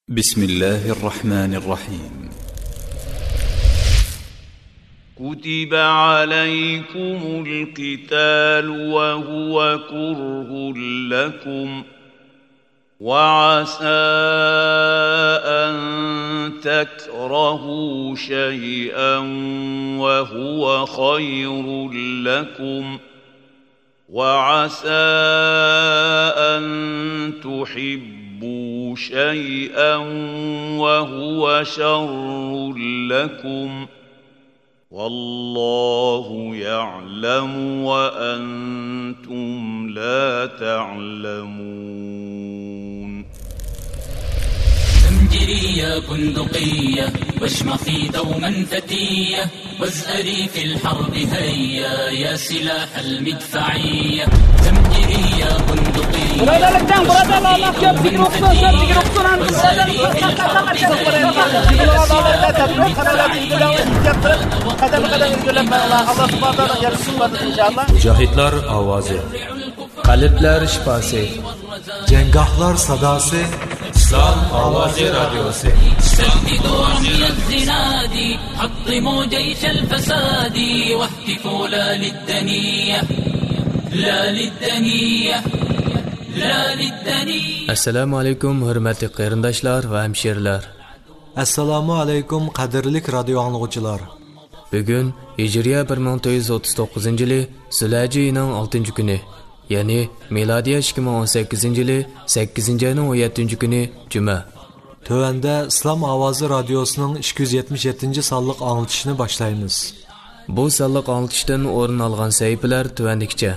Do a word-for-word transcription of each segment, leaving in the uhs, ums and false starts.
بسم الله الرحمن الرحيم. كتب عليكم القتال وهو كره لكم، وعسى أن تكرهوا شيئا وهو خير لكم، وعسى أن تحبوا شيئا وهو شر لكم، والله يعلم وأنتم لا تعلمون. زمجرية بندقية، واشمخي دوما فتية، وازأري في الحرب هيا، يا سلاح المدفعية. زمجرية بندقية، Biradar, biradar, Allah köp zikir okusun, köp zikir okusun, وازأري في الحرب هيا. قەدەممۇ قەدەم ئىلگىرىلەپ مېڭىڭلار. ئاللا سۇبھانەھۇ ۋە تائالا ياردىمى بار، ئىنشائاللا. مۇجاھىدلار ئاۋازى. قەلبلەر شىپاسى. جەڭگاھلار ساداسى. ئىسلام ئاۋازى رادىيوسى. سددوا رمي الزناد، حطموا جيش الفساد، واهتفوا لا للدنية، لا للدنية، لا للدنية. ئەسسالامۇ ئەلەيكۇم، ھۆرمەتلىك قېرىنداشلار ۋە ھەمشىرىلەر. ئەسسالامۇ ئەلەيكۇم، قەدىرلىك رادىيو ئاڭلىغۇچىلار. بۈگۈن ھىجرىيە بىر مىڭ تۆت يۈز ئوتتۇز توققۇزىنچى يىلى زۇلھەججە ئېيىنىڭ ئالتىنچى كۈنى، يەنى مىلادىيە ئىككى مىڭ ئون سەككىزىنچى يىلى سەككىزىنچى ئاينىڭ ئون يەتتىنچى كۈنى جۈمە. تۆۋەندە ئىسلام ئاۋازى رادىيوسىنىڭ ئىككى يۈز يەتمىش يەتتىنچى سانلىق ئاڭلىتىشىنى باشلايمىز. بۇ سانلىق ئاڭلىتىشتىن ئورۇن ئالغان سەھىپىلەر تۆۋەندىكىچە.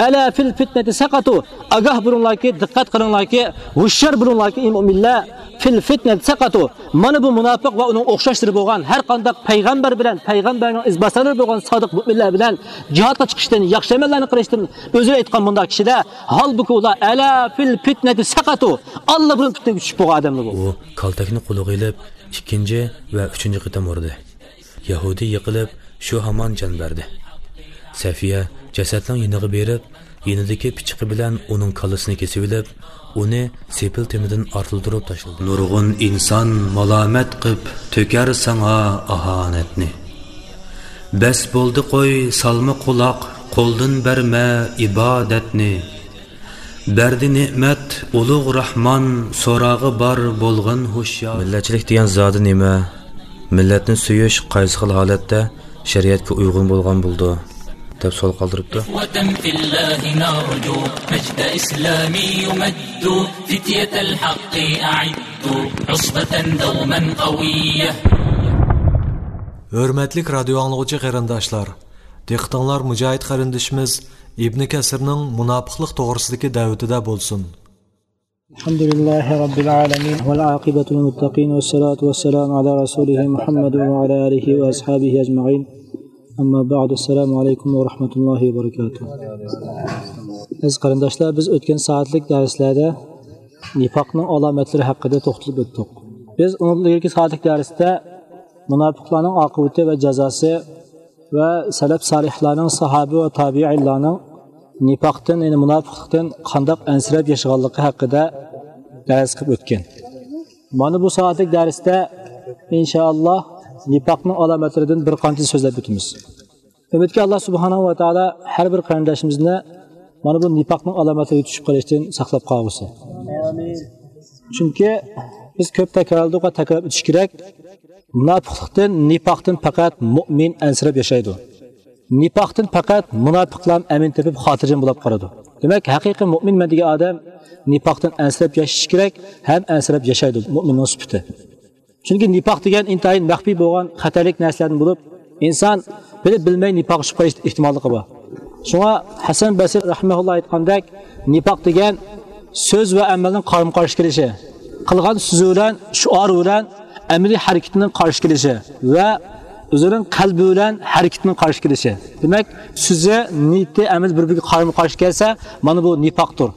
ئەلا فىل فىتنەتى سەقەتۇ. ئاگاھ بولۇڭلاركى، دىققەت قىلىڭلاركى، ھوشيار بولۇڭلاركى، ئى مۇئمىنلەر. فىل فىتنەتى سەقەتۇ. مانا بۇ مۇناپىق ۋە ئۇنىڭ ئوخشاشلىرى بولغان ھەر قانداق پەيغەمبەر بىلەن، پەيغەمبەرنىڭ ئىزباسارلىرى بولغان سادىق مۇئمىنلەر بىلەن جىھادقا چىقىشتىن، ياخشى ئەمەللەرنى قىلىشتىن ئۆزى ئېيتقان مۇنداق كىشىلەر، ھالبۇكى ئۇلار ئەلا فىل فىتنەتى سەقەتۇ. ئاللىبۇرۇن پىتنىگە چۈشۈپ بولغان ئادەملەر بۇ. ئۇ كالتەكنى قولىغا ئېلىپ، ئىككىنچى ۋە ئۈچىنچى قېتىم ئۇردى. يەھۇدىي يىقىلىپ، شۇ ھامان جان بەردى. سەفىيە جەسەتنىڭ يېنىغا بېرىپ، يېنىدىكى پىچىقى بىلەن ئۇنىڭ كاللىسىنى كېسىۋېلىپ، ئۇنى سېپىل تېمىدىن ئارتىلدۇرۇپ تاشلىدى. نۇرغۇن ئىنسان مالامەت قىپ تۆكەر ساڭا ئاھانەتنى. بەس بولدى قوي، سالما قۇلاق، قولدىن بەرمە ئىبادەتنى. بەردى نېمەت ئۇلۇغ راھمان، سوراغى بار بولغىن ھوشيار. مىللەتچىلىك دېگەن زادى نېمە؟ مىللەتنى سۆيۈش قايسى خىل ھالەتتە شەرىئەتكە ئۇيغۇن بولغان بولىدۇ؟ دەپ سوئال قالدۇرۇپتۇ. إخوة في الله نرجو مجد إسلام يمد، فتية الحق أعدوا عصبة دوما قوية. ھۆرمەتلىك رادىيو ئاڭلىغۇچى قېرىنداشلار، دىققىتىڭلار مۇجاھىد قېرىندىشىمىز ئىبنى كەسىرنىڭ مۇناپىقلىق توغرىسىدىكى دەۋىتىدە بولسۇن. الحمد لله رب العالمين، والعاقبة للمتقين، والصلاة والسلام على رسوله محمد وعلى آله وأصحابه أجمعين. أما بعد، السلام عليكم ورحمة الله وبركاته. ئەزىز قېرىنداشلار، بىز ئۆتكەن سائەتلىك دەرسلەردە نىپاقنىڭ ئالامەتلىرى ھەققىدە توختىلىپ ئۆتتۇق. بىز ئۇنىڭدىن ئىلگىرىكى سائەتلىك دەرستە مۇناپىقلارنىڭ ئاقىۋىتى ۋە جازاسى ۋە سەلەپ سالىھلارنىڭ، ساھابە ۋە تابىئىنلارنىڭ نىپاقتىن، يەنى مۇناپىقلىقتىن قانداق ئەنسىرەپ ياشىغانلىقى ھەققىدە دەرس قىلىپ ئۆتكەن. مانا بۇ سائەتلىك دەرستە، ئىنشائاللا، نىپاقنىڭ ئالامەتلىرىدىن بىر قانچىنى سۆزلەپ ئۆتىمىز. ئۈمىدكى، ئاللا سۇبھانەھۇ ۋە تائالا ھەر بىر قېرىنداشىمىزنى مانا بۇ نىپاقنىڭ ئالامەتلىرىگە چۈشۈپ قېلىشتىن ساقلاپ قالغۇسى. چۈنكى بىز كۆپ تەكرارلىدۇق ۋە تەكرارلاپ ئۆتۈش كېرەك. مۇناپىقلىقتىن، نىپاقتىن پەقەت مۇئمىن ئەنسىرەپ ياشايدۇ. نىپاقتىن پەقەت مۇناپىقلار ئەمىن تېپىپ، خاتىرجەم بولاپ قالىدۇ. دېمەك، ھەقىقىي مۇئمىنمەن دېگەن ئادەم نىپاقتىن ئەنسىرەپ ياشىشى كېرەك ھەم ئەنسىرەپ ياشايدۇ، مۇئمىننىڭ سۈپىتى. چۈنكى نىپاق دېگەن ئىنتايىن مەخپىي بولغان خەتەرلىك نەرسىلەردىن بولۇپ، ئىنسان بىلىپ بىلمەي نىپاققا چۈشۈپ قېلىش ئېھتىماللىقى بار. شۇڭا ھەسەن بەسرى رەھىمەھۇللا ئېيتقاندەك، نىپاق دېگەن سۆز ۋە ئەمەلنىڭ قارىمۇ قارشى كېلىشى، قىلغان سۆزى بىلەن، شوئارى بىلەن ئەمەلىي ھەرىكىتىنىڭ قارشى كېلىشى ۋە ئۆزىنىڭ قەلبى بىلەن ھەرىكىتىنىڭ قارشى كېلىشى. دېمەك، سۆزى، نىيىتى، ئەمەل بىر-بىرىگە قارىمۇ قارشى كەلسە، مانا بۇ نىپاقتۇر.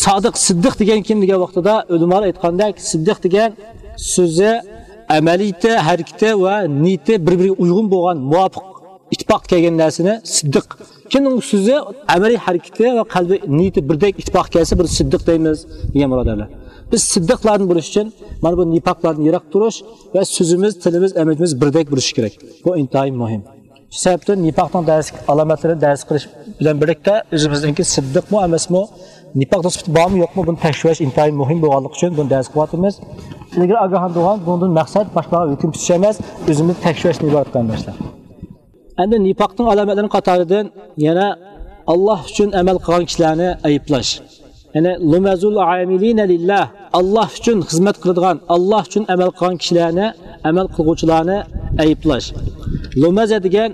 سادىق، سىددىق دېگەن كىم دېگەن ۋاقتىدا، ئۆلىمالار ئېيتقاندەك، سىددىق دېگەن سۆزى، ئەمەلىيىتى، ھەرىكىتى ۋە نىيىتى بىر-بىرىگە ئۇيغۇن بولغان، مۇۋاپىق، ئىتتىپاق كەلگەن نەرسىنى سىددىق. كىمنىڭ سۆزى، ئەمەلىي ھەرىكىتى ۋە قەلبى، نىيىتى بىردەك، ئىتتىپاق كەلسە، بۇنى سىددىق دەيمىز، دېگەن بۇرادەرلەر. بىز سىددىقلاردىن بولۇش ئۈچۈن مانا بۇ نىپاقلاردىن يىراق تۇرۇش ۋە سۆزىمىز، تىلىمىز، ئەمىلىمىز بىردەك بولۇشى كېرەك. بۇ ئىنتايىن مۇھىم. شۇ سەۋەبتىن نىپاقنىڭ دەرس، ئالامەتلىرىنى دەرس قىلىش بىلەن بىرلىكتە ئۆزىمىزنىڭكى سىددىقمۇ ئەمەسمۇ، نىپاقنىڭ سۈپىتى بارمۇ يوقمۇ، بۇنى تەكشۈرۈش ئىنتايىن مۇھىم بولغانلىقى ئۈچۈن بۇنى دەرس قىلىۋاتىمىز. ئىلگىرى ئاگاھلاندۇرغان، بۇنىڭدىن مەقسەت باشقىلارغا ھۆكۈم پۈتۈش ئەمەس، ئۆزىمىزنى تەكشۈرۈشتىن ئىبارەت، قېرىنداشلار. ئەمدى نىپاقنىڭ ئالامەتلىرىنىڭ قاتارىدىن يەنە ئاللاھ ئۈچۈن ئەمەل قىلغان كىشىلەرنى ئەيىبلەش. يەنى لۇمەزۇل ئامىلىنە لىللاھ، ئاللاھ ئۈچۈن خىزمەت قىلىدىغان، ئاللاھ ئۈچۈن ئەمەل قىلغان كىشىلەرنى، ئەمەل قىلغۇچىلارنى ئەيىبلەش. لۇمەزە دېگەن،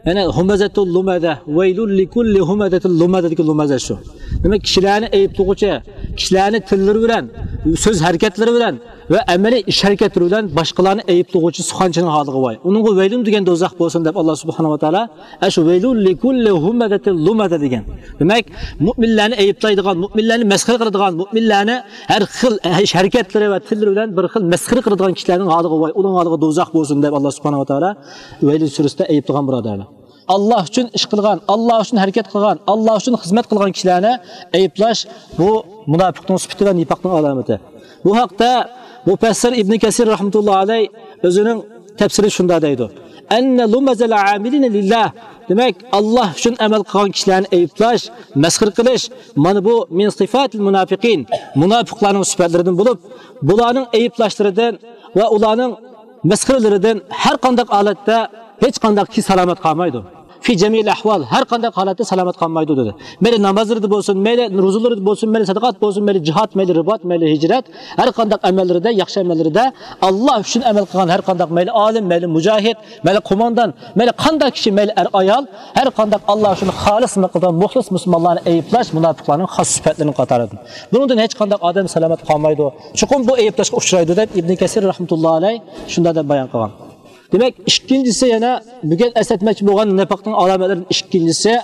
يەنى ھۇمەزەتۇل لۇمەزە، ۋەيلۇل لىكۇللى ھۇمەزەتىل لۇمەزە دېگەن لۇمەزە شۇ. دېمەك، كىشىلەرنى ئەيىبلىغۇچى، كىشىلەرنى تىللىرى بىلەن، سۆز ھەرىكەتلىرى بىلەن ۋە ئەمەلىي ئىش ھەرىكەتلىرى بىلەن باشقىلارنى ئەيىبلىغۇچى سۇخەنچىنىڭ ھالىغا ۋاي. ئۇنىڭغا ۋەيلۇن دېگەن دوزاخ بولسۇن دەپ ئاللاھ سۇبھانەھۇ ۋە تائالا ئەشۇ ۋەيلۇن لىكۇللى ھۇمەزەتىل لۇمەزە دېگەن. دېمەك، مۇئمىنلارنى ئەيىبلەيدىغان، مۇئمىنلارنى مەسخىرە قىلىدىغان، مۇئمىنلارنى ھەر خىل ئىش ھەرىكەتلىرى ۋە تىللىرى بىلەن بىر خىل مەسخىرە قىلىدىغان كىشىلەرنىڭ ھالىغا ۋاي، ئۇنىڭ ھالىغا دوزاخ بولسۇن دەپ ئاللاھ سۇبھانەھۇ ۋە تائالا ۋەيلۇن سۈرىسىدە ئەيىبلىغان، بۇرادەرلەر. ئاللاھ ئۈچۈن ئىش قىلغان، ئاللاھ ئۈچۈن ھەرىكەت قىلغان، ئاللاھ ئۈچۈن خىزمەت قىلغان كىشىلەرنى ئەيىبلەش، بۇ مۇناپىقنىڭ سۈپىتى ۋە نىپاقنىڭ ئالامىتى. بۇ ھەقتە مۇپەسسىر ئىبنى كەسىر رەھمەتۇللاھى ئەلەيھ ئۆزىنىڭ تەپسىرى شۇنداق دەيدۇ: ئەننە لۇمەزەل ئامىلىنە لىللاھ. دېمەك، ئاللاھ ئۈچۈن ئەمەل قىلغان كىشىلەرنى ئەيىبلەش، مەسخىرە قىلىش، مانا بۇ مىن سىفاتىل مۇناپىقىن، مۇناپىقلارنىڭ سۈپەتلىرىدىن بولۇپ، بۇلارنىڭ ئەيىبلاشلىرىدىن ۋە ئۇلارنىڭ مەسخىرىلىرىدىن ھەر قانداق ھالەتتە ھېچ قانداق كىشى سالامەت قالمايدۇ. في جميع الأحوال، ھەر قانداق ھالەتتە سالامەت قالمايدۇ دېدى. مەيلى نامازلىرىدا بولسۇن، مەيلى روزىلىرىدا بولسۇن، مەيلى سەدىقات بولسۇن، مەيلى جىھاد، مەيلى رىبات، مەيلى ھىجرەت، ھەر قانداق ئەمەللىرىدە، ياخشى ئەمەللىرىدە، ئاللاھ ئۈچۈن ئەمەل قىلغان ھەر قانداق، مەيلى ئالىم، مەيلى مۇجاھىد، مەيلى قوماندان، مەيلى قانداق كىشى، مەيلى ئەر-ئايال، ھەر قانداق ئاللاھ ئۈچۈن خالىس ئەمەل قىلىدىغان مۇخلىس مۇسۇلمانلارنى ئەيىبلەش مۇناپىقلارنىڭ خاس سۈپەتلىرىنىڭ قاتارىدىن. بۇنىڭدىن ھېچ قانداق ئادەم سالامەت قالمايدۇ. چوقۇم بۇ ئەيىبلەشكە ئۇچرايدۇ دەپ ئىبنى كەسىر رەھمەتۇللاھى ئەلەيھ شۇنداق دەپ بايان قىلغان. دېمەك، ئىككىنچىسى، يەنە بۈگۈن ئەسلەتمەكچى بولغان نىپاقنىڭ ئالامەتلىرىدىن ئىككىنچىسى،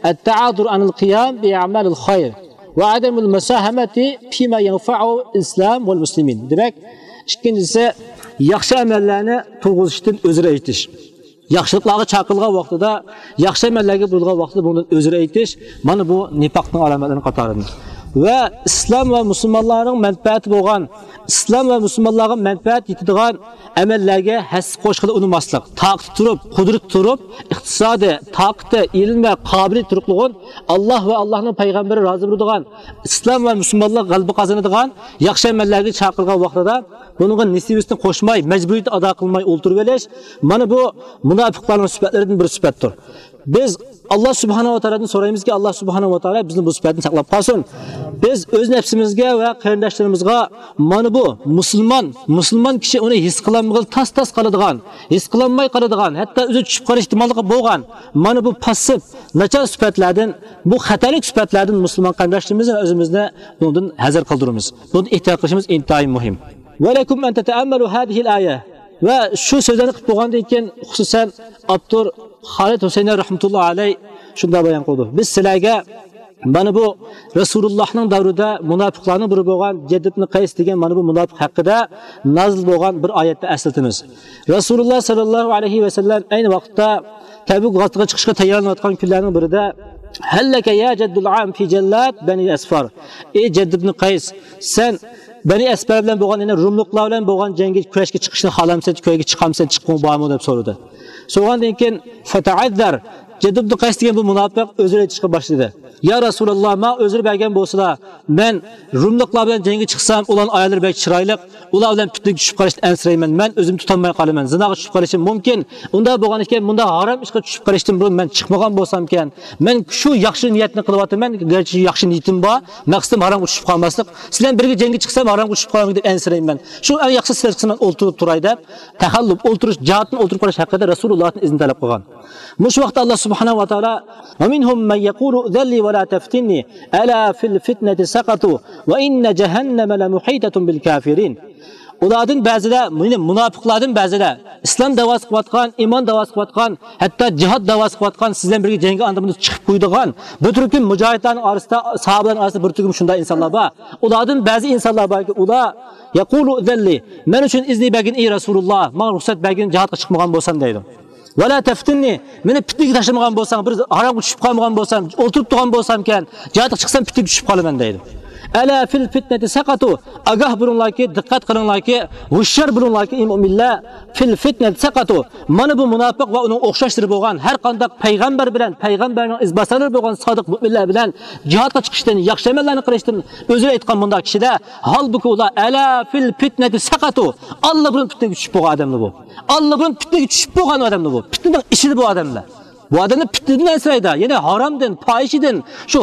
التعاذر عن القيام بأعمال الخير وعدم المساهمة فيما ينفع الإسلام والمسلمين. دېمەك، ئىككىنچىسى، ياخشى ئەمەللەرنى تۇرغۇزۇشتىن ئۆزرە ئېيتىش. ياخشىلىقلارغا چاقىرىلغان ۋاقتىدا، ياخشى ئەمەللەرگە بۇيرۇلغان ۋاقتىدا بۇنىڭدىن ئۆزرە ئېيتىش، مانا بۇ نىپاقنىڭ ئالامەتلىرىنىڭ قاتارىدىن. ۋە ئىسلام ۋە مۇسۇلمانلارنىڭ مەنپەئەتى بولغان، ئىسلام ۋە مۇسۇلمانلارغا مەنپەئەت يېتىدىغان ئەمەللەرگە ھەسسە قوشقىلى ئۇنىماسلىق. تاقىتى تۇرۇپ، قۇدرىتى تۇرۇپ، ئىقتىسادى، تاقىتى، ئىلمى ۋە قابىلىيىتى تۇرۇقلۇغۇن، ئاللاھ ۋە ئاللاھنىڭ پەيغەمبىرى رازى بولىدىغان، ئىسلام ۋە مۇسۇلمانلار غەلىبە قازىنىدىغان ياخشى ئەمەللەرگە چاقىرغان ۋاقتىدا بۇنىڭغا نېسىۋىسىنى قوشماي، مەجبۇرىيىتىنى ئادا قىلماي ئولتۇرۇۋېلىش، مانا بۇ مۇناپىقلارنىڭ سۈپەتلىرىدىن بىر سۈپەتتۇر. بىز ئاللاھ سۇبھانەھۇ ۋە تائالادىن سورايمىزكى، ئاللاھ سۇبھانەھۇ ۋە تائالا بىزنى بۇ سۈپەتتىن ساقلاپ قالسۇن. بىز ئۆز نەپسىمىزگە ۋە قېرىنداشلىرىمىزغا مانا بۇ مۇسۇلمان، مۇسۇلمان كىشى ئۇنى ھېس قىلالمىغىلى تاس-تاس قالىدىغان، ھېس قىلالماي قالىدىغان، ھەتتا ئۆزى چۈشۈپ قېلىش ئېھتىماللىقى بولغان مانا بۇ پاسسىپ، ناچار سۈپەتلەردىن، بۇ خەتەرلىك سۈپەتلەردىن مۇسۇلمان قېرىنداشلىرىمىزنى ۋە ئۆزىمىزنى بۇنىڭدىن ھەزەر قىلدۇرىمىز. بۇنىڭدىن ئېھتىيات قىلىشىمىز ئىنتايىن مۇھىم. ولكم أن تتأملوا هذه الآية. ۋە شۇ سۆزلەرنى قىلىپ بولغاندىن كېيىن، خۇسۇسەن ئاپتور خالىد ھۈسەينى رەھمەتۇللاھى ئەلەيھ شۇنداق بايان قىلدى: بىز سىلەرگە مانا بۇ رەسۇلۇللاھنىڭ دەۋرىدە مۇناپىقلارنىڭ بىرى بولغان جەدد ئىبنى قەيس دېگەن مانا بۇ مۇناپىق ھەققىدە نازىل بولغان بىر ئايەتنى ئەسلىتىمىز. رەسۇلۇللاھ سەللەللاھۇ ئەلەيھى ۋەسەللەم ئەينى ۋاقىتتا تەبۇك غازىتىغا چىقىشقا تەييارلىنىۋاتقان كۈنلەرنىڭ بىرىدە، هل لك يا جد العام في جلاد بني أسفر. ئى جەدد ئىبنى قەيس، سەن بەنى ئەسپەر بىلەن بولغان، يەنى روملۇقلار بىلەن بولغان جەڭگە، كۈرەشكە چىقىشنى خالامسەن، كۈرەشكە چىقامسەن، چىققۇڭ بارمۇ دەپ سورىدى. سورىغاندىن كېيىن، فتعذر، جەدد ئىبنى قەيس دېگەن بۇ مۇناپىق ئۆزرە ئېيتىشقا باشلىدى. يا رەسۇلاللاھ، ماڭا ئۆزرە بەرگەن بولسىلا، مەن روملۇقلار بىلەن جەڭگە چىقسام، ئۇلارنىڭ ئاياللىرى بەك چىرايلىق، ئۇلار بىلەن پىتنىگە چۈشۈپ قېلىشتىن ئەنسىرەيمەن، مەن ئۆزۈمنى تۇتالماي قالىمەن، زىناغا چۈشۈپ قېلىشىم مۇمكىن. ئۇنداق بولغان ئىكەن، مۇنداق ھارام ئىشقا چۈشۈپ قېلىشتىن بۇرۇن مەن چىقمىغان بولسامكەن، مەن شۇ ياخشى نىيەتنى قىلىۋاتىمەن، گەرچە ياخشى نىيىتىم بار، مەقسىتىم ھارامغا چۈشۈپ قالماسلىق، سىلەر بىلەن بىرگە جەڭگە چىقسام ھارامغا چۈشۈپ قالامدىكىن دەپ ئەنسىرەيمەن. شۇ ئەڭ ياخشى سىلەر چىقسا مەن ئولتۇرۇپ تۇراي دەپ، تەخەللۇپ، ئولتۇرۇش، جىھادتىن ئولتۇرۇپ قېلىش ھەققىدە رەسۇلۇللاھتىن ئىزىن تەلەپ قىلغان. مۇشۇ ۋاقىتتا ئاللاھ سۇبھانەھۇ ۋە تائالا، ومنهم من يقول ائذن لي ولا تفتني ألا في الفتنة سقطوا وإن جهنم لمحيطة بالكافرين. ئۇلاردىن بەزىلەر، يەنى مۇناپىقلاردىن بەزىلەر، ئىسلام دەۋاسى قىلىۋاتقان، ئىمان دەۋاسى قىلىۋاتقان، ھەتتا جىھاد دەۋاسى قىلىۋاتقان، سىز بىلەن بىرگە جەڭگە ئاندىن بۇندىن چىقىپ قويىدىغان، بىر تۈركۈم مۇجاھىدلارنىڭ ئارىسىدا، ساھابىلەرنىڭ ئارىسىدا بىر تۈركۈم شۇنداق ئىنسانلار بار. ئۇلاردىن بەزى ئىنسانلار باركى، ئۇلار يقول ائذن لي، مەن ئۈچۈن ئىزنى بەرگىن، ئەي رەسۇلۇللاھ، ماڭا رۇخسەت بەرگىن، جىھادقا چىقمىغان بولسام دەيدۇ. ولا تفتني، مېنى پىتنىگە تاشلىمىغان بولساڭ، بىر ھارامغا چۈشۈپ قالمىغان بولسام، ئولتۇرۇپ تۇرغان بولسامكەن، جىھادقا چىقسام پىتنىگە چۈشۈپ قالىمەن دەيدۇ. ئەلا فىل فىتنەتى سەقەتۇ. ئاگاھ بولۇڭلاركى، دىققەت قىلىڭلاركى، ھوشيار بولۇڭلاركى، ئەي مۆمىنلەر. فىل فىتنەتى سەقەتۇ. مانا بۇ مۇناپىق ۋە ئۇنىڭ ئوخشاشلىرى بولغان، ھەر قانداق پەيغەمبەر بىلەن، پەيغەمبەرنىڭ ئىزباسارلىرى بولغان سادىق مۆمىنلەر بىلەن جىھادقا چىقىشتىن، ياخشى ئەمەللەرنى قىلىشتىن ئۆزرە ئېيتقان مۇنداق كىشىلەر، ھالبۇكى، ئۇلار ئەلا فىل فىتنەتى سەقەتۇ، ئاللىبۇرۇن پىتنىگە چۈشۈپ بولغان ئادەملەر بۇ. ئاللىبۇرۇن پىتنىگە چۈشۈپ بولغان ئادەملەر بۇ. پىتنىنىڭ ئىچىدە بۇ ئادەملەر. بۇ ئادەملەر پىتنىدىن ئەنسىرەيدۇ، يەنى ھارامدىن، پاھىشىدىن، شۇ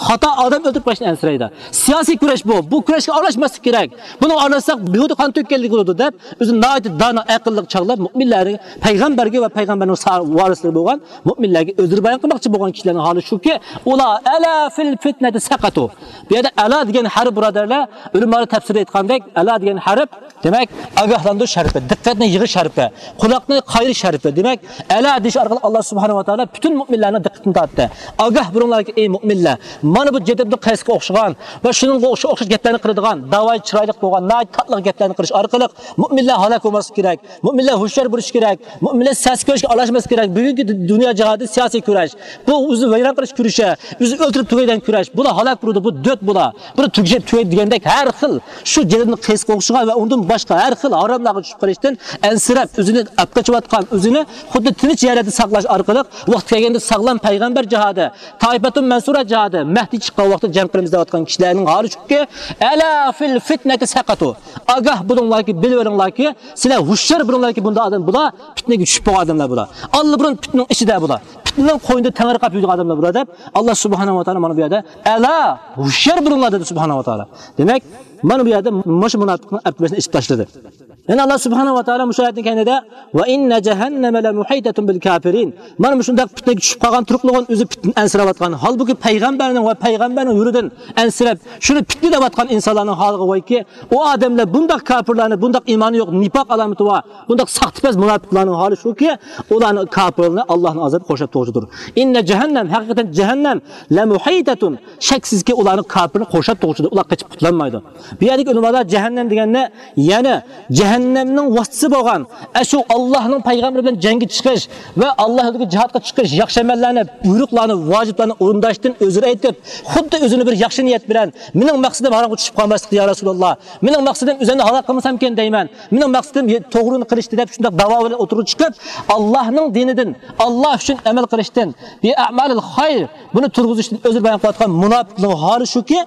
خاتا ئادەم ئۆلتۈرۈپ قويۇشتىن ئەنسىرەيدۇ. سىياسىي كۈرەش بۇ. بۇ كۈرەشكە ئارىلاشماسلىق كېرەك. بۇنىڭغا ئارىلاشساق بىھۇدە قان تۆككەنلىك بولىدۇ دەپ، ئۆزىنى ناھايىتى دانا، ئەقىللىق چاغلاپ، مۆمىنلەرگە، پەيغەمبەرگە ۋە پەيغەمبەرنىڭ سا-، ۋارىسلىرى بولغان مۆمىنلەرگە ئۆزرە بايان قىلماقچى بولغان كىشىلەرنىڭ ھالى شۇكى، ئۇلار ئەلا فىل فىتنەتى سەقەتۇ. بۇ يەردە ئەلا دېگەن ھەرپ، بۇرادەرلەر، ئۆلىمالار تەپسىرىدە ئېيتقاندەك، ئەلا دېگەن ھەرپ، دېمەك، ئاگاھلاندۇرۇش ھەرپى، دىققەتنى يىغىش ھەرپى، قۇلاقنى قايىرىش ھەرپى. دېمەك، ئەلا دېيىش ئارقىلىق ئاللا سۇبھانەھۇ ۋە تائالا پۈتۈن مۆمىنلەرنىڭ دىققىتىنى تارتتى. ئاگاھ بولۇڭلاركى، ئەي مۆمىنلەر، مانا بۇ جەدىدنىڭ قەيسىگە ئوخشىغان ۋە شۇنىڭغا ئوخشاش، ئوخشاش گەپلەرنى قىلىدىغان، داۋايى چىرايلىق بولغان، ناھايىتى تاتلىق گەپلەرنى قىلىش ئارقىلىق مۆمىنلەر ھالاك بولماسلىقى كېرەك. مۆمىنلەر ھوشيار بولۇشى كېرەك. مۆمىنلەر سىياسىي كۈرەشكە ئارىلاشماسلىقى كېرەك. بۈگۈنكى دۇ-، دۇنيا جىھادى سىياسىي كۈرەش. بۇ ئۆزىنى ۋەيران قىلىش كۈرىشى، ئۆزىنى ئۆلتۈرۈپ تۈگەيدىغان كۈرەش. بۇلار ھالاك بولىدۇ، بۇ دۆت بۇلار. بۇنى تۈگىشەپ تۈگەيدۇ دېگەندەك ھەر خىل شۇ جەدىدنىڭ قەيسىگە ئوخشىغان ۋە ئۇندىن باشقا ھەر خىل ھاراملارغا چۈشۈپ قېلىشتىن ئەنسىرەپ، ئۆزىنى ئەپ قېچىۋاتقان، ئۆزىنى خۇددى تىنچ يەرلەردە ساقلاش ئارقىلىق ۋاقتى كەلگەندە ساغلام پەيغەمبەر جىھادى، تائىپەتۇن مەنسۇرا جىھادى، مەھدى چىققان ۋاقتىدا جەڭ قىلىمىز دەۋاتقان كىشىلەرنىڭ ھالى شۇكى، ئەلا فىل فىتنەتى سەقەتۇ. ئاگاھ بولۇڭلاركى، بىلىۋېلىڭلاركى، سىلەر ھوشيار بولۇڭلاركى، بۇنداق ئادەم بۇلار پىتنىگە چۈشۈپ بولغان ئادەملەر بۇلار. ئاللىبۇرۇن پىتنىنىڭ ئىچىدە بۇلار. پىتنىنىڭ قوينىدا تەڭرىقاپ يۈرگەن ئادەملەر بۇلار دەپ، ئاللا سۇبھانەھۇ ۋە تائالا مانا بۇ يەردە، ئەلا، ھوشيار بولۇڭلار دېدى سۇبھانەھۇ ۋە تائالا. دېمەك، مانا بۇ يەردە مۇشۇ مۇناپىقنىڭ ئەپلىمىسىنى ئېچىپ تاشلىدى. يەنە ئاللا سۇبھانەھۇ ۋە تائالا مۇشۇ ئايەتنىڭ كەينىدە، ۋە ئىننە جەھەننەمە لەمۇھىتەتۇن بىل كافىرىن. مانا مۇشۇنداق پىتنىگە چۈشۈپ قالغان تۇرۇقلۇقىن ئۆزى پىتنىدىن ئەنسىرەۋاتقان، ھالبۇكى پەيغەمبەرنىڭ ۋە پەيغەمبەرنىڭ يولىدىن ئەنسىرەپ، شۇنى پىتنە دەۋاتقان ئىنسانلارنىڭ ھالىغا ۋايكى، ئۇ ئادەملەر بۇنداق كاپىرلارنى، بۇنداق ئىمانى يوق، نىپاق ئالامىتى بار، بۇنداق ساختىپەز مۇناپىقلارنىڭ ھالى شۇكى، ئۇلارنى، كاپىرلارنى ئاللانىڭ ئازابى قورشاپ تۇرغۇچىدۇر. ئىننە جەھەننەم، ھەقىقەتەن جەھەننەم، لەمۇھىتەتۇن، شەكسىزكى، ئۇلارنى، كاپىرنى قورشاپ تۇرغۇچىدۇر، ئۇلار قېچىپ قۇتۇلالمايدۇ. بۇ يەردىكى ئۆلىمالار جەھەننەم دېگەننى، يەنى جەھەننەمنىڭ ۋاسىتىسى بولغان، ئەشۇ ئاللانىڭ پەيغەمبىرى بىلەن جەڭگە چىقىش ۋە ئاللا يولىدىكى جىھادقا چىقىش، ياخشى ئەمەللەرنى، بۇيرۇقلارنى، ۋاجىپلارنى ئورۇنداشتىن ئۆزرە ئېيتىپ، خۇددى ئۆزىنى بىر ياخشى نىيەت بىلەن، مېنىڭ مەقسىتىم ھارامغا چۈشۈپ قالماسلىق، يا رەسۇلاللا، مېنىڭ مەقسىتىم ئۆزۈمنى ھالاك قىلمىسامكەن دەيمەن، مېنىڭ مەقسىتىم توغرىنى قىلىشتى دەپ شۇنداق داۋا بىلەن ئوتتۇرىغا چىقىپ، ئاللانىڭ دىنىدىن، ئاللا ئۈچۈن ئەمەل قىلىشتىن، بىئەمالىل خەير، بۇنى تۇرغۇزۇشتىن ئۆزى بايان قىلىۋاتقان مۇناپىقنىڭ ھالى شۇكى،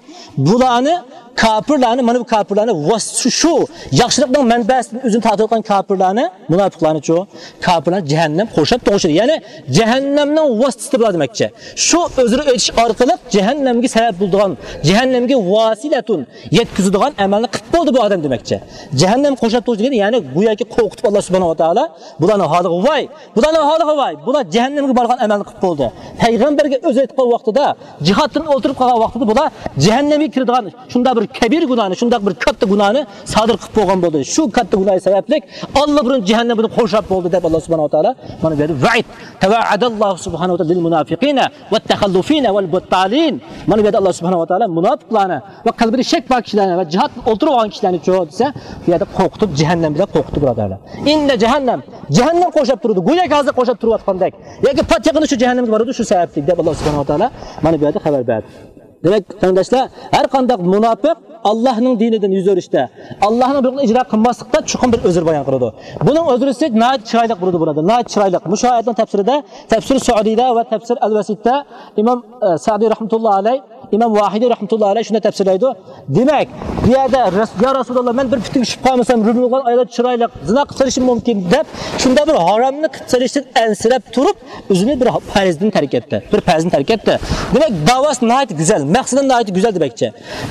بۇلارنى، كاپىرلارنى، مانا بۇ كاپىرلارنى ۋاس-، شۇ ياخشىلىقنىڭ مەنبەسىدىن ئۆزىنى تارتىۋاتقان كاپىرلارنى، مۇناپىقلارنىچۇ، كاپىرلارنى جەھەننەم قورشاپ تۇرغۇچىدۇر. يەنى جەھەننەمنىڭ ۋاسىتىسى بۇلار دېمەكچى. شۇ ئۆزرە ئېيتىش ئارقىلىق جەھەننەمگە سەۋەب بولىدىغان، جەھەننەمگە ۋاسىلەتۇن، يەتكۈزىدىغان ئەمەلنى قىلىپ بولدى بۇ ئادەم دېمەكچى. جەھەننەم قورشاپ تۇرغۇچى دېگەن، يەنى گوياكى قورقۇتۇپ ئاللا سۇبھانەھۇ ۋە تائالا بۇلارنىڭ ھالىغا ۋاي، بۇلارنىڭ ھالىغا ۋاي، بۇلار جەھەننەمگە بارغان ئەمەلنى قىلىپ بولدى. پەيغەمبەرگە ئۆزى ئېيتقان ۋاقتىدا، جىھادتىن ئولتۇرۇپ قالغان ۋاقتىدا بۇلار جەھەننەمگە كىرىدىغان شۇنداق بىر كەبىرە گۇناھنى، شۇنداق بىر كاتتا گۇناھنى سادىر قىلىپ بولغان بولدى. شۇ كاتتا گۇناھى سەۋەبلىك ئاللىبۇرۇن جەھەننەم بۇنى قورشاپ بولدى دەپ ئاللا سۇبھانەھۇ ۋە تائالا مانا بۇ يەردە ۋەئىد. تەۋەئەدەللاھۇ سۇبھانەھۇ ۋە تائالا لىل مۇنافىقىنە ۋەت تەخەللۇفىنە ۋەل بۇتتالىن. مانا بۇ يەردە ئاللا سۇبھانەھۇ ۋە تائالا مۇناپىقلارنى ۋە قەلبىدە شەك بار كىشىلەرنى ۋە جىھادتىن ئولتۇرۇپ قالغان كىشىلەرنىچۇ دېسە، بۇ يەردە قورقۇتۇپ، جەھەننەم بىلەن قورقۇتتى، بۇرادەرلەر. ئىننە جەھەننەم، جەھەننەم قورشاپ تۇرىدۇ. گوياكى ھازىر قورشاپ تۇرۇۋاتقاندەك. ياكى پات يېقىندا شۇ جەھەننەمگە بارىدۇ، شۇ سەۋەبلىك دەپ ئاللا سۇبھانەھۇ ۋە تائالا مانا بۇ يەردە خەۋەر بەردى. دېمەك، قېرىنداشلار، ھەر قانداق مۇناپىق ئاللانىڭ دىنىدىن يۈز ئۆرۈشتە، ئاللانىڭ بۇيرۇقىنى ئىجرا قىلماسلىقتا چوقۇم بىر ئۆزرە بايان قىلىدۇ. بۇنىڭ ئۆزرىسى ناھايىتى چىرايلىق بولىدۇ، بۇرادەر. ناھايىتى چىرايلىق. مۇشۇ ئايەتنىڭ تەپسىرىدە، تەپسىر سەئدىدە ۋە تەپسىر ئەل ۋەسىتتە ئىمام، ئە، سەئدى رەھمەتۇللا ئەلەيھ، ئىمام ۋاھىدى رەھمەتۇللا ئەلەيھ شۇنداق تەپسىرلەيدۇ. دېمەك، بۇ يەردە رەس-، يا رەسۇلاللا، مەن بىر پىتنىگە چۈشۈپ قالمىسام، رۇمىلىغان ئاياللار چىرايلىق، زىنا قىلىپ سېلىشىم مۇمكىن دەپ، شۇنداق بىر ھارامنى قىلىپ سېلىشتىن ئەنسىرەپ تۇرۇپ، ئۆزىنى بىر پەرزدىن تەرك ئەتتى. بىر پەرزنى تەرك ئەتتى. دېمەك، داۋاسى ناھايىتى گۈزەل، مەقسىتى ناھايىتى گۈزەل دېمەكچى.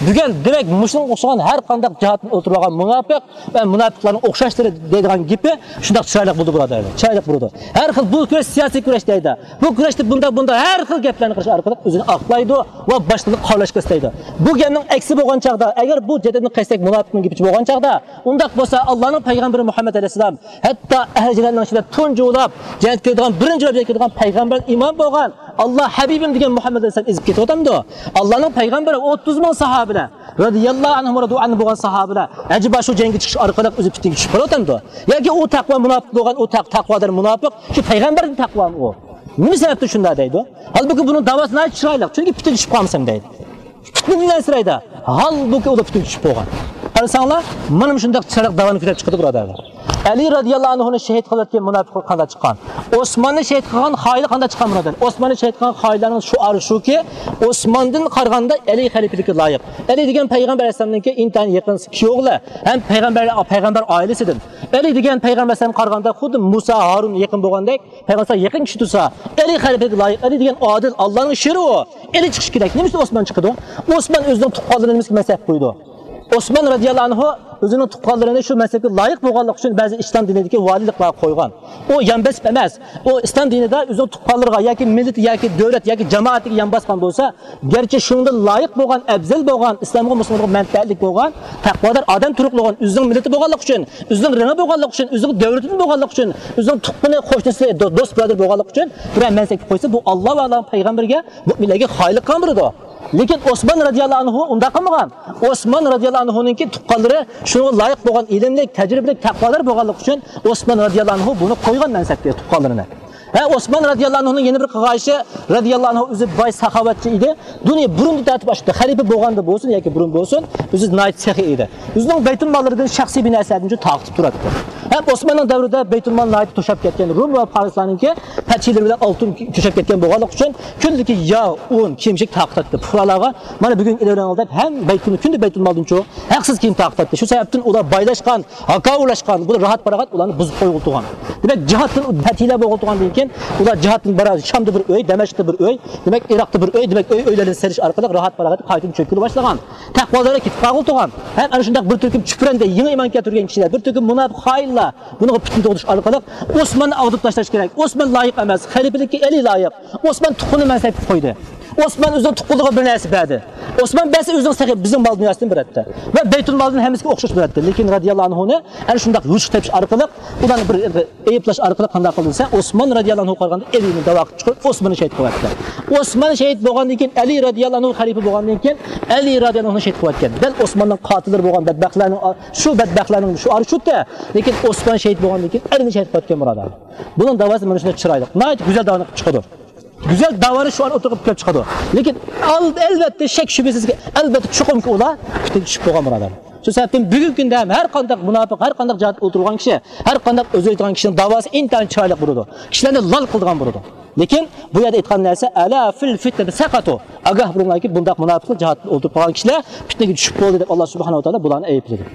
بۈگۈن، دېمەك، مۇشۇنىڭغا ئوخشىغان ھەر قانداق جىھادتىن ئولتۇرۇۋالغان مۇناپىق ۋە مۇناپىقلارنىڭ ئوخشاشلىرى دەيدىغان گېپى شۇنداق چىرايلىق بولىدۇ، بۇرادەرلەر. چىرايلىق بولىدۇ. ھەر خىل بۇ كۈرەش سىياسىي كۈرەش دەيدۇ. بۇ كۈرەشتە بۇنداق، بۇنداق ھەر خىل گەپلەرنى قىلىش ئارقىلىق ئۆزىنى ئاقلايدۇ ۋە باشقىلارنى قارىلاشقا ئىستەيدۇ. بۇ گەپنىڭ ئەكسى بولغان چاغدا، ئەگەر بۇ جەدىدنى قىلساق مۇناپىقنىڭ گېپىچە بولغان چاغدا، ئۇنداق بولسا ئاللانىڭ پەيغەمبىرى مۇھەممەد ئەلەيھىسسالام ھەتتا ئەھلى جەننەتنىڭ ئىچىدە تۇنجى بولۇپ جەننەتكە كىرىدىغان، بىرىنچى بولۇپ جەننەتكە كىرىدىغان پەيغەمبەر ئىمان بولغان ئاللا ھەبىبىم دېگەن مۇھەممەد ئەلەيھىسسالام ئېزىپ كېتىۋاتامدۇ؟ ئاللانىڭ پەيغەمبىرى ئوتتۇز مىڭ ساھابىلەر رەزىياللاھۇ ئەنھۇم ۋە رەزىيەللاھۇ ئەنھۇم بولغان ساھابىلەر ئەجەبا شۇ جەڭگە چىقىش ئارقىلىق ئۆزى پىتنىگە چۈشۈپ قالىۋاتامدۇ؟ ياكى ئۇ تەقۋا مۇناپىق بولغان، ئۇ تەق-، تەقۋادار مۇناپىق، شۇ پەيغەمبەردىن تەقۋامۇ ئۇ؟ نېمە سەۋەبتىن شۇنداق دەيدۇ؟ ھالبۇكى بۇنىڭ داۋاسى ناھايىتى چىرايلىق، چۈنكى پىتنىگە چۈشۈپ قالمىسام دەيدۇ. پىتنىدىن ئەنسىرەيدۇ. ھالبۇكى، ئۇلار پۈتۈن چۈشۈپ بولغان. قارىساڭلار، مانا مۇشۇنداق چىرايلىق داۋانى كۆتۈرۈپ چىقىدۇ، بۇرادەرلەر. ئەلى رادىياللاھۇ ئەنھۇنى شېھىت قىلىۋەتكەن مۇناپىقلار قانداق چىققان؟ ئوسماننى شېھىت قىلغان خائىنلار قانداق چىققان، بۇرادەر؟ ئوسماننى شېھىت قىلغان خائىنلارنىڭ شوئارى شۇكى، ئوسماندىن قارىغاندا ئەلى خەلىپىلىككە لايىق. ئەلى دېگەن پەيغەمبەر ئەلەيھىسسالامنىڭكى ئىنتايىن يېقىن كۈيئوغلى ھەم پەيغەمبەر، پەيغەمبەر ئائىلىسىدىن. ئەلى دېگەن پەيغەمبەر ئەلەيھىسسالامغا قارىغاندا خۇددى مۇسا، ھارۇن يېقىن بولغاندەك، پەيغەمبەرگە يېقىن كىشى تۇرسا، ئەلى خەلىپىگە لايىق، ئەلى دېگەن ئادىل، ئاللانىڭ شېرى ئۇ. ئەلى چىقىشى كېرەك. نېمە ئۈچۈن ئوسمان چىقىدۇ؟ ئوسمان ئۆزىنىڭ تۇغقانلىرىنى نېمىشقا مەنسەپكە قويىدۇ؟ ئوسمان رادىياللاھۇ ئەنھۇ ئۆزىنىڭ تۇغقانلىرىنى شۇ مەنسەپكە لايىق بولغانلىقى ئۈچۈن بەزى ئىسلام دىنىدىكى ۋالىيلىقلارغا قويغان. ئۇ يان بېسىپ ئەمەس. ئۇ ئىسلام دىنىدا ئۆزىنىڭ تۇغقانلىرىغا ياكى مىللىتى ياكى دۆلەت ياكى جامائىتىگە يان باسقان بولسا، گەرچە شۇنىڭدىن لايىق بولغان، ئەۋزەل بولغان، ئىسلامغا، مۇسۇلمانلارغا مەنپەئەتلىك بولغان، تەقۋادار ئادەم تۇرۇقلىغان، ئۆزىنىڭ مىللىتى بولغانلىقى ئۈچۈن، ئۆزىنىڭ رېڭى بولغانلىقى ئۈچۈن، ئۆزىنىڭ دۆلىتىدىن بولغانلىقى ئۈچۈن، ئۆزىنىڭ تۇغقىنى، قوشنىسى، دو-، دوست بۇرادىرى بولغانلىقى ئۈچۈن بىرەر مەنسەپكە قويسا، بۇ ئاللا ۋە ئاللانىڭ پەيغەمبىرىگە، مۆمىنلەرگە خائىنلىق قىلغان بولىدۇ. لېكىن ئوسمان رادىياللاھۇ ئەنھۇ ئۇنداق قىلمىغان. ئوسمان رادىياللاھۇ ئەنھۇنىڭكى تۇغقانلىرى شۇنىڭغا لايىق بولغان ئىلىملىك، تەجرىبىلىك، تەقۋادار بولغانلىقى ئۈچۈن ئوسمان رادىياللاھۇ ئەنھۇ بۇنى قويغان مەنسەپكە تۇغقانلىرىنى. ھە، ئوسمان رادىياللاھۇ ئەنھۇنىڭ يەنە بىر قىلغان ئىشى، رادىياللاھۇ ئەنھۇ ئۆزى باي، ساخاۋەتچى ئىدى. دۇنيا بۇرۇندىن تارتىپ ئاشۇ خەلىپە بولغاندا بولسۇن ياكى بۇرۇن بولسۇن، ئۆزى ناھايىتى سېخىي ئىدى. ئۆزىنىڭ بەيتۇلماللىرىدىن شەخسىي بىر نەرسىلەردىنچۇ تارقىتىپ تۇراتتى. ھەم ئوسماننىڭ دەۋرىدە بەيتۇلمال ناھايىتى توشاپ كەتكەن، رۇم ۋە پارسلارنىڭكى پەتھىلىرى بىلەن ئالتۇن توشاپ كەتكەن بولغانلىقى ئۈچۈن كۈندىكى ياغ، ئۇن، كىيىم-كېچەك تارقىتاتتى. پۇقرالارغا مانا بۈگۈن ئېلىۋېلىڭلار دەپ ھەم بەيتۇل، كۈندە بەيتۇلمالدىنچۇ ھەقسىز كىيىم تارقىتاتتى. شۇ سەۋەبتىن ئۇلار بايلاشقان، ھاكاۋۇرلاشقان، بۇ راھەت-پاراغەت ئۇلارنى بۇزۇپ قويغىلى تۇرغان. دېمەك، جىھادتىن پەتھىلەر بولغىلى تۇرغاندىن كېيىن، ئۇلار جىھادتىن بارا شامدا بىر ئۆي، دەمەشقتا بىر ئۆي، دېمەك، ئىراقتا بىر ئۆي، دېمەك، ئۆي، ئۆيلەردىن سېلىش ئارقىلىق راھەت-پاراغەت قايتىدىن چۆككىلى باشلىغان. تەقۋادارلار كېتىپ قالغىلى تۇرغان. ھەم ئەنە شۇنداق بىر تۈركۈم چۈپرەندە يېڭى ئىمان كەلتۈرگەن كىشىلەر، بىر تۈركۈم مۇناپىق خائىنلار بۇنىڭغا پىتنە تۇغدۇرۇش ئارقىلىق ئوسماننى ئاغدۇرۇپ تاشلاش كېرەك. ئوسمان لايىق ئەمەس، خەلىپىلىككە ئەلى لايىق. ئوسمان تۇغقىنىنى مەنسەپكە قويدى. ئوسمان ئۆزىنىڭ تۇغقىنىغا بىر نەرسە بەردى. ئوسمان بەرسە ئۆزىنىڭ سېخى بىزنىڭ مال دۇنياسىدىن بېرەتتى. ۋە بەيتۇلمالدىن ھەممىسىگە ئوخشاش بېرەتتى. لېكىن رادىياللاھۇ ئەنھۇنى ئەنە شۇنداق يوشۇق تېپىش ئارقىلىق، ئۇلارنى بىر ئەيىبلەش ئارقىلىق قانداق قىلدى دېسە، ئوسمان رادىياللاھۇ ئەنھۇغا قارىغاندا ئەلىنى داۋا قىلىپ چىقىرىپ ئوسماننى شېھىت قىلىۋەتتى. ئوسمان شېھىت بولغاندىن كېيىن، ئەلى رادىياللاھۇ ئەنھۇ خەلىپە بولغاندىن كېيىن، ئەلى رادىياللاھۇ ئەنھۇنى شېھىت قىلىۋەتكەن. دەل ئوسماننىڭ قاتىللىرى بولغان بەدبەختلەرنىڭ، شۇ بەدبەختلەرنىڭ شوئارى شۇتى. لېكىن ئوسمان شېھىت بولغاندىن كېيىن ئەلىنى شېھىت قىلىۋەتكەن، بۇرادەر. بۇنىڭ داۋاسى مانا شۇنداق چىرايلىق. ناھايىتى گۈزەل داۋانى قىلىپ چىقىدۇ. گۈزەل داۋانى شوئار ئوتتۇرىغا قويۇپ چىقىدۇ. لېكىن ئال-، ئەلۋەتتە، شەك شۈبھىسىزكى، ئەلۋەتتە، چوقۇمكى ئۇلار پىتنىگە چۈشۈپ بولغان، بۇرادەر. شۇ سەۋەبتىن بۈگۈنكى كۈندە ھەم ھەر قانداق مۇناپىق، ھەر قانداق جىھادتا ئولتۇرغان كىشى، ھەر قانداق ئۆزى ئېيتىدىغان كىشىنىڭ داۋاسى ئىنتايىن چىرايلىق بولىدۇ. كىشىلەرنى لال قىلىدىغان بولىدۇ. لېكىن بۇ يەردە ئېيتقان نەرسە، ئەلا فىل فىتنەتى سەقەتۇ. ئاگاھ بولۇڭلاركى، بۇنداق مۇناپىقلار جىھادتا ئولتۇرۇپ قالغان كىشىلەر پىتنىگە چۈشۈپ بولدى دەپ، ئاللا سۇبھانەھۇ ۋە تائالا بۇلارنى ئەيىبلىدى.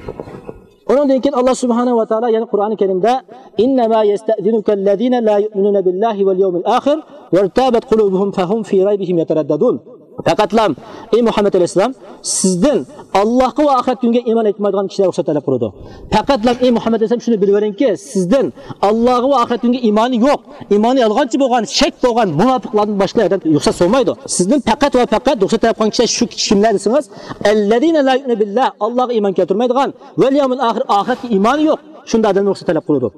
ئۇنىڭدىن كېيىن ئاللا سۇبھانەھۇ ۋە تائالا يەنە قۇرئانى كەرىمدە، إنما يستأذنك الذين لا يؤمنون بالله واليوم الآخر وارتابت قلوبهم فهم في ريبهم يترددون. پەقەتلا، ئەي مۇھەممەد ئەلەيھىسسالام، سىزدىن ئاللاھقا ۋە ئاخىرەت كۈنگە ئىمان ئېيتمايدىغان كىشىلەر رۇخسەت تەلەپ قىلىدۇ. پەقەتلا، ئەي مۇھەممەد ئەلەيھىسسالام، شۇنى بىلىۋېرىڭكى، سىزدىن ئاللاھقا ۋە ئاخىرەت كۈنگە ئىمانى يوق، ئىمانى يالغانچى بولغان، شەك بولغان مۇناپىقلاردىن باشقىلار رۇخسەت سورىمايدۇ. سىزدىن پەقەت ۋە پەقەت رۇخسەت تەلەپ قىلغان كىشىلەر شۇ كىشى كىملەر دېسىڭىز، الذين لا يؤمنون بالله، ئاللاھقا ئىمان كەلتۈرمەيدىغان، واليوم الآخر، ئاخىرەتكە ئىمانى يوق، شۇنداق ئادەمدىن رۇخسەت تەلەپ قىلىدۇ.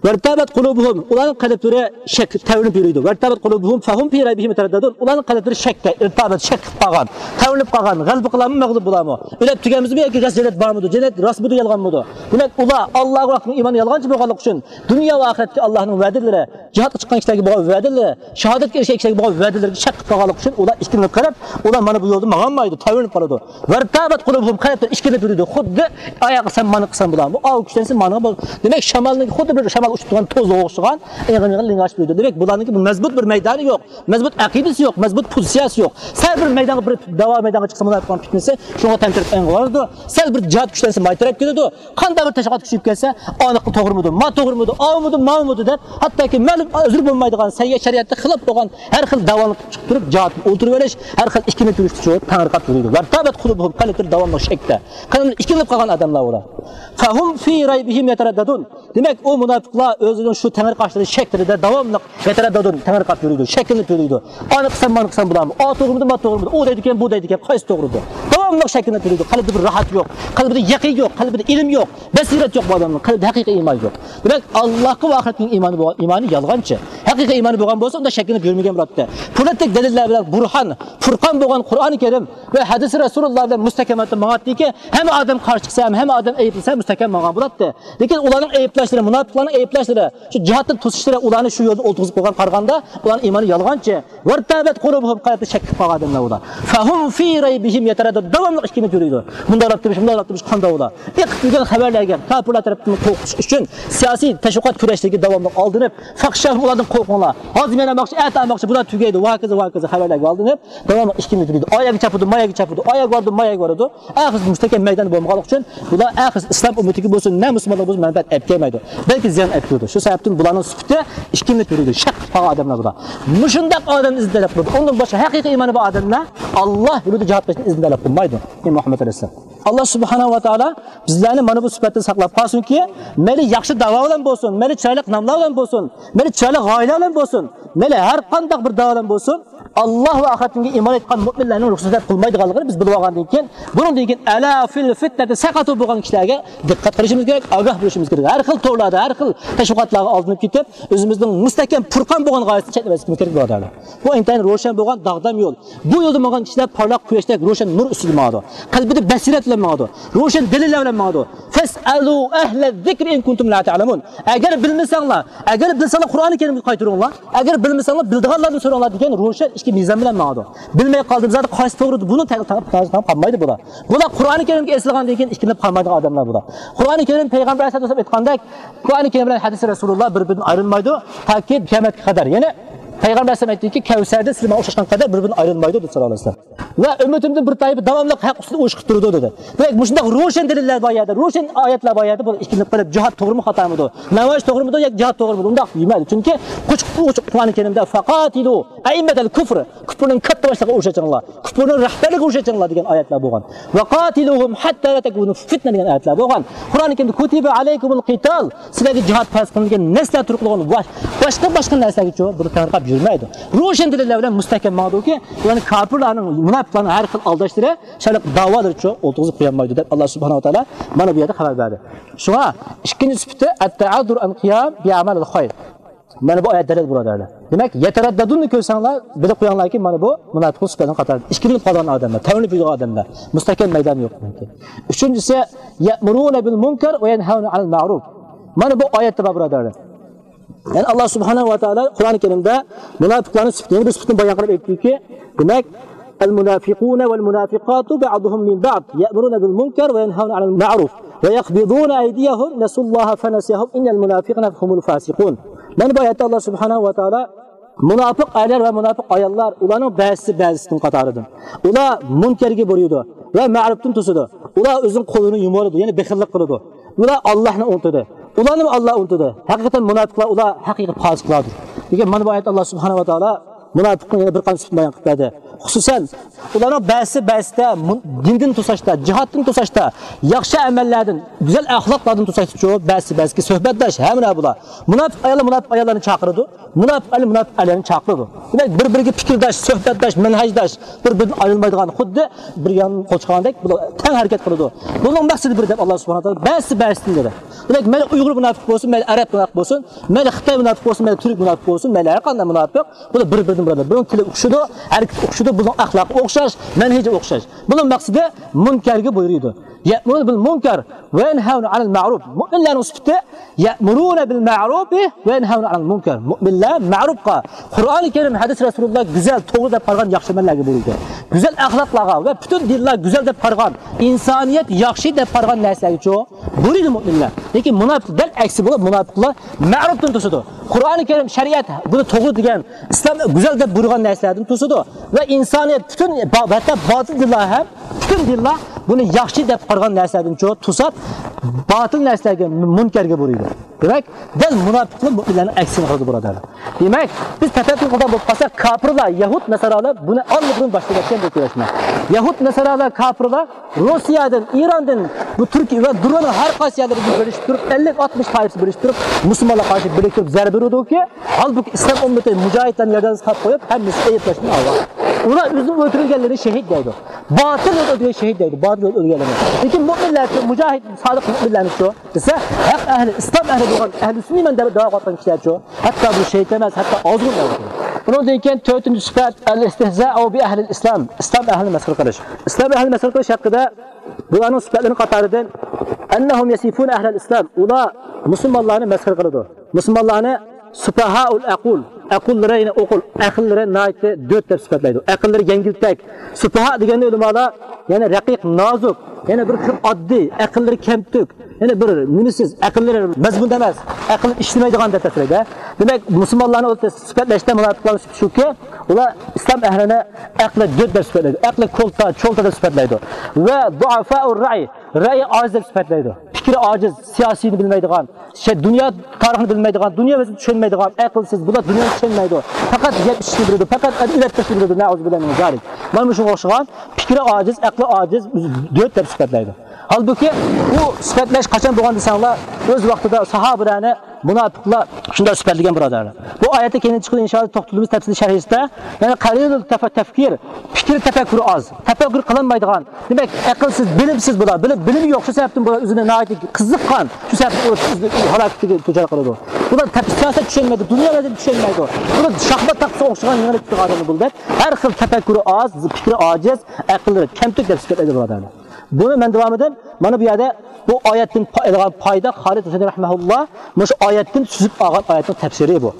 وارتابت قلوبهم، ئۇلارنىڭ قەلبلىرى شەك، تەۋرىنىپ يۈرىدۇ. وارتابت قلوبهم فهم في ريبهم يترددون، ئۇلارنىڭ قەلبلىرى شەكتە، ئىرتابەت، شەك قىلىپ قالغان، تەۋرىنىپ قالغان، غەلىبە قىلارمۇ، مەغلۇپ بولارمۇ، ئۆلۈپ تۈگەيمىزمۇ ياكى راست جەننەت بارمىدۇ، جەننەت راستمىدۇ، يالغانمىدۇ؟ دېمەك، ئۇلار ئاللاھقا ۋە ئىمان يالغانچى بولغانلىقى ئۈچۈن، دۇنيا ۋە ئاخىرەتتىكى ئاللاھنىڭ ۋەدىلىرى، جىھادقا چىققان كىشىلەرگە بولغان ۋەدىلىرى، شاھادەتكە ئېرىشكەن كىشىلەرگە بولغان ۋەدىلىرىگە شەك قىلىپ قالغانلىقى ئۈچۈن، ئۇلار ئىككىلىنىپ قېلىپ، ئۇلار مانا بۇ يولدا ماڭالمايدۇ، تەۋرىنىپ قالىدۇ. ۋارتابت قلوبهم، قەلبلىرى ئىككىلىنىپ يۈرىدۇ. خۇددى ئايا قىلسام، مانا قىلسام بولامۇ، ئاۋۇ كۈچلەنسە مانا بول. دېمەك، شامالنىڭ خۇددى بىر شامال ئۇچۇپ تۇرغان توزغىغا ئوخشىغان، ئېغىر-ئېغىر لىڭغاچ يۈرىدۇ. دېمەك، بۇلارنىڭكى بىر مەزمۇت بىر مەيدانى يوق، مەزمۇت ئەقىدىسى يوق، مەزمۇت پوزىتسىيەسى يوق. سەل بىر مەيدانغا بىر داۋا مەيدانغا چىقسا، مۇناپىقنىڭ پىتنىسى شۇڭا تەمتىرەپ ئەڭ بارىدۇ. سەل بىر جىھاد كۈچلەنسە، مايتىراپ كېتىدۇ. قانداق بىر تەشۋىقات كۈچىيىپ كەتسە، ئانىقى توغرىمىدۇ، ما توغرىمىدۇ، ئاۋمىدۇ، ماۋمىدۇ دەپ، ھەتتاكى مەلۇم ئۆزرى بولمايدىغان، سەنگە شەرىئەتكە خىلاپ بولغان ھەر خىل داۋانى چىقىپ تۇرۇپ، جىھادتىن ئولتۇرۇۋېلىش، ھەر خىل ئىككىلىنىپ يۈرۈشتە شۇ تەڭرىقاپ يۈرىدۇ. ۋارتابت قۇلۇبۇھۇم، قەلبلىرى داۋاملىق شەكتە. قەلبلىرى ئىككىلىنىپ قالغان ئادەملەر ئۇلار. فەھۇم فى رەيبىھىم يەتەرەددەدۇن. دېمەك، ئۇ مۇناپىقلار ئۆزىنىڭ شۇ تەڭرىقاشلىرى شەكلىرىدە داۋاملىق يەتەرەددەدۇن، تەڭرىقاپ يۈرىدۇ، شەكلىنىپ يۈرىدۇ. ئانى قىلسام، مانى قىلسام بولامۇ؟ ئا توغرىمىدۇ، ما توغرىمىدۇ؟ ئۇ دەيدىكەن، بۇ دەيدىكەن، قايسى توغرىدۇ؟ داۋاملىق شەكلىنىپ يۈرىدۇ. قەلبىدە بىر راھەت يوق، قەلبىدە يەقىن يوق، قەلبىدە ئىلىم يوق، بەسىرەت يوق بۇ ئادەمنىڭ. قەلبىدە ھەقىقىي ئىمان يوق. دېمەك، ئاللاھقا ۋە ئاخىرەتكە ئىمانى بولغان، ئىمانى يالغانچى. ھەقىقىي ئىمانى بولغان بولسا، ئۇنداق شەكلىنىپ يۈرمىگەن بولاتتى. پولاتتەك دەلىللەر بىلەن، بۇرھان، پۇرقان بولغان قۇرئانى كەرىم ۋە ھەدىسى رەسۇلۇللاھ بىلەن مۇستەھكەم ھالەتتە ماڭاتتىكى، ھەممە ئادەم قارشى چىقسا ھەم، ھەممە ئادەم ئەيىبلىسە ھەم مۇستەھكەم ماڭغان بولاتتى. لېكىن ئۇلارنىڭ ئەيىبلەشلىرى، مۇناپىقلارنىڭ ئەيىبلەشلىرى، شۇ جىھادتىن توسۇشلىرى، ئۇلارنى شۇ يولدا ئولتۇرغۇزۇپ قويغان قارىغاندا، ئۇلارنىڭ ئىمانى يالغانچى. ۋارتابەت قۇلۇبۇھۇم، قەلبى شەك قىلىپ قالغان ئادەملەر ئۇلار. فەھۇم فى رەيبىھىم يەتەرەددەد، داۋاملىق ئىككىلىنىپ يۈرىدۇ. مۇنداقلاپ تۇرۇش، مۇنداقلاپ تۇرۇش قانداق ئۇلار؟ ئېقىپ كەلگەن خەۋەرلەرگە، كاپىرلار تەرەپتىن قورقۇتۇش ئچۈن سىياسىي تەشۋىقات كۈرەشلىرىگە داۋاملىق ئالدىنىپ، فەخشەھۇم، ئۇلاردىن قورقۇڭلار. ھازىر مەن ئالماقچى، ئەتە ئالماقچى، بۇلار تۈگەيدۇ، ۋاكىزا، ۋاكىزا خەۋەرلەرگە ئالدىنىپ، داۋاملىق ئىككىلىنىپ يۈرىدۇ. ئايەرگە چاپىدۇ، مايەرگە چاپىدۇ، ئايەرگە بارىدۇ، مايەرگە بارىدۇ. ئاخىرسىدا مۇستەھكەم مەيداندا بولمىغانلىقى ئۈچۈن، بۇلار ئاخىرسىدا ئىسلام ئۈممىتىگە بولسۇن، نە مۇسۇلمانلارغا بولسۇن مەنپەئەت ئەپ كەلمەيدۇ. بەلكى زىيان ئەپ كېلىدۇ. شۇ سەۋەبتىن بۇلارنىڭ سۈپىتى ئىككىلىنىپ يۈرىدۇ. شەك قىلىپ قالغان ئادەملەر بۇلار. مۇشۇنداق ئادەمنى ئىزدەپ قىلىدۇ. ئۇندىن باشقا ھەقىقىي ئىمانى بار ئادەملەر ئاللاھ يولىدا جىھاد قىلىشنى ئىزدەپ قىلمايدۇ. ئەي مۇھەممەد ئەلەيھىسسالام. ئاللاھ سۇبھانەھۇ ۋە تائالا بىزلەرنى مانا بۇ سۈپەتتىن ساقلاپ قالسۇنكى، مەيلى ياخشى داۋا بىلەن بولسۇن، مەيلى چىرايلىق ناملار بىلەن بولسۇن، مەيلى چىرايلىق غايىلەر بىلەن بولسۇن، مەيلى ھەر قانداق بىر داۋا بىلەن بولسۇن، ئاللاھ ۋە ئاخىرەتكە ئىمان ئېيتقان مۆمىنلەرنىڭ رۇخسەت قىلمايدىغانلىقىنى بىز بىلىپ ئالغاندىن كېيىن، بۇنىڭدىن كېيىن ئەلا فىل فىتنەتى سەقەتۇ بولغان كىشىلەرگە دىققەت قىلىشىمىز كېرەك، ئاگاھ بولۇشىمىز كېرەك. ھەر خىل تورلاردا، ھەر خىل تەشۋىقاتلارغا ئالدىنىپ كېتىپ، ئۆزىمىزنىڭ مۇستەھكەم پۇرقان بولغان غايىسىنى چەتنەۋەتمەسلىكىمىز كېرەك، بۇرادەرلەر. بۇ ئىنتايىن روشەن بولغان داغدام يول. بۇ يولدا ماڭغان كىشىلەر پارلاق قۇياشتەك روشەن نۇر ئۈستىدە ماڭىدۇ. قەلبىدە بەسىرەت بىلەن ماڭىدۇ. روشەن دەلىللەر بىلەن ماڭىدۇ. فەسئەلۇ ئەھلە زىكرى ئىن كۇنتۇم لا تەئلەمۇن. ئەگەر بىلمىسەڭلار، ئەگەر بىلسەڭلار قۇرئانى كەرىمگە قايتۇرۇڭلار. ئەگەر بىلمىسەڭلار بىلىدىغانلاردىن سوراڭلار دېگەن روشەن ئىككى مىزان بىلەن ماڭىدۇ. بىلمەي قالدىم، زادى قايسى توغرىدۇ، بۇنى تەڭ-، تەڭ-، تەڭ قالمايدۇ بۇلار. بۇلار قۇرئانى كەرىمگە ئېسىلغاندىن كېيىن ئىككىلىنىپ قالمايدىغان ئادەملەر بۇلار. قۇرئانى كەرىم پەيغەمبەر ئەلەيھىسسالام ئېيتقاندەك، قۇرئانى كەرىم بىلەن ھەدىسى رەسۇلۇللاھ بىر-بىرىدىن ئايرىلمايدۇ، تاكى قىيامەتكە قەدەر. يەنى پەيغەمبەر ئەلەيھىسسالام ئەيتتىكى، كەۋسەردە سىلەر ماڭا ئوخشاشقان قەدەر بىر-بىرىدىن ئايرىلمايدۇ دەپ ساللاللاھۇ ئەلەيھى ۋەسەللەم. ۋە ئۈممىتىمدىن بىر تائىپە داۋاملىق ھەق ئۈستىدە ئۇرۇش قىلىپ تۇرىدۇ دېدى. دېمەك، مۇشۇنداق روشەن دەلىللەر بار يەردە، روشەن ئايەتلەر بار يەردە بۇ ئىككىلىنىپ قېلىپ، جىھاد توغرىمۇ خاتامىدۇ؟ ناماز توغرىمىدۇ ياكى جىھاد توغرىمىدۇ؟ ئۇنداق دېمەيدۇ. چۈنكى قۇچۇق، قۇچۇق قۇرئانى كەرىمدە، فەقاتىلۇ ئەئىممەتەل كۇفر، كۇپرنىڭ كاتتا باشلىقىغا ئۇرۇش ئېچىڭلار، كۇپرنىڭ رەھبەرلىكىگە ئۇرۇش ئېچىڭلار دېگەن ئايەتلەر بولغان. ۋەقاتىلۇھۇم ھەتتا لا تەكۇنە فىتنە دېگەن ئايەتلەر بولغان. قۇرئانى كەرىمدە كۇتىبە ئەلەيكۇمۇل قىتال، سىلەرگە جىھاد پەرز قىلىنغان نەرسىلەر تۇرۇقلۇق بولغان، باشقا، باشقا نەرسىلەرگىچۇ بۇنى تەڭرىقاپ يۈرمەيدۇ. روشەن دەلىللەر بىلەن مۇستەھكەم ماڭىدۇكى، يەنى كاپىرلارنىڭ، مۇناپىقلارنىڭ ھەر خىل ئالداشلىرى، شۇنداق داۋالىرىچۇ ئولتۇرغۇزۇپ قويالمايدۇ دەپ، ئاللاھ سۇبھانەھۇ ۋە تائالا مانا بۇ يەردە خەۋەر بەردى. شۇڭا ئىككىنچى سۈپىتى، ئەتتەئەززۇر ئەن قىيام بىئەمەلىل خەير. مانا بۇ ئايەت دەلىل، بۇرادەرلەر. دېمەك، يەتەرەددەدۇننى كۆرسەڭلار، بىلىپ قويۇڭلاركى، مانا بۇ مۇناپىقلىق سۈپەتلىرىنىڭ قاتارىدا. ئىككىلىنىپ قالغان ئادەملەر، تەۋرىنىپ يۈرگەن ئادەملەر. مۇستەھكەم مەيدانى يوق. ئۈچىنچىسى، يەئمۇرۇنە بىل مۇنكەر ۋە يەنھەۋنە ئەنىل مەئرۇف. مانا بۇ ئايەتتە بار، بۇرادەرلەر. يەنى ئاللاھ سۇبھانەھۇ ۋە تائالا قۇرئانى كەرىمدە مۇناپىقلارنىڭ سۈپىتىنى، يەنە بىر سۈپىتىنى بايان قىلىپ ئېيتتىكى، دېمەك، المنافقون والمنافقات بعضهم من بعض يأمرون بالمنكر وينهون عن المعروف ويقبضون أيديهم نسوا الله فنسيهم إن المنافقين هم الفاسقون. مانا بۇ ئايەتتە ئاللاھ سۇبھانەھۇ ۋە تائالا مۇناپىق ئەرلەر ۋە مۇناپىق ئاياللار، ئۇلارنىڭ بەزىسى بەزىسىنىڭ قاتارىدىن. ئۇلار مۇنكەرگە بۇيرۇيدۇ ۋە مەرۇپتىن توسىدۇ. ئۇلار ئۆزىنىڭ قولىنى يۇمۇۋالىدۇ، يەنى بېخىللىق قىلىدۇ. ئۇلار ئاللاھنى ئۇنتۇدى. ئۇلارنىمۇ ئاللاھ ئۇنتۇدى. ھەقىقەتەن مۇناپىقلار، ئۇلار ھەقىقىي پاسىقلاردۇر. لېكىن مانا بۇ ئايەتتە ئاللاھ سۇبھانەھۇ ۋە تائالا مۇناپىقنىڭ يەنە بىر قانچە سۈپىتىنى بايان قىلىپ بەردى. خۇسۇسەن، ئۇلارنىڭ بەزىسى بەزىسىدە مۇ-، دىندىن توساشتا، جىھادتىن توساشتا، ياخشى ئەمەللەردىن، گۈزەل ئەخلاقلاردىن توساشتىچۇ، بەزىسى بەزىسىگە سۆھبەتداش، ھەمراھ بولا. مۇناپىق ئاياللار مۇناپىق ئاياللارنى چاقىرىدۇ، مۇناپىق ئەرلەر مۇناپىق ئەرلەرنى چاقىرىدۇ. دېمەك، بىر-بىرىگە پىكىرداش، سۆھبەتداش، مەنھەجداش، بىر-بىرىدىن ئايرىلمايدىغان، خۇددى بىر يان قوچقاندەك بۇلار تەڭ ھەرىكەت قىلىدۇ. بۇنىڭ مەقسىتى بىر دەپ ئاللاھ سۇبھانەھۇ ۋە تائالا بەزىسى بەزىسىدىن دېدى. دېمەك، مەيلى ئۇيغۇر مۇناپىق بولسۇن، مەيلى ئەرەب مۇناپىق بولسۇن، مەيلى خىتاي مۇناپىق بولسۇن، مەيلى تۈرك مۇناپىق بولسۇن، مەيلى ھەر قانداق مۇناپىق، بۇلار بىر-بىرىدىن بۇرادەر. بۇنىڭ تىلى ئوخشىدۇ، ھەرىكىتى ئوخشىدۇ، بۇنىڭ ئەخلاقى ئوخشاش، مەنھىجى ئوخشاش. بۇنىڭ مەقسىتى مۇنكەرگە بۇيرۇيدۇ. يەئمۇرۇنە بىل مۇنكەر ۋە يەنھەۋنە ئەنىل مەئرۇف. مۆمىنلەرنىڭ سۈپىتى يەئمۇرۇنە بىل مەئرۇفى ۋە يەنھەۋنە ئەنىل مۇنكەر. مۆمىنلەر مەئرۇفقا، قۇرئانى كەرىم، ھەدىس رەسۇلۇللاھ گۈزەل، توغرا دەپ قارىغان ياخشى ئەمەللەرگە بۇيرۇيدۇ. گۈزەل ئەخلاقلارغا ۋە پۈتۈن دىنلار گۈزەل دەپ قارىغان، ئىنسانىيەت ياخشى دەپ قارىغان نەرسىلەرگىچۇ بۇيرۇيدۇ مۆمىنلەر. لېكىن مۇناپىق دەل ئەكسى بولۇپ، مۇناپىقلار مەئرۇپتىن توسىدۇ. قۇرئانى كەرىم، شەرىئەت بۇنى توغرا دېگەن، ئىسلام گۈزەل دەپ بۇيرۇغان نەرسىلەردىن توسىدۇ. ۋە ئىنسانىيەت پۈتۈن با-، ھەتتا باتىل دىنلار ھەم، پۈتۈن دىنلار بۇنى ياخشى دەپ قارىغان نەرسىلەردىنچۇ توساپ، باتىل نەرسىلەرگە، مۇنكەرگە بۇيرۇيدۇ. دېمەك، دەل مۇناپىقلار مۇئمىنلارنىڭ ئەكسىنى قىلىدۇ، بۇرادەرلەر. دېمەك، بىز تەپەككۇر قىلىدىغان بولۇپ قالساق، كاپىرلار، يەھۇد، ناسارالار بۇنى ئاللىبۇرۇن باشلىۋەتكەن بۇ كۈرەشنى. يەھۇد، ناسارالار، كاپىرلار روسىيەدىن، ئىراندىن، بۇ تۈركىيە ۋە دۇنيانىڭ ھەر قايسى يەرلىرىدىن بىرلىشىپ تۇرۇپ، ئەللىك ئاتمىش تائىپىسى بىرلىشىپ تۇرۇپ، مۇسۇلمانلارغا قارشى بىرلىكتۈرۈپ زەربە ئۇرىدۇكى، ھالبۇكى ئىسلام ئۈممىتى مۇجاھىدلارنى ياردەمسىز قىلىپ قويۇپ، ھەممىسى ئەيىبلەشتىن ئاۋارە. ئۇلار ئۆزىنى ئۆلتۈرگەنلىرىنى شېھىت دەيدۇ. باتىل يولدا ئۆلگەن شېھىت دەيدۇ. باتىل يولدا ئۆلگەنلەرنى. لېكىن مۇئمىنلەرچۇ، مۇجاھىد، سادىق مۇئمىنلەرمىچۇ دېسە، ھەق ئەھلى، ئىسلام ئەھلى بولغان، ئەھلى سۈننىمەن دەپ دەۋا قىلىۋاتقان كىشىلەرچۇ، ھەتتا بۇ شېھىت ئەمەس، ھەتتا ئازغۇن دەۋاتىدۇ. بۇنىڭدىن كېيىن تۆتىنچى سۈپەت، ئەل ئىستىھزائۇ بىئەھلىل ئىسلام، ئىسلام ئەھلىنى مەسخىرە قىلىش. ئىسلام ئەھلىنى مەسخىرە قىلىش ھەققىدە بۇلارنىڭ سۈپەتلىرىنىڭ قاتارىدىن، ئەننەھۇم يەسىفۇنە ئەھلەل ئىسلام، ئۇلار مۇسۇلمانلارنى مەسخىرە قىلىدۇ. مۇسۇلمانلارنى سۇپاھائۇل ئەقۇل، ئەقۇللىرى، يەنى ئوقۇل، ئەقىللىرى ناھايىتى دۆت دەپ سۈپەتلەيدۇ. ئەقىللىرى يەڭگىلتەك. سۇپاھا دېگەندە ئۆلىمالار، يەنى رەقىق، نازۇك، يەنى بىر خىل ئاددىي، ئەقىللىرى كەمتۈك، يەنى بىر نېمىسىز، ئەقىللىرى مەزمۇن ئەمەس، ئەقىل ئىشلىمەيدىغان دەپ تەسۋىرلەيدۇ. دېمەك، مۇسۇلمانلارنى ئۆزى سۈپەتلەشتە مۇناپىقلارنىڭ سۈپىتى شۇكى، ئۇلار ئىسلام ئەھلىنى ئەقلى دۆت دەپ سۈپەتلەيدۇ، ئەقلى كولتا، چولتا دەپ سۈپەتلەيدۇ. ۋە دۇئافائۇر رەئي، رەئي ئاجىز دەپ سۈپەتلەيدۇ. پىكرى ئاجىز، سىياسىينى بىلمەيدىغان، شەي، دۇنيا تارىخىنى بىلمەيدىغان، دۇنيا ۋەزىيىتىنى چۈشەنمەيدىغان، ئەقىلسىز، بۇلار دۇنيانى چۈشەنمەيدۇ. پەقەت يەپ ئىچىشنى بىلىدۇ، پەقەت ئۆلەپ كېتىشنى بىلىدۇ. نەئۇزۇبىللاھ مىن زالىك. مانا مۇشۇنىڭغا ئوخشىغان پىكرى ئاجىز، ئەقلى ئاجىز، دۆت دەپ سۈپەتلەيدۇ. ھالبۇكى، بۇ سۈپەتلەش قاچان بولغان دېسەڭلار، ئۆز ۋاقتىدا ساھابىلەرنى مۇناپىقلار شۇنداق سۈپەتلىگەن، بۇرادەرلەر. بۇ ئايەتتە كېيىن چىقىدۇ، ئىنشائاللا، توختىلىمىز تەپسىلىي شەرھىسىدە. يەنى قەلىلۇل تەف-، تەفكىر، پىكىر تەپەككۇرى ئاز، تەپەككۇر قىلالمايدىغان، دېمەك، ئەقىلسىز، بىلىمسىز بۇلار. بىلىم، بىلىمى يوق، شۇ سەۋەبتىن بۇلار ئۆزىنى ناھايىتى قىزىققان، شۇ سەۋەبتىن ئۆزىنى ھالاكەتكە دۇچار قىلىدۇ. بۇلار تەپ-، سىياسەت چۈشەنمەيدۇ، دۇنيا ۋەزىيىتى چۈشەنمەيدۇ. بۇلار شاخمات تاختىسىغا ئوخشىغان يېڭىلىپ كېتىدىغان ئادەمنى بۇلار دەپ، ھەر خىل تەپەككۇرى ئاز، پىكرى ئاجىز، ئەقىللىرى كەمتۈك دەپ سۈپەتلەيدۇ، بۇرادەرلەر. بۇنى مەن داۋامىدا مانا بۇ يەردە بۇ ئايەتتىن پا-، ئېلىنغان پايدا، خالىد ھۈسەيىن رەھمەھۇللا مۇشۇ ئايەتتىن سۈزۈپ ئالغان ئايەتنىڭ تەپسىرى بۇ.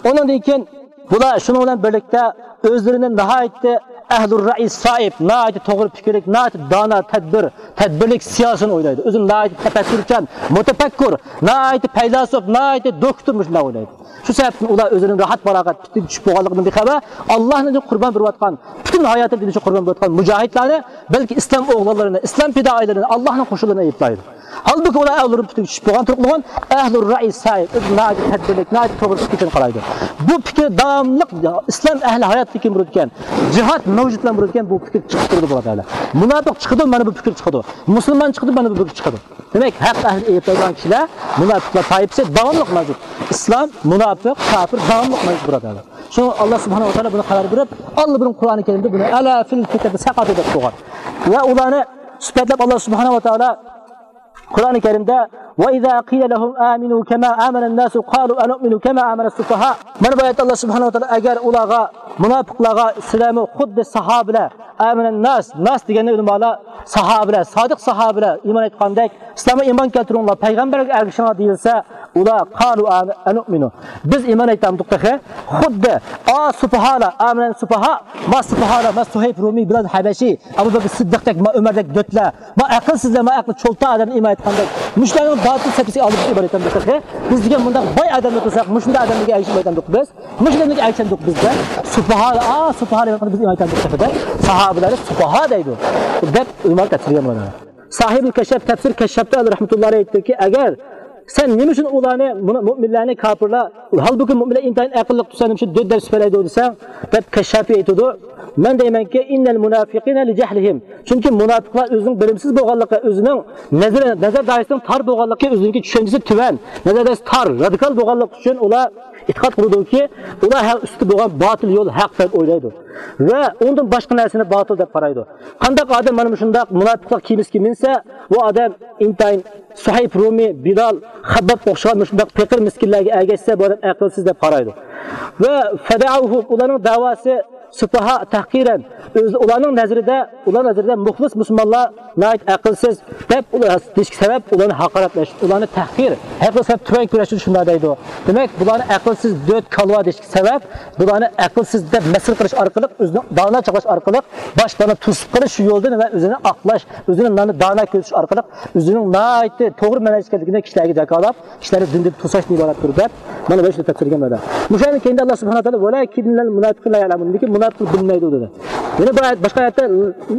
ئۇنىڭدىن كېيىن بۇلار شۇنىڭ بىلەن بىرلىكتە ئۆزلىرىنى ناھايىتى ئەھلۇر رەئي سائىب، ناھايىتى توغرا پىكىرلىك، ناھايىتى دانا، تەدبىر، تەدبىرلىك سىياسىينى ئويلايدۇ. ئۆزىنى ناھايىتى تەپەككۇرچان، مۇتەپەككۇر، ناھايىتى پەيلاسوپ، ناھايىتى دوكتور مۇشۇنداق ئويلايدۇ. شۇ سەۋەبتىن ئۇلار ئۆزىنىڭ راھەت پاراغەت پۈتۈن چۈشۈپ بولغانلىقىدىن بىخەۋەر، ئاللاھنىڭ ئۈچۈن قۇربان بېرىۋاتقان، پۈتۈن ھاياتىنى دىن ئۈچۈن قۇربان بېرىۋاتقان مۇجاھىدلارنى، بەلكى ئىسلام ئوغلانلىرىنى، ئىسلام پىدائىيلىرىنى، ئاللاھنىڭ قوشۇنلىرىنى ئەيىبلەيدۇ. ھالبۇكى، ئۇلار ئەھلۇرۇم پۈتۈن چۈشۈپ بولغان تۇرۇقلىغان ئەھلۇر رەئي سائىب، ئۆزى ناھايىتى تەدبىرلىك، ناھايىتى توغرا پىكىر قىلىپ قارايدۇ. بۇ پىكىر داۋاملىق ئىسلام ئەھلى ھاياتلىقى بولىدىكەن، جىھاد مەۋجۇت بىلەن بولىدىكەن، بۇ پىكىر چىقىپ تۇرىدۇ، بۇرادەرلەر. مۇناپىق چىقىدۇ، مانا بۇ پىكىر چىقىدۇ. مۇسۇلمان چىقىدۇ، مانا بۇ پىكىر چىقىدۇ. دېمەك، ھەق ئەھلىنى ئەيىبلەيدىغان كىشىلەر، مۇناپىقلار تائىپىسى داۋاملىق مەۋجۇت. ئىسلام، مۇناپىق، كاپىر داۋاملىق مەۋجۇت، بۇرادەرلەر. شۇڭا ئاللا سۇبھانەھۇ ۋە تائالا بۇنى خەۋەر بېرىپ، ئاللا بۇرۇن قۇرئانى كەرىمدە بۇنى «ئەلا فىل فىتنەتى سەقەتۇ» دەپ قويغان. ۋە ئۇلارنى سۈپەتلەپ، ئاللا سۇبھانەھۇ ۋە تائالا قۇرئانى كەرىمدە «ۋە ئىزا قىلە لەھۇم ئامىنۇ كەما ئامەنەن ناسۇ قالۇ ئەنۇئمىنۇ كەما ئامەنەس سۇفەھا». مانا بۇ ئايەتتە ئاللا سۇبھانەھۇ ۋە تائالا، ئەگەر ئۇلارغا، مۇناپىقلارغا، سىلەرمۇ خۇددى ساھابىلەر، ئامەنەن ناس، ناس دېگەندە ئۆلىمالار ساھابىلەر، سادىق ساھابىلەر ئىمان ئېيتقاندەك، سىلەرمۇ ئىمان كەلتۈرۈڭلار، پەيغەمبەرگە ئەگىشىڭلار دېيىلسە، ئۇلار قالۇ ئەنۇئمىنۇ، بىز ئىمان ئېيتامدۇق تېخى. خۇددى ئا سۇپاھالار، ئامەنەن سۇپاھا، ما سۇپاھالار، ما سۇھەيب رۇمىي، بىلال ھەبەشى، ئەبۇ بەكىر سىددىقتەك، ما ئۆمەردەك دۆتلەر، ما ئەقىلسىزلەر، ما ئەقلى چولتا ئادەم ئىمان ئېيتقاندەك، مۇشۇلارنىڭ باتىل سەپىسىگە ئالدىپ ئىمان ئېيتامدۇق تېخى. بىز دېگەن مۇنداق باي ئادەمنى قىلساق، مۇشۇنداق ئادەملەرگە ئەگىشىپ ئېيتامدۇق بىز. مۇشۇ دېگەنلىك ئەگىشەمدۇق بىز دەپ، سۇپاھا، ئا، سۇپاھا دېگەن بىز ئىمان ئېيتامدۇق دەپ، ساھابىلەرنى سۇپاھا دەيدۇ دەپ ئۆلىمالار تەپسىرلىگەن بۇلارنى. ساھىبۇل كەششاپ، تەپسىر كەششاپتا ئەلى رەھمەتۇللاھى ئېيتتىكى، ئەگەر سەن نېمە ئۈچۈن ئۇلارنى، مۇنۇ-، مۇئمىنلەرنى كاپىرلار، ھالبۇكى مۇئمىنلەر ئىنتايىن ئەقىللىق تۇرسا، نېمە ئۈچۈن دۆت دەپ سۈپەتلەيدۇ دېسەڭ، دەپ كەششاپى ئېيتىدۇ. مەن دەيمەنكى، ئىننەل مۇنافىقىنە لىجەھلىھىم. چۈنكى مۇناپىقلار ئۆزىنىڭ بىلىمسىز بولغانلىقى، ئۆزىنىڭ نەزەر، نەزەر دائىرىسىنىڭ تار بولغانلىقى، ئۆزىنىڭكى چۈشەنچىسى تۆۋەن، نەزەر دائىرىسى تار، رادىكال بولغانلىقى ئۈچۈن ئۇلار ئېتىقاد قىلىدۇكى، ئۇلار ھەق ئۈستىدە بولغان باتىل يول ھەق دەپ ئويلايدۇ ۋە ئۇنىڭدىن باشقا نەرسىنى باتىل دەپ قارايدۇ. قانداق ئادەم مانا مۇشۇنداق مۇناپىقلار كېمىسىگە مىنسە، ئۇ ئادەم ئىنتايىن سۇھەيب رۇمىي، بىلال، خەبباب ئوخشىغان مۇشۇنداق پېقىر مىسكىنلەرگە ئەگەشسە، بۇ ئادەم ئەقىلسىز دەپ قارايدۇ. ۋە فەدەئۇھۇم، ئۇلارنىڭ دەۋاسى سۇپاھا تەھقىرەن، ئۆز، ئۇلارنىڭ نەزىرىدە، ئۇلار نەزىرىدە مۇخلىس مۇسۇلمانلار ناھايىتى ئەقىلسىز دەپ ئۇلار دېيىشكە سەۋەب، ئۇلارنى ھاقارەتلەش، ئۇلارنى تەھقىر، ھەقىقەت سەۋەب تۆۋەن كۆرۈشتۈرۈش شۇنداق دەيدۇ. دېمەك، بۇلارنى ئەقىلسىز، دۆت، كالۋا دېيىشكە سەۋەب، بۇلارنى ئەقىلسىز دەپ مەسخىرە قىلىش ئارقىلىق، ئۆزىنى دانا چاغلاش ئارقىلىق، باشقىلارنى توسۇپ قېلىش شۇ يولدىن ۋە ئۆزىنى ئاقلاش، ئۆزىنى نانا دانا كۆرسىتىش ئارقىلىق، ئۆزىنىڭ ناھايىتى توغرا مەنھەج ئىكەنلىكىنى كىشىلەرگە جاكارلاپ، كىشىلەرنى دىندىن توساشتىن ئىبارەتتۇر دەپ، مانا بۇ شۇ تەپسىرگە مانا. مۇشۇ يەردىن كېيىندە ئاللا سۇبھانەھۇ ۋە تائالا، ۋەلەكىننەل مۇناپىقىن لا يەلەمۇن، لېكىن مۇناپىقلار بىلمەيدۇ دېدى. يەنە بۇ ئايەت، باشقا ئايەتتە،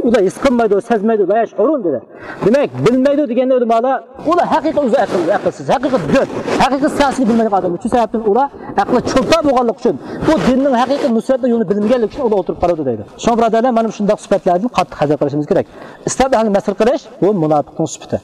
ئۇلار ھېس قىلمايدۇ، سەزمەيدۇ، لا يشعرون دېدى. دېمەك، بىلمەيدۇ دېگەندە ئۆلىمالار، ئۇلار ھەقىقىي ئۆزى ئەقىلسىز، ئەقىلسىز، ھەقىقىي دۆت، ھەقىقىي سىياسىينى بىلمەيدىغان ئادەم. شۇ سەۋەبتىن ئۇلار ئەقلى چولپان بولغانلىقى ئۈچۈن، بۇ دىننىڭ ھەقىقىي نۇسرەتنىڭ يولىنى بىلمىگەنلىكى ئۈچۈن ئۇلار ئولتۇرۇپ قالىدۇ دەيدۇ. شۇڭا بۇرادەرلەر، مانا مۇشۇنداق سۈپەتلەردىن قاتتىق ھەزەر قىلىشىمىز كېرەك. ئىسلام ئەھلىنى مەسخىرە قىلىش، بۇ مۇناپىقنىڭ سۈپىتى.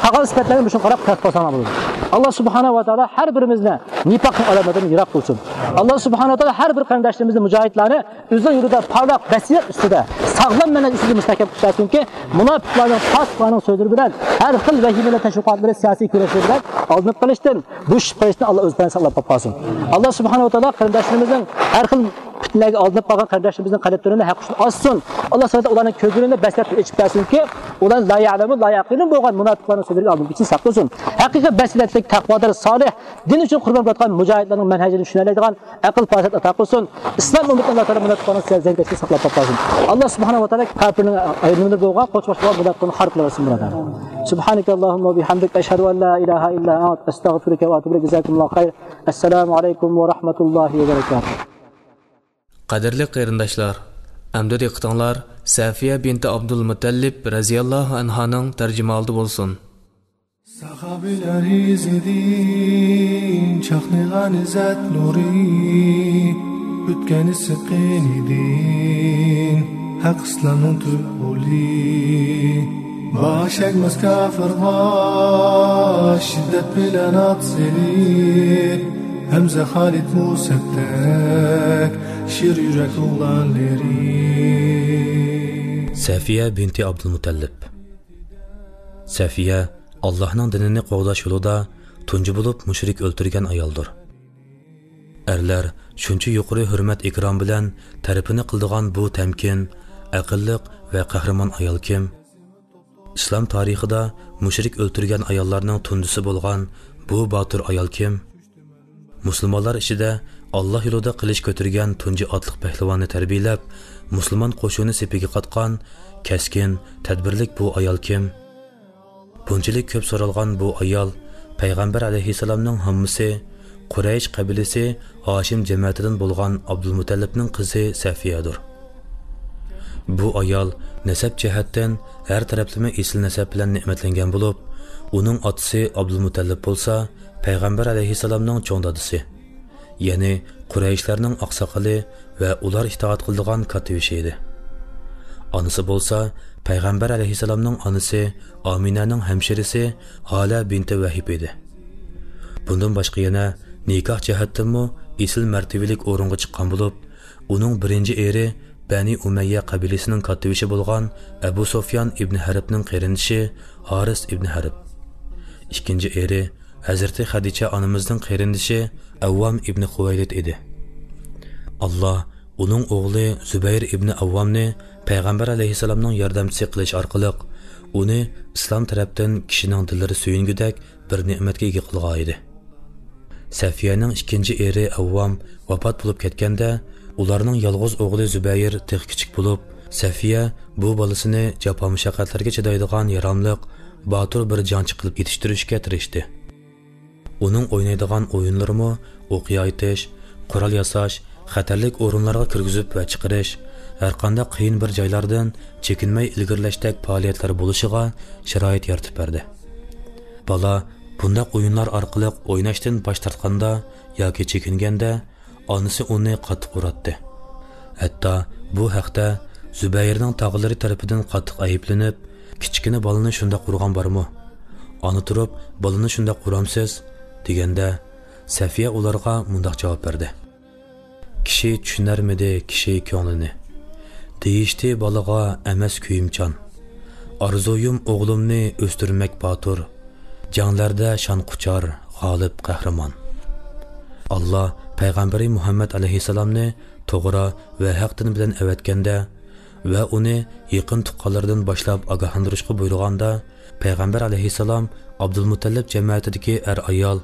قالغان سۈپەتلەرنى مۇشۇنى قاراپ تەتقىق قىلساڭلار بولىدۇ. ئاللا سۇبھانەھۇ ۋە تائالا ھەر بىرىمىزنى نىپاقنىڭ ئالامىتىدىن يىراق قىلسۇن. ئاللا سۇبھانەھۇ ۋە تائالا ھەر بىر قېرىنداشلىرىمىزنى، مۇجاھىدلارنى ئۆزىنىڭ يولىدا پارلاق بەسىرەت ئۈستىدە، ساغلام مەنھەج ئۈستىدە مۇستەھكەم قىلىپ بەرسۇنكى، مۇناپىقلارنىڭ، پاسىقلارنىڭ سۆزلىرى بىلەن، ھەر خىل ۋەھىمىلەر، تەشۋىقاتلىرى، سىياسىي كۈرەشلىرى بىلەن ئالدىنىپ قېلىشتىن، بوشىشىپ قېلىشتىن ئاللا ئۆز پەناھىدا ساقلاپ قالسۇن. ئاللا سۇبھانەھۇ ۋە تائالا قېرىنداشلىرىمىزنىڭ ھەر خىل پىتنىلەرگە ئالدىنىپ قالغان قەرزداشلىرىمىزنىڭ قەلبلىرىنى ھەق ئۈچۈن ئاچسۇن. ئاللا سۇبھانەھۇ ۋە تائالا ئۇلارنىڭ كۆزلىرىنى بەسىرەتتىن ئېچىپ بەرسۇنكى، ئۇلار لا يەلەمۇن، لا يەقىلۇن بولغان مۇناپىقلارنىڭ سۆزلىرىگە ئالدىنىپ كېتىشتىن ساقلىسۇن. ھەقىقىي بەسىرەتلىك، تەقۋادار، سالىھ، دىن ئۈچۈن قۇربان بېرىۋاتقان مۇجاھىدلارنىڭ مەنھەجىنى چۈشىنەلەيدىغان ئەقىل پاراسەت ئاتا قىلسۇن. ئىسلام ئۈممىتىنى ئاللا تائالا مۇناپىقلارنىڭ زەنجىرىدىن ساقلاپ قالسۇن. ئاللا سۇبھانەھۇ ۋە تائالا كاپىرنىڭ ئايرىمىدا بولغان، قوچ باشلىغان مۇناپىقلارنى خار قىلىۋەتسۇن، بۇرادەر. سۇبھانەكەللاھۇممە ۋە بىھەمدىك، ئەشھەدۇ ئەن لا ئىلاھە ئىللا ئەنت، ئەستەغفىرۇكە ۋە ئەتۇبۇ ئىلەيك. جازاكۇمۇللاھۇ خەير. ئەسسالامۇ ئەلەيكۇم ۋە رەھمەتۇللاھى ۋە بەرەكاتۇھ. قەدىرلىك قېرىنداشلار، ئەمدى دىققىتىڭلار سەفىيە بىنتى ئابدۇلمۇتەللىپ رەزىياللاھۇ ئەنھانىڭ تەرجىمىھالىدا بولسۇن. ساخابىلەر ئىزىدىن چاقنىغان ئىززەت نۇرى، ئۆتكەن ئىسسىق قېنىدىن ھەق ئىسلامنىڭ تۈز يولى. باش ئەگمەس كاپىرغا شىددەت بىلەن ئات سېلىپ، ھەمزە، خالىد، مۇسەبدەك شىر يۈرەك ئوغلانلىرى. سەفىيە بىنتى ئابدۇلمۇتەللىپ. سەفىيە ئاللاھنىڭ دىنىنى قوغداش يولىدا تۇنجى بولۇپ مۇشرىك ئۆلتۈرگەن ئايالدۇر. ئەرلەر شۇنچە يۇقىرى ھۆرمەت-ئىكرام بىلەن تەرىپىنى قىلىدىغان بۇ تەمكىن، ئەقىللىق ۋە قەھرىمان ئايال كىم؟ ئىسلام تارىخىدا مۇشرىك ئۆلتۈرگەن ئاياللارنىڭ تۇنجىسى بولغان بۇ باتۇر ئايال كىم؟ مۇسۇلمانلار ئىچىدە ئاللا يولىدا قىلىچ كۆتۈرگەن تۇنجى ئاتلىق پەھلىۋاننى تەربىيەلەپ، مۇسۇلمان قوشۇنى سېپىگە قاتقان كەسكىن، تەدبىرلىك بۇ ئايال كىم؟ بۇنچىلىك كۆپ سورالغان بۇ ئايال پەيغەمبەر ئەلەيھىسسالامنىڭ ھاممىسى، قۇرەيش قەبىلىسى ھاشىم جەمەتىدىن بولغان ئابدۇلمۇتەللىپنىڭ قىزى سەفىيەدۇر. بۇ ئايال نەسەب جەھەتتىن ھەر تەرەپلىمە ئېسىل نەسەب بىلەن نېمەتلەنگەن بولۇپ، ئۇنىڭ ئاتىسى ئابدۇلمۇتەللىپ بولسا پەيغەمبەر ئەلەيھىسسالامنىڭ چوڭ دادىسى، يەنى قۇرەيشلەرنىڭ ئاقساقىلى ۋە ئۇلار ئىتائەت قىلىدىغان كاتتىبېشى ئىدى. ئانىسى بولسا پەيغەمبەر ئەلەيھىسسالامنىڭ ئانىسى ئامىنەنىڭ ھەمشىرىسى ھالە بىنتى ۋەھىب ئىدى. بۇندىن باشقا يەنە نىكاھ جەھەتتىنمۇ ئېسىل مەرتىۋىلىك ئورۇنغا چىققان بولۇپ، ئۇنىڭ بىرىنچى ئېرى بەنى ئۇمەييە قەبىلىسىنىڭ كاتتىبېشى بولغان ئەبۇ سۇفيان ئىبنى ھەربنىڭ قېرىندىشى ھارىس ئىبنى ھەرب، ئىككىنچى ئېرى ھەزرىتى خەدىچە ئانىمىزنىڭ قېرىندىشى ئەۋۋام ئىبنى خۇۋەيلىد ئىدى. ئاللا ئۇنىڭ ئوغلى زۇبەير ئىبنى ئەۋۋامنى پەيغەمبەر ئەلەيھىسسالامنىڭ ياردەمچىسى قىلىش ئارقىلىق، ئۇنى ئىسلام تەرەپتىن كىشىنىڭ دىللىرى سۆيۈنگۈدەك بىر نېمەتكە ئىگە قىلغان ئىدى. سەفىيەنىڭ ئىككىنچى ئېرى ئەۋۋام ۋاپات بولۇپ كەتكەندە، ئۇلارنىڭ يالغۇز ئوغلى زۇبەير تېخى كىچىك بولۇپ، سەفىيە بۇ بالىسىنى جاپا-مۇشەققەتلەرگە چىدايدىغان ياراملىق، باتۇر بىر جەڭچى قىلىپ يېتىشتۈرۈشكە تىرىشتى. ئۇنىڭ ئوينايدىغان ئويۇنلىرىمۇ ئوقيا ئېتىش، قورال ياساش، خەتەرلىك ئورۇنلارغا كىرگۈزۈپ ۋە چىقىرىش، ھەرقانداق قىيىن بىر جايلاردىن چېكىنمەي ئىلگىرىلەشتەك پائالىيەتلەر بولۇشىغا شارائىت يارىتىپ بەردى. بالا بۇنداق ئويۇنلار ئارقىلىق ئويناشتىن باش تارتقاندا ياكى چېكىنگەندە، ئانىسى ئۇنى قاتتىق ئۇراتتى. ھەتتا بۇ ھەقتە زۇبەيرنىڭ تاغىلىرى تەرىپىدىن قاتتىق ئەيىبلىنىپ، «كىچىككىنە بالىنى شۇنداق ئۇرغان بارمۇ؟ ئانا تۇرۇپ، بالىنى شۇنداق ئۇرامسىز؟» دېگەندە، سەفىيە ئۇلارغا مۇنداق جاۋاب بەردى: «كىشى چۈشىنەرمىدى كىشى كۆڭلىنى؟ دېيىشتى بالىغا ئەمەس كۆيۈمچان. ئارزۇيۇم ئوغلۇمنى ئۆستۈرمەك باتۇر، جەڭلەردە شان قۇچار، غالىب قەھرىمان.» ئاللا پەيغەمبىرى مۇھەممەد ئەلەيھىسسالامنى توغرا ۋە ھەق دىن بىلەن ئەۋەتكەندە ۋە ئۇنى يېقىن تۇغقانلىرىدىن باشلاپ ئاگاھلاندۇرۇشقا بۇيرۇغاندا، پەيغەمبەر ئەلەيھىسسالام ئابدۇلمۇتەللىپ جەمەتىدىكى ئەر-ئايال،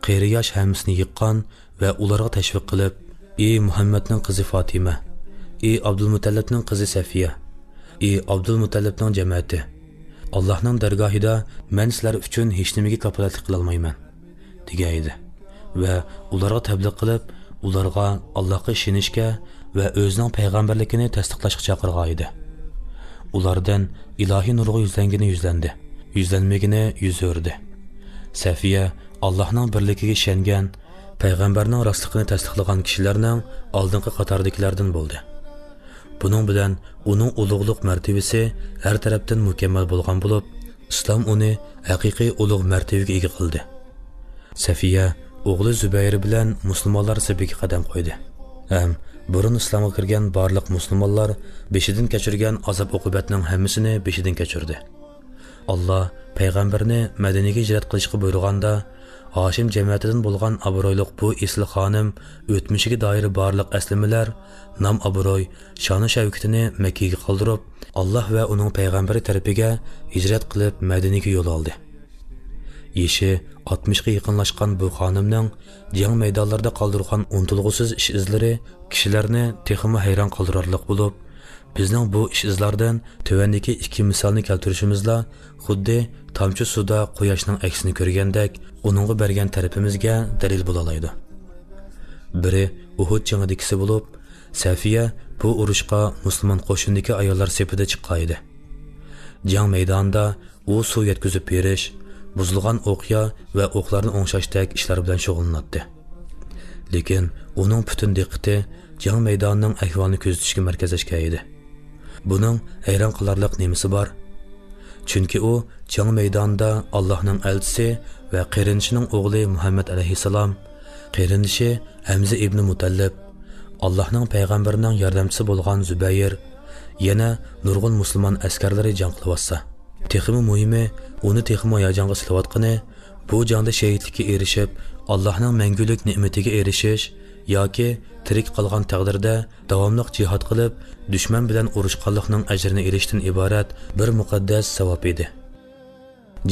قېرى-ياش ھەممىسىنى يىغقان ۋە ئۇلارغا تەشۋىق قىلىپ: «ئى مۇھەممەدنىڭ قىزى فاتىمە، ئى ئابدۇلمۇتەللىپنىڭ قىزى سەفىيە، ئى ئابدۇلمۇتەللىپنىڭ جەمەتى، ئاللاھنىڭ دەرگاھىدا مەن سىلەر ئۈچۈن ھېچنېمىگە كاپالەتلىك قىلالمايمەن» دېگەن ئىدى ۋە ئۇلارغا تەبلىغ قىلىپ، ئۇلارغا ئاللاھقا ئىشىنىشكە، ۋە ئۆزىنىڭ پەيغەمبەرلىكىنى تەستىقلاشقا چاقىرغان ئىدى. ئۇلاردىن ئىلاھىي نۇرغا يۈزلەنگىنى يۈزلەندى، يۈزلەنمىگىنى يۈز ئۆردى. سەفىيە ئاللاھنىڭ بىرلىكىگە ئىشەنگەن، پەيغەمبەرنىڭ راستلىقىنى تەستىقلىغان كىشىلەرنىڭ ئالدىنقى قاتاردىكىلەردىن بولدى. بۇنىڭ بىلەن ئۇنىڭ ئۇلۇغلۇق مەرتىۋىسى ھەر تەرەپتىن مۇكەممەل بولغان بولۇپ، ئىسلام ئۇنى ھەقىقىي ئۇلۇغ مەرتىۋىگە ئىگە قىلدى. سەفىيە ئوغلى زۇبەير بىلەن مۇسۇلمانلار سېپىگە قەدەم قويدى ھەم بۇرۇن ئىسلامغا كىرگەن بارلىق مۇسۇلمانلار بېشىدىن كەچۈرگەن ئازاب-ئوقۇبەتنىڭ ھەممىسىنى بېشىدىن كەچۈردى. ئاللا پەيغەمبەرنى مەدىنىگە ھىجرەت قىلىشقا بۇيرۇغاندا، ھاشىم جەمەتىدىن بولغان ئابرۇيلۇق بۇ ئېسىل خانىم ئۆتمۈشىگە دائىر بارلىق ئەسلىمىلەر، نام-ئابرۇي، شانۇ-شەۋكىتىنى مەككىگە قالدۇرۇپ، ئاللا ۋە ئۇنىڭ پەيغەمبىرى تەرىپىگە ھىجرەت قىلىپ مەدىنىگە يول ئالدى. يېشى ئاتمىشقا يېقىنلاشقان بۇ خانىمنىڭ جەڭ مەيدانلىرىدا قالدۇرغان ئۇنتۇلغۇسىز ئىش-ئىزلىرى كىشىلەرنى تېخىمۇ ھەيران قالدۇرارلىق بولۇپ، بىزنىڭ بۇ ئىش-ئىزلاردىن تۆۋەندىكى ئىككى مىسالنى كەلتۈرۈشىمىزلا خۇددى تامچە سۇدا قۇياشنىڭ ئەكسىنى كۆرگەندەك ئۇنىڭغا بەرگەن تەرىپىمىزگە دەلىل بولالايدۇ. بىرى ئۇھۇد جېڭىدىكىسى بولۇپ، سەفىيە بۇ ئۇرۇشقا مۇسۇلمان قوشۇنىدىكى ئاياللار سېپىدە چىققان ئىدى. جەڭ مەيدانىدا ئۇ سۇ يەتكۈزۈپ بېرىش، بۇزۇلغان ئوقيا ۋە ئوقلارنى ئوڭشاشتەك ئىشلار بىلەن شۇغۇللىناتتى. لېكىن ئۇنىڭ پۈتۈن دىققىتى جەڭ مەيدانىنىڭ ئەھۋالىنى كۆزىتىشكە مەركەزلەشكەن ئىدى. بۇنىڭ ھەيران قالارلىق نېمىسى بار؟ چۈنكى ئۇ جەڭ مەيدانىدا ئاللاھنىڭ ئەلچىسى ۋە قېرىندىشىنىڭ ئوغلى مۇھەممەد ئەلەيھىسسالام، قېرىندىشى ھەمزە ئىبنى مۇتەللىپ، ئاللاھنىڭ پەيغەمبىرىنىڭ ياردەمچىسى بولغان زۇبەيىر، يەنە نۇرغۇن مۇسۇلمان ئەسكەرلىرى جەڭ قىلىۋاتسا، تېخىمۇ مۇھىمى، ئۇنى تېخىمۇ ھاياجانغا سېلىۋاتقىنى، بۇ جەڭدە شېھىتلىككە ئېرىشىپ، ئاللاھنىڭ مەڭگۈلۈك نېمىتىگە ئېرىشىش ياكى تىرىك قالغان تەقدىردە داۋاملىق جىھاد قىلىپ، دۈشمەن بىلەن ئۇرۇشقانلىقنىڭ ئەجرىنى ئېلىشتىن ئىبارەت بىر مۇقەددەس ساۋاب ئىدى.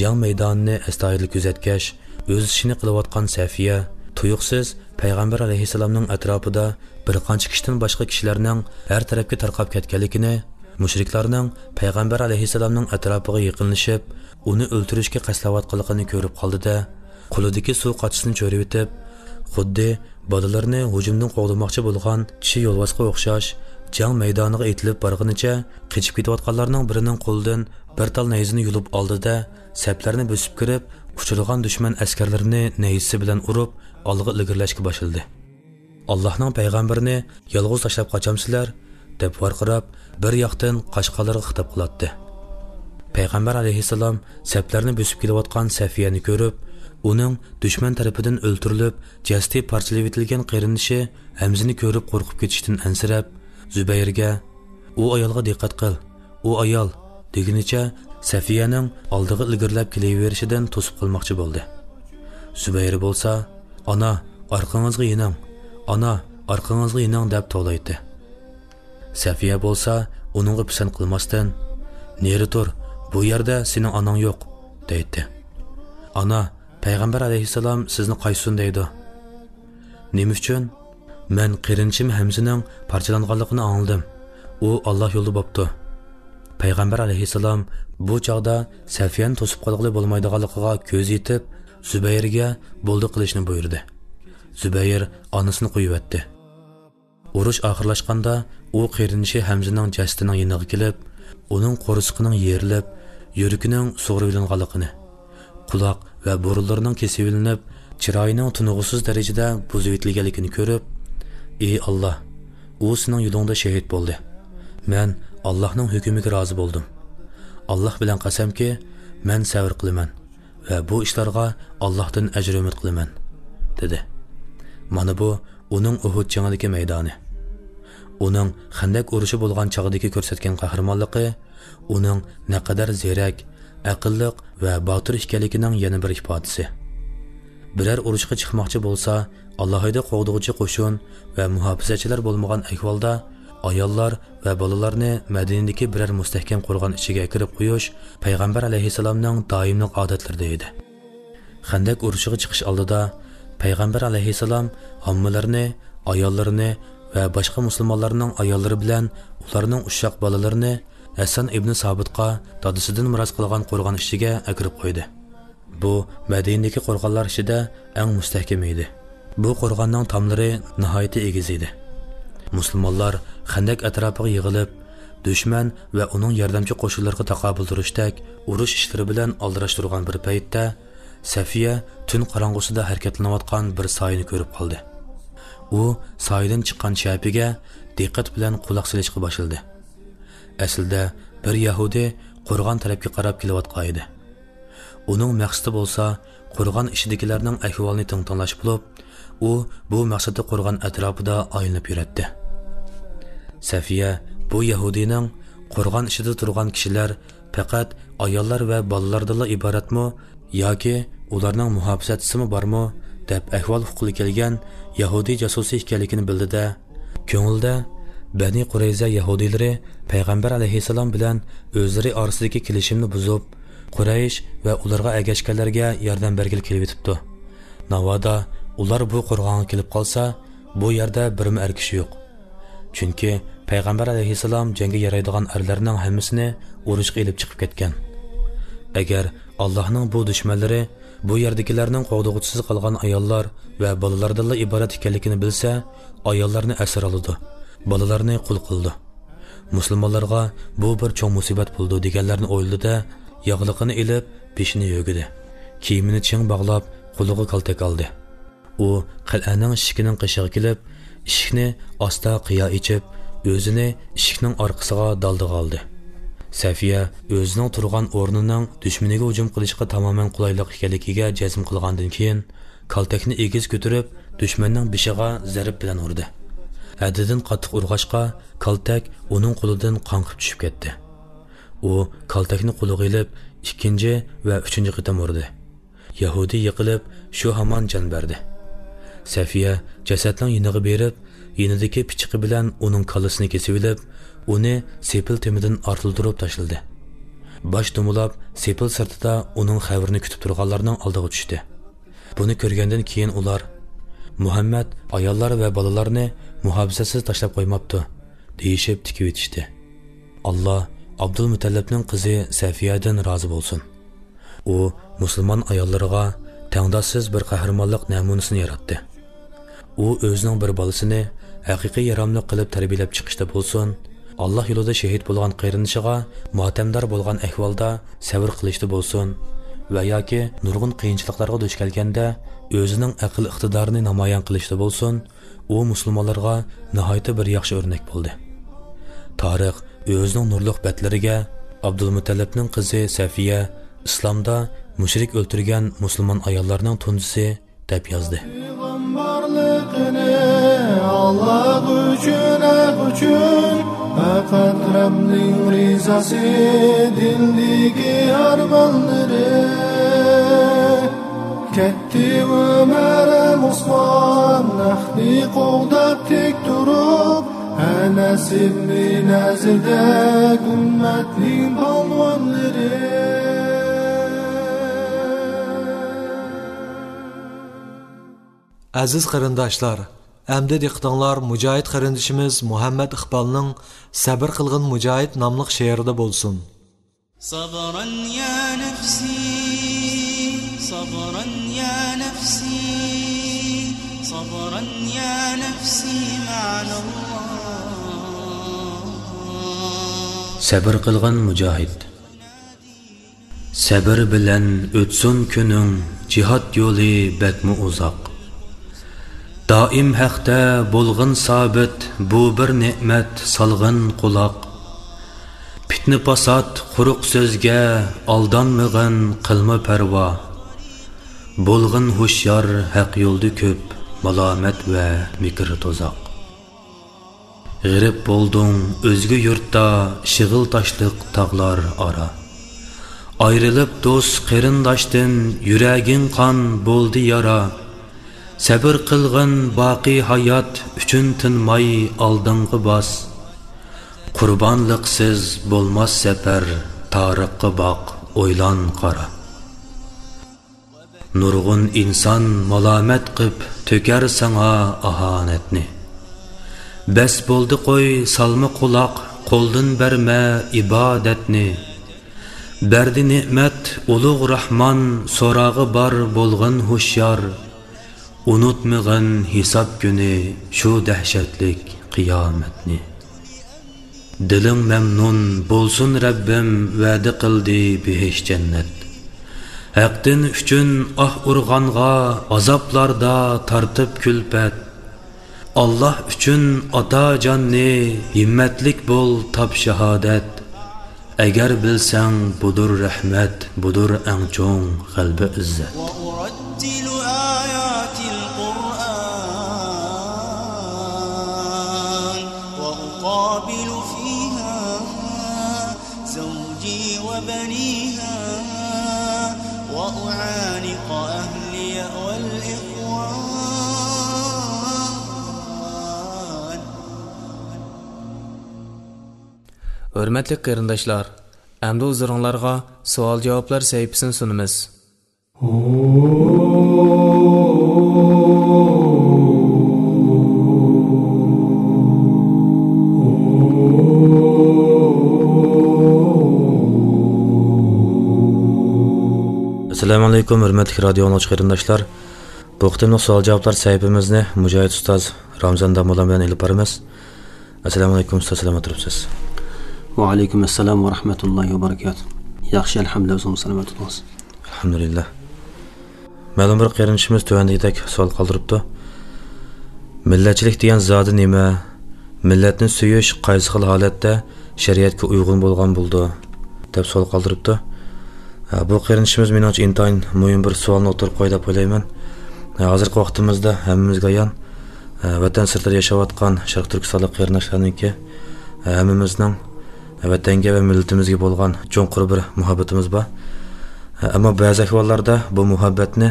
جەڭ مەيدانىنى ئەستايىدىل كۆزەتكەچ، ئۆز ئىشىنى قىلىۋاتقان سەفىيە تۇيۇقسىز پەيغەمبەر ئەلەيھىسسالامنىڭ ئەتراپىدا بىر قانچە كىشىدىن باشقا كىشىلەرنىڭ ھەر تەرەپكە تارقاپ كەتكەنلىكىنى، مۇشرىكلارنىڭ پەيغەمبەر ئەلەيھىسسالامنىڭ ئەتراپىغا يېقىنلىشىپ، ئۇنى ئۆلتۈرۈشكە قەستلەۋاتقانلىقىنى كۆرۈپ قالدى-دە، قولىدىكى سۇ قاچىسىنى چۆرۈۋېتىپ، خۇددى بالىلىرىنى ھۇجۇمدىن قوغدىماقچى بولغان چىشى يولۋاسقا ئوخشاش، جەڭ مەيدانىغا ئېتىلىپ بارغىنىچە، قېچىپ كېتىۋاتقانلارنىڭ بىرىنىڭ قولىدىن بىر تال نەيزىنى يۇلۇپ ئالدى-دە، سەپلەرنى بۆسۈپ كىرىپ، ئۇچرىغان دۈشمەن ئەسكەرلىرىنى نەيزىسى بىلەن ئۇرۇپ، ئالغا ئىلگىرىلەشكە باشلىدى. «ئاللاھنىڭ پەيغەمبىرىنى يالغۇز تاشلاپ قاچامسىلەر؟» دەپ ۋارقىراپ، بىر ياقتىن قاشقالارغا خىتاب قىلاتتى. پەيغەمبەر ئەلەيھىسسالام سەپلەرنى بۆسۈپ كېلىۋاتقان سەفىيەنى كۆرۈپ، ئۇنىڭ دۈشمەن تەرىپىدىن ئۆلتۈرۈلۈپ، جەسىتى پارچىلىۋېتىلگەن قېرىندىشى ھەمزىنى كۆرۈپ قورقۇپ كېتىشتىن ئەنسىرەپ، زۇبەيرگە، «ئۇ ئايالغا دىققەت قىل، ئۇ ئايال» دېگىنىچە سەفىيەنىڭ ئالدىغا ئىلگىرىلەپ كېلىۋېرىشىدىن توسۇپ قالماقچى بولدى. زۇبەير بولسا، «ئانا، ئارقىڭىزغا يېنىڭ! ئانا، ئارقىڭىزغا يېنىڭ!» دەپ توۋلايتتى. سەفىيە بولسا ئۇنىڭغا پىسەنت قىلماستىن، «نېرى تۇر، بۇ يەردە سېنىڭ ئاناڭ يوق» دەيتتى. «ئانا، پەيغەمبەر ئەلەيھىسسالام سىزنى قايسۇن دەيدۇ.» «نېمە ئۈچۈن؟» «مەن قېرىندىشىم ھەمزىنىڭ پارچىلانغانلىقىنى ئاڭلىدىم. ئۇ ئاللا يولىدا بوپتۇ.» پەيغەمبەر ئەلەيھىسسالام بۇ چاغدا سەفىيەنى توسۇپ قالغىلى بولمايدىغانلىقىغا كۆزى يېتىپ، زۇبەيرگە بولدى قىلىشنى بۇيرۇدى. زۇبەير ئانىسىنى قويۇۋەتتى. ئۇرۇش ئاخىرلاشقاندا، ئۇ قېرىندىشى ھەمزىنىڭ جەسىتىنىڭ يېنىغا كېلىپ، ئۇنىڭ قورسىقىنىڭ يېرىلىپ، يۈرىكىنىڭ سۇغۇرۇۋېلىنغانلىقىنى، قۇلاق ۋە بۇرۇنلىرىنىڭ كېسىۋېلىنىپ، چىرايىنىڭ تونۇغۇسىز دەرىجىدە بۇزۇۋېتىلگەنلىكىنى كۆرۈپ، «ئى ئاللا، ئۇ سېنىڭ يولۇڭدا شېھىت بولدى. مەن ئاللانىڭ ھۆكمىگە رازى بولدۇم. ئاللا بىلەن قەسەمكى، مەن سەۋر قىلىمەن ۋە بۇ ئىشلارغا ئاللاھتىن ئەجىر ئۈمىد قىلىمەن» دېدى. مانا بۇ ئۇنىڭ ئۇھۇد جېڭىدىكى مەيدانى. ئۇنىڭ خەندەك ئۇرۇشى بولغان چاغدىكى كۆرسەتكەن قەھرىمانلىقى ئۇنىڭ نەقەدەر زېرەك، ئەقىللىق ۋە باتۇر ئىكەنلىكىنىڭ يەنە بىر ئىپادىسى. بىرەر ئۇرۇشقا چىقماقچى بولسا، ئالاھىدە قوغدىغۇچى قوشۇن ۋە مۇھاپىزەتچىلەر بولمىغان ئەھۋالدا، ئاياللار ۋە بالىلارنى مەدىنىدىكى بىرەر مۇستەھكەم قورغان ئىچىگە ئەكىرىپ قويۇش پەيغەمبەر ئەلەيھىسسالامنىڭ دائىملىق ئادەتلىرىدە ئىدى. خەندەك ئۇرۇشىغا چىقىش ئالدىدا پەيغەمبەر ئەلەيھىسسالام ھاممىلىرىنى، ئاياللىرىنى ۋە باشقا مۇسۇلمانلارنىڭ ئاياللىرى بىلەن ئۇلارنىڭ ئۇششاق بالىلىرىنى ھەسسان ئىبنى سابىتقا دادىسىدىن مىراس قالغان قورغان ئىچىگە ئەكىرىپ قويدى. بۇ مەدىنىدىكى قورغانلار ئىچىدە ئەڭ مۇستەھكىمى ئىدى. بۇ قورغاننىڭ تاملىرى ناھايىتى ئېگىز ئىدى. مۇسۇلمانلار خەندەك ئەتراپىغا يىغىلىپ، دۈشمەن ۋە ئۇنىڭ ياردەمچى قوشۇنلىرىغا تاقابىل تۇرۇشتەك ئۇرۇش ئىشلىرى بىلەن ئالدىراش تۇرغان بىر پەيتتە، سەفىيە تۈن قاراڭغۇسىدا ھەرىكەتلىنىۋاتقان بىر سايىنى كۆرۈپ قالدى. ئۇ سايىدىن چىققان شەپىگە دىققەت بىلەن قۇلاق سېلىشقا باشلىدى. ئەسلىدە بىر يەھۇدىي قورغان تەرەپكە قاراپ كېلىۋاتقان ئىدى. ئۇنىڭ مەقسىتى بولسا قورغان ئىچىدىكىلەرنىڭ ئەھۋالىنى تىڭ تىڭلاش بولۇپ، ئۇ بۇ مەقسەتتە قورغان ئەتراپىدا ئايلىنىپ يۈرەتتى. سەفىيە بۇ يەھۇدىينىڭ «قورغان ئىچىدە تۇرغان كىشىلەر پەقەت ئاياللار ۋە بالىلاردىنلا ئىبارەتمۇ ياكى ئۇلارنىڭ مۇھاپىزەتچىسىمۇ بارمۇ؟» دەپ ئەھۋال ئۇققىلى كەلگەن يەھۇدىي جاسۇسى ئىكەنلىكىنى بىلدى-دە، كۆڭلىدە، بەنى قۇرەيزە يەھۇدىيلىرى پەيغەمبەر ئەلەيھىسسالام بىلەن ئۆزلىرى ئارىسىدىكى كېلىشىمنى بۇزۇپ، قۇرەيش ۋە ئۇلارغا ئەگەشكەنلەرگە ياردەم بەرگىلى كېلىۋېتىپتۇ. ناۋادا ئۇلار بۇ قورغانغا كېلىپ قالسا، بۇ يەردە بىرمۇ ئەر كىشى يوق. چۈنكى پەيغەمبەر ئەلەيھىسسالام جەڭگە يارايدىغان ئەرلەرنىڭ ھەممىسىنى ئۇرۇشقا ئېلىپ چىقىپ كەتكەن. ئەگەر ئاللاھنىڭ بۇ دۈشمەنلىرى بۇ يەردىكىلەرنىڭ قوغدىغۇچىسىز قالغان ئاياللار ۋە بالىلاردىنلا ئىبارەت ئىكەنلىكىنى بىلسە، ئاياللارنى ئەسىر ئالىدۇ، بالىلارنى قۇل قىلىدۇ. مۇسۇلمانلارغا بۇ بىر چوڭ مۇسىبەت بولىدۇ دېگەنلەرنى ئويلىدى-دە، ياغلىقىنى ئېلىپ، بېشىنى يۆگىدى. كىيىمىنى چىڭ باغلاپ، قولىغا كالتەك ئالدى. ئۇ قەلئەنىڭ ئىشىكىنىڭ قېشىغا كېلىپ، ئىشىكنى ئاستا قىيا ئېچىپ، ئۆزىنى ئىشىكنىڭ ئارقىسىغا دالدىغا ئالدى. سەفىيە ئۆزىنىڭ تۇرغان ئورنىنىڭ دۈشمىنىگە ھۇجۇم قىلىشقا تامامەن قولايلىق ئىكەنلىكىگە جەزم قىلغاندىن كېيىن، كالتەكنى ئېگىز كۆتۈرۈپ، دۈشمەننىڭ بېشىغا زەرب بىلەن ئۇردى. ھەددىدىن قاتتىق ئۇرغاچقا، كالتەك ئۇنىڭ قولىدىن قاڭقىپ چۈشۈپ كەتتى. ئۇ كالتەكنى قولىغا ئېلىپ، ئىككىنچى ۋە ئۈچىنچى قېتىم ئۇردى. يەھۇدىي يىقىلىپ، شۇ ھامان جان بەردى. سەفىيە جەسەتنىڭ يېنىغا بېرىپ، يېنىدىكى پىچىقى بىلەن ئۇنىڭ كاللىسىنى كېسىۋېلىپ، ئۇنى سېپىل تېمىدىن ئارتىلدۇرۇپ تاشلىدى. باش دومىلاپ، سېپىل سىرتىدا ئۇنىڭ قەبرىنى كۈتۈپ تۇرغانلارنىڭ ئالدىغا چۈشتى. بۇنى كۆرگەندىن كېيىن ئۇلار، «مۇھەممەد ئاياللار ۋە بالىلارنى مۇھاپىزەتسىز تاشلاپ قويماپتۇ» دېيىشىپ تىكىۋېتىشتى. «ئاللا ئابدۇلمۇتەللىپنىڭ قىزى سەفىيەدىن رازى بولسۇن. ئۇ مۇسۇلمان ئاياللىرىغا تەڭداشسىز بىر قەھرىمانلىق نەمۇنىسىنى ياراتتى. ئۇ ئۆزىنىڭ بىر بالىسىنى ھەقىقىي ياراملىق قىلىپ تەربىيەلەپ چىقىشتا بولسۇن، ئاللا يولىدا شېھىت بولغان قېرىندىشىغا ماتەمدار بولغان ئەھۋالدا سەۋر قىلىشتا بولسۇن ۋە ياكى نۇرغۇن قىيىنچىلىقلارغا دۇچ كەلگەندە ئۆزىنىڭ ئەقىل ئىقتىدارىنى نامايان قىلىشتا بولسۇن، ئۇ مۇسۇلمانلارغا ناھايىتى بىر ياخشى ئۆرنەك بولدى.» تارىخ ئۆزىنىڭ نۇرلۇق بەتلىرىگە «ئابدۇلمۇتەللىپنىڭ قىزى سەفىيە ئىسلامدا مۇشرىك ئۆلتۈرگەن مۇسۇلمان ئاياللارنىڭ تۇنجىسى» دەپ يازدى. پەيغەمبەرلىقىنى ئاللا ئۈچۈن، ھەق ئۈچۈن، پەقەت رەبنىڭ رىزاسى دىلدىكى ئارمانلىرى. كەتتى ئۆمەر ھەم ئوسمان، ھەقنى قوغداپ تىك تۇرۇپ، ئەنەس ئىبنى نەزىردەك ئۈممەتنىڭ پالۋانلىرى. ئەزىز قېرىنداشلار، ئەمدى دىققىتىڭلار مۇجاھىد قېرىندىشىمىز مۇھەممەد ئىقبالنىڭ «سەبىر قىلغىن مۇجاھىد» ناملىق شېئىرىدا بولسۇن. صبرا يا نفسي، صبرا يا نفسي، صبرا يا نفسي معنا الله. سەبىر قىلغىن مۇجاھىد. سەبىر بىلەن ئۆتسۇن كۈنۈڭ، جىھاد يولى بەكمۇ ئۇزاق. دائىم ھەقتە بولغىن سابىت، بۇ بىر نېمەت، سالغىن قۇلاق. پىتنە-پاسات، قۇرۇق سۆزگە ئالدانمىغىن، قىلما پەرۋا. بولغىن ھوشيار، ھەق يولدا كۆپ مالامەت ۋە مىكىر تۇزاق. غېرىب بولدۇڭ ئۆزگە يۇرتتا، شېغىل تاشلىق تاغلار ئارا. ئايرىلىپ دوست قېرىنداشتىن، يۈرەگىڭ قان بولدى يارا. سەبىر قىلغىن باقىي ھايات ئۈچۈن، تىنماي ئالدىڭغا باس. قۇربانلىقسىز بولماس سەپەر، تارىخقا باق، ئويلان، قارا. نۇرغۇن ئىنسان مالامەت قىپ تۆكەر ساڭا ئاھانەتنى. بەس بولدى قوي، سالما قۇلاق، قولدىن بەرمە ئىبادەتنى. بەردى نېمەت ئۇلۇغ راھمان، سوراغا بار بولغىن ھوشيار. ئۇنتۇمىغىن ھېساب كۈنى شۇ دەھشەتلىك قىيامەتنى. دىلىڭ مەمنۇن بولسۇن، رەببىم ۋەدە قىلدى بېھىش جەننەت. ھەق دىن ئۈچۈن ئاھ ئۇرغانغا، ئازابلاردا تارتىپ كۈلپەت. ئاللاھ ئۈچۈن ئاتا جاننى، ھىممەتلىك بول، تاپ شاھادەت. ئەگەر بىلسەڭ، بۇدۇر رەھمەت، بۇدۇر ئەڭ چوڭ غەلىبە ئىززەت. وأرتل آيات القرآن وأقابل فيها زوجي وبنيها وأعانق أهلي والإخوان. ھۆرمەتلىك قېرىنداشلار، ئەمدى ھۇزۇرۇڭلارغا سوئال-جاۋابلار سەھىپىسىنى سۇنىمىز. ئەسسالامۇ ئەلەيكۇم، ھۆرمەتلىك رادىيو ئاڭلىغۇچى قېرىنداشلار. بۇ قېتىملىق سوئال-جاۋابلار سەھىپىمىزنى مۇجاھىد ئۇستاز رامزان داموللام بىلەن ئېلىپ بارىمىز. ئەسسالامۇ ئەلەيكۇم ئۇستاز، سالامەت تۇرۇپسىز؟ ۋەئەلەيكۇم ئەسسالام ۋە رەھمەتۇللاھى ۋە بەرىكاتۇھ. ياخشى، ئەلھەمدۇلىللا، ئۆزىڭىز سالامەت بولۇڭىز. ئەلھەمدۇلىللا. مەلۇم بىر قېرىندىشىمىز تۆۋەندىكىدەك سوئال قالدۇرۇپتۇ. مىللەتچىلىك دېگەن زادى نېمە؟ مىللەتنى سۆيۈش قايسى خىل ھالەتتە شەرىئەتكە ئۇيغۇن بولغان بولىدۇ؟ دەپ سوئال قالدۇرۇپتۇ. ھە، بۇ قېرىندىشىمىز مېنىڭچە ئىنتايىن مۇھىم بىر سوئالنى ئوتتۇرىغا قويدى دەپ ئويلايمەن. ھە، ھازىرقى ۋاقتىمىزدا ھەممىمىزگە ئايان، ھە، ۋەتەن سىرتىدا ياشاۋاتقان شەرقىي تۈركىستانلىق قېرىنداشلارنىڭكى، ھە، ھەممىمىزنىڭ ۋەتەنگە ۋە مىللىتىمىزگە بولغان چوڭقۇر بىر مۇھەببىتىمىز بار. ھە، ئەمما بەزى ئەھۋاللاردا بۇ مۇھەببەتنى،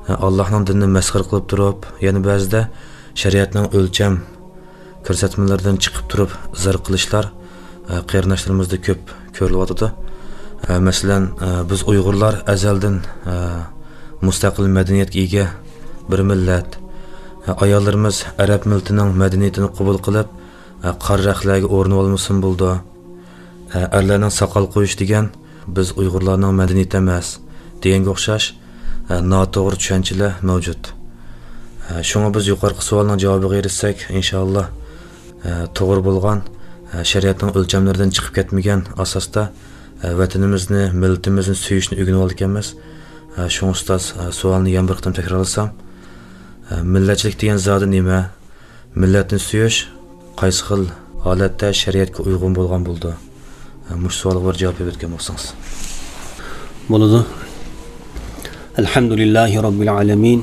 ھە، ئاللاھنىڭ دىنىنى مەسخىرە قىلىپ تۇرۇپ، يەنە بەزىدە شەرىئەتنىڭ ئۆلچەم كۆرسەتمىلىرىدىن چىقىپ تۇرۇپ ئىزھار قىلىشلار، ئە، قېرىنداشلىرىمىزدا كۆپ كۆرۈلۈۋاتىدۇ. ئە، مەسىلەن، ئە، بىز ئۇيغۇرلار ئەزەلدىن، ئە، مۇستەقىل مەدەنىيەتكە ئىگە بىر مىللەت. ئە، ئاياللىرىمىز ئەرەب مىللىتىنىڭ مەدەنىيىتىنى قوبۇل قىلىپ، ئە، قارا رەخلەرگە ئورىنىۋالمىسىمۇ بولىدۇ. ئە، ئەرلەرنىڭ ساقال قويۇش دېگەن بىز ئۇيغۇرلارنىڭ مەدەنىيىتى ئەمەس دېگەنگە ئوخشاش، ئە، ناتوغرا چۈشەنچىلەر مەۋجۇت. ئە، شۇڭا بىز يۇقىرىقى سوئالنىڭ جاۋابىغا ئېرىشسەك، ئىنشائاللا، ئە، توغرا بولغان، ئە، شەرىئەتنىڭ ئۆلچەملىرىدىن چىقىپ كەتمىگەن ئاساستا، ئە، ۋەتىنىمىزنى، مىللىتىمىزنى سۆيۈشنى ئۆگىنىۋالىدىكەنمىز. ئە، شۇڭا ئۇستاز، ئە، سوئالنى يەنە بىر قېتىم تەكرارلىسام، ئە، مىللەتچىلىك دېگەن زادى نېمە؟ مىللەتنى سۆيۈش قايسى خىل ھالەتتە شەرىئەتكە ئۇيغۇن بولغان بولىدۇ؟ مۇشۇ سوئالغا بىر جاۋاب بېرىپ ئۆتكەن بولسىڭىز. بولىدۇ. ئەلھەمدۇلىللاھى رەببىل ئالەمىن.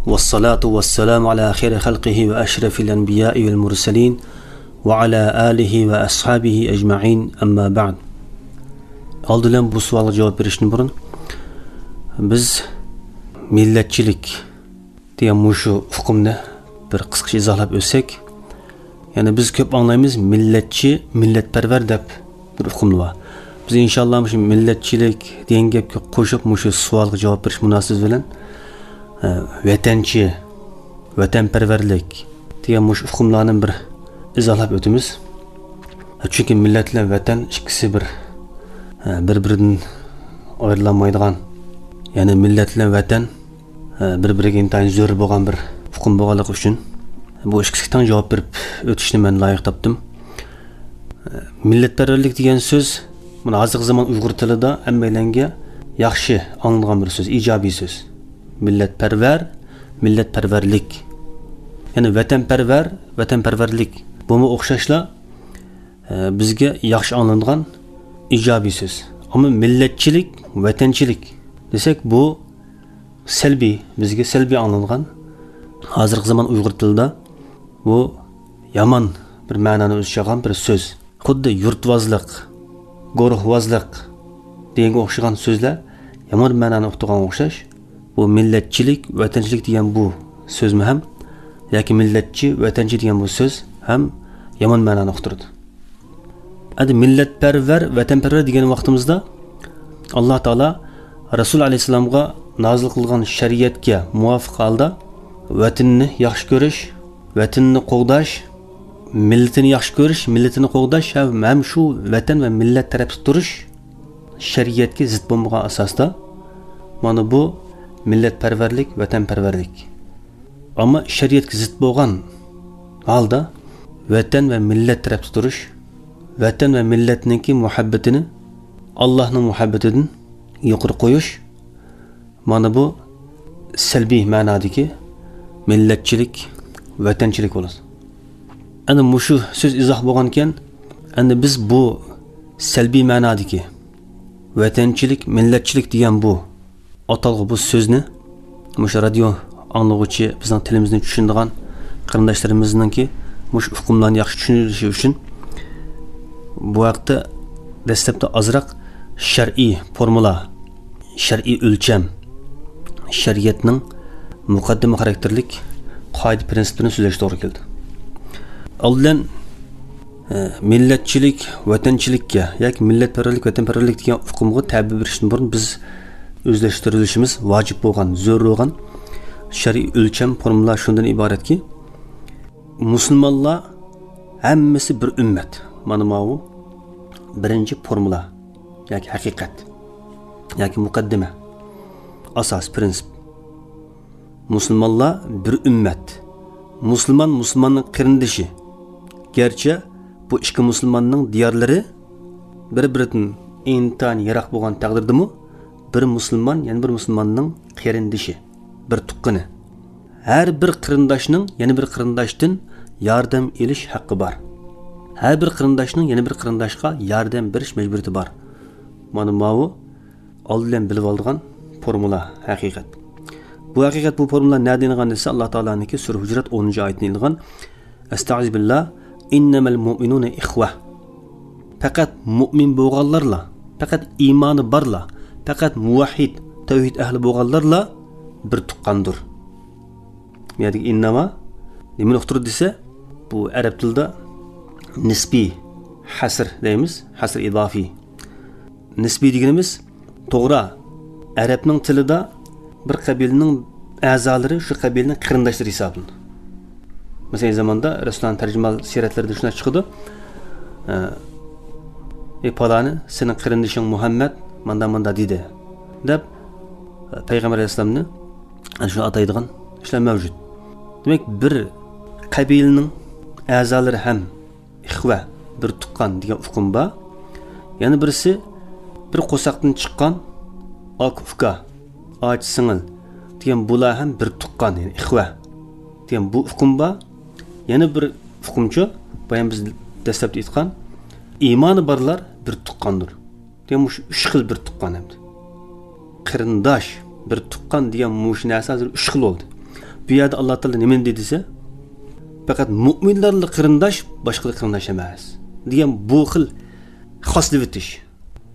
ۋەسسالاتۇ ۋەسسالامۇ ئەلا خەيرى خەلقىھى ۋە ئەشرەفىل ئەنبىيائى ۋەل مۇرسەلىن ۋە ئەلا ئالىھى ۋە ئەسھابىھى ئەجمەئىن، ئەمما بەئد. ئالدى بىلەن بۇ سوئالغا جاۋاب بېرىشتىن بۇرۇن، بىز مىللەتچىلىك دېگەن مۇشۇ ئۇقۇمنى بىر قىسقىچە ئىزاھلاپ ئۆتسەك، يەنى بىز كۆپ ئاڭلايمىز، مىللەتچى، مىللەتپەرۋەر دەپ بىر ئۇقۇم بار. بىز ئىنشاللا مۇشۇ مىللەتچىلىك دېگەن گەپكە قوشۇپ مۇشۇ سوئالغا جاۋاب بېرىش مۇناسىۋىتى بىلەن، ئە، ۋەتەنچى، ۋەتەنپەرۋەرلىك دېگەن مۇشۇ ئۇقۇملارنى بىر ئىزاھلاپ ئۆتىمىز. چۈنكى مىللەت بىلەن ۋەتەن ئىككىسى بىر، ئە، بىر-بىرىدىن ئايرىلالمايدىغان، يەنى مىللەت بىلەن ۋەتەن بىر-بىرىگە ئىنتايىن زۆرۈر بولغان بىر ئۇقۇم بولغانلىقى ئۈچۈن، بۇ ئىككىسىگە تەڭ جاۋاب بېرىپ ئۆتۈشنى مەن لايىق تاپتىم. مىللەتپەرۋەرلىك دېگەن سۆز، مانا، ھازىرقى زامان ئۇيغۇر تىلىدا ھەممەيلەنگە ياخشى ئاڭلىنىدىغان بىر سۆز، ئىجابىي سۆز. مىللەتپەرۋەر، مىللەتپەرۋەرلىك. يەنى ۋەتەنپەرۋەر، ۋەتەنپەرۋەرلىك. بۇمۇ ئوخشاشلا، ئە، بىزگە ياخشى ئاڭلىنىدىغان ئىجابىي سۆز. ئەمما مىللەتچىلىك، ۋەتەنچىلىك دېسەك، بۇ سەلبىي، بىزگە سەلبىي ئاڭلانغان، ھازىرقى زامان ئۇيغۇر تىلىدا بۇ يامان بىر مەنانى ئۆز ئىچىگە ئالغان بىر سۆز. خۇددى يۇرتۋازلىق، گۇرۇھۋازلىق دېگەنگە ئوخشىغان سۆزلەر يامان مەنانى ئۇقتۇرغانغا ئوخشاش، بۇ مىللەتچىلىك، ۋەتەنچىلىك دېگەن بۇ سۆزمۇ ھەم ياكى مىللەتچى، ۋەتەنچى دېگەن بۇ سۆز ھەم يامان مەنانى ئۇقتۇرىدۇ. ئەمدى مىللەتپەرۋەر، ۋەتەنپەرۋەر دېگەن ۋاقتىمىزدا، ئاللا تائالا رەسۇل ئەلەيھىسسالامغا نازىل قىلغان شەرىئەتكە مۇۋاپىق ھالدا ۋەتىنىنى ياخشى كۆرۈش، ۋەتىنىنى قوغداش، مىللىتىنى ياخشى كۆرۈش، مىللىتىنى قوغداش ھەم، ھەم شۇ ۋەتەن ۋە مىللەت تەرەپتە تۇرۇش شەرىئەتكە زىت بولمىغان ئاساستا، مانا بۇ مىللەتپەرۋەرلىك، ۋەتەنپەرۋەرلىك. ئەمما شەرىئەتكە زىت بولغان ھالدا ۋەتەن ۋە مىللەت تەرەپتە تۇرۇش، ۋەتەن ۋە مىللەتنىڭكى مۇھەببىتىنى ئاللاھنىڭ مۇھەببىتىدىن يۇقىرى قويۇش، مانا بۇ سەلبىي مەنادىكى مىللەتچىلىك، ۋەتەنچىلىك بولىدۇ. ئەنە مۇشۇ سۆز ئىزاھ بولغانكەن، ئەنە بىز بۇ سەلبىي مەنادىكى ۋەتەنچىلىك، مىللەتچىلىك دېگەن بۇ ئاتالغۇ، بۇ سۆزنى مۇشۇ رادىيو ئاڭلىغۇچى، بىزنىڭ تىلىمىزنى چۈشىنىدىغان قېرىنداشلىرىمىزنىڭكى مۇشۇ ئۇقۇملارنى ياخشى چۈشىنىشى ئۈچۈن بۇ ھەقتە دەسلەپتە ئازراق شەرئىي فورمۇلا، شەرئىي ئۆلچەم، شەرىئەتنىڭ مۇقەددىمە خاراكتېرلىك قائىدە پىرىنسىپلىرىنى سۆزلەشكە توغرا كېلىدۇ. ئالدىن، ئە، مىللەتچىلىك، ۋەتەنچىلىككە ياكى مىللەتپەرۋەرلىك، ۋەتەنپەرۋەرلىك دېگەن ئۇقۇمغا تەبىر بېرىشتىن بۇرۇن بىز ئۆزلەشتۈرۈلۈشىمىز ۋاجىپ بولغان، زۆرۈر بولغان شەرئىي ئۆلچەم، فورمۇلا شۇندىن ئىبارەتكى، مۇسۇلمانلار ھەممىسى بىر ئۈممەت. مانا ماۋۇ بىرىنچى فورمۇلا ياكى ھەقىقەت ياكى مۇقەددىمە، ئاساس پىرىنسىپ. مۇسۇلمانلار بىر ئۈممەت. مۇسۇلمان مۇسۇلماننىڭ قېرىندىشى. گەرچە بۇ ئىككى مۇسۇلماننىڭ دىيارلىرى بىر-بىرىدىن ئىنتايىن يىراق بولغان تەقدىردىمۇ، بىر مۇسۇلمان يەنە بىر مۇسۇلماننىڭ قېرىندىشى، بىر تۇغقىنى. ھەر بىر قېرىنداشنىڭ يەنە بىر قېرىنداشتىن ياردەم ئېلىش ھەققى بار. ھەر بىر قېرىنداشنىڭ يەنە بىر قېرىنداشقا ياردەم بېرىش مەجبۇرىيىتى بار. مانا ماۋۇ ئالدى بىلەن بىلىۋالىدىغان فورمۇلا، ھەقىقەت. بۇ ھەقىقەت، بۇ فورمۇلا نەدىن ئېلىنغان دېسە، ئاللا تائالانىڭكى سۈرە ھۇجرات ئونىنچى ئايىتىدىن ئېلىنغان. ئەستەئىزۇ بىللا، ئىننەمەل مۇئمىنۇنە ئىخۋە. پەقەت مۇئمىن بولغانلارلا، پەقەت ئىمانى بارلا، پەقەت مۇۋەھھىد، تەۋھىد ئەھلى بولغانلارلا بىر تۇغقاندۇر. بۇ يەردىكى ئىننەما نېمىنى ئۇقتۇرىدۇ دېسە، بۇ ئەرەب تىلىدا نىسبىي ھەسر دەيمىز، ھەسر ئىزافىي. نىسبىي دېگىنىمىز، توغرا، ئەرەبنىڭ تىلىدا بىر قەبىلىنىڭ ئەزالىرى شۇ قەبىلىنىڭ قېرىنداشلىرى ھېسابلىنىدۇ. مەسىلەن، زاماندا رەسۇلۇللانىڭ تەرجىمە سىيرەتلىرىدە شۇنداق چىقىدۇ. ئە، «ئەي پالانى، سېنىڭ قېرىندىشىڭ مۇھەممەد ماندا-ماندا دېدى» دەپ، پەيغەمبەر ئەلەيھىسسالامنى ئەنە شۇ ئاتايدىغان ئىشلار مەۋجۇت. دېمەك، بىر قەبىلىنىڭ ئەزالىرى ھەم ئىخۋە، بىر تۇغقان دېگەن ئۇقۇم بار. يەنە بىرسى، بىر قورساقتىن چىققان ئاكا-ئۇكا، ئاچا-سىڭىل دېگەن بۇلار ھەم بىر تۇغقان، يەنى ئىخۋە دېگەن بۇ ئۇقۇم بار. يەنە بىر ئۇقۇمچۇ، بايام بىز دەسلەپتە ئېيتقان، ئىمانى بارلار بىر تۇغقاندۇر. دېگەن مۇشۇ ئۈچ خىل بىر تۇغقان ئەمدى. قېرىنداش، بىر تۇغقان دېگەن مۇشۇ نەرسە ھازىر ئۈچ خىل بولدى. بۇ يەردە ئاللا تائالا نېمىنى دېدى دېسە، پەقەت مۇئمىنلارلا قېرىنداش، باشقىلار قېرىنداش ئەمەس دېگەن بۇ خىل خاسلىۋېتىش.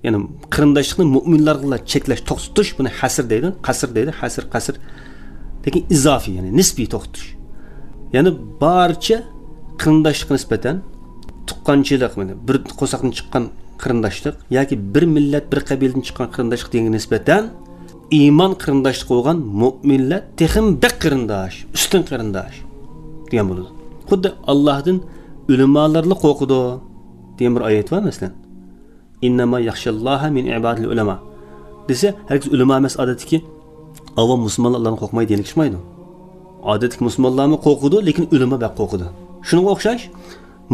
يەنى قېرىنداشلىقنى مۇئمىنلارغىلا چەكلەش، توختىتىش، بۇنى ھەسر دەيدۇ، قەسر دەيدۇ، ھەسر، قەسر. لېكىن ئىزافىي، يەنى نىسبىي توختىتىش. يەنى بارچە قېرىنداشلىققا نىسبەتەن تۇغقانچىلىق، مانا بىر قورساقتىن چىققان قېرىنداشلىق ياكى بىر مىللەت، بىر قەبىلىدىن چىققان قېرىنداشلىق دېگەنگە نىسبەتەن ئىمان قېرىنداشلىقى بولغان مۇئمىنلار تېخىمۇ بەك قېرىنداش، ئۈستۈن قېرىنداش دېگەن بولىدۇ. خۇددى ئاللاھتىن ئۆلىمالارلا قورقىدۇ دېگەن بىر ئايەت بار، مەسىلەن. «ئىننەما يەخشەللاھە مىن ئىبادىل ئۇلەما» دېسە، ھەرگىز ئۆلىما ئەمەس، ئادەتتىكى ئاۋام مۇسۇلمانلار ئۇلارنى قورقمايدۇ دېگەنلىك چىقمايدۇ. ئادەتتىكى مۇسۇلمانلارمۇ قورقىدۇ، لېكىن ئۆلىما بەك قورقىدۇ. شۇنىڭغا ئوخشاش،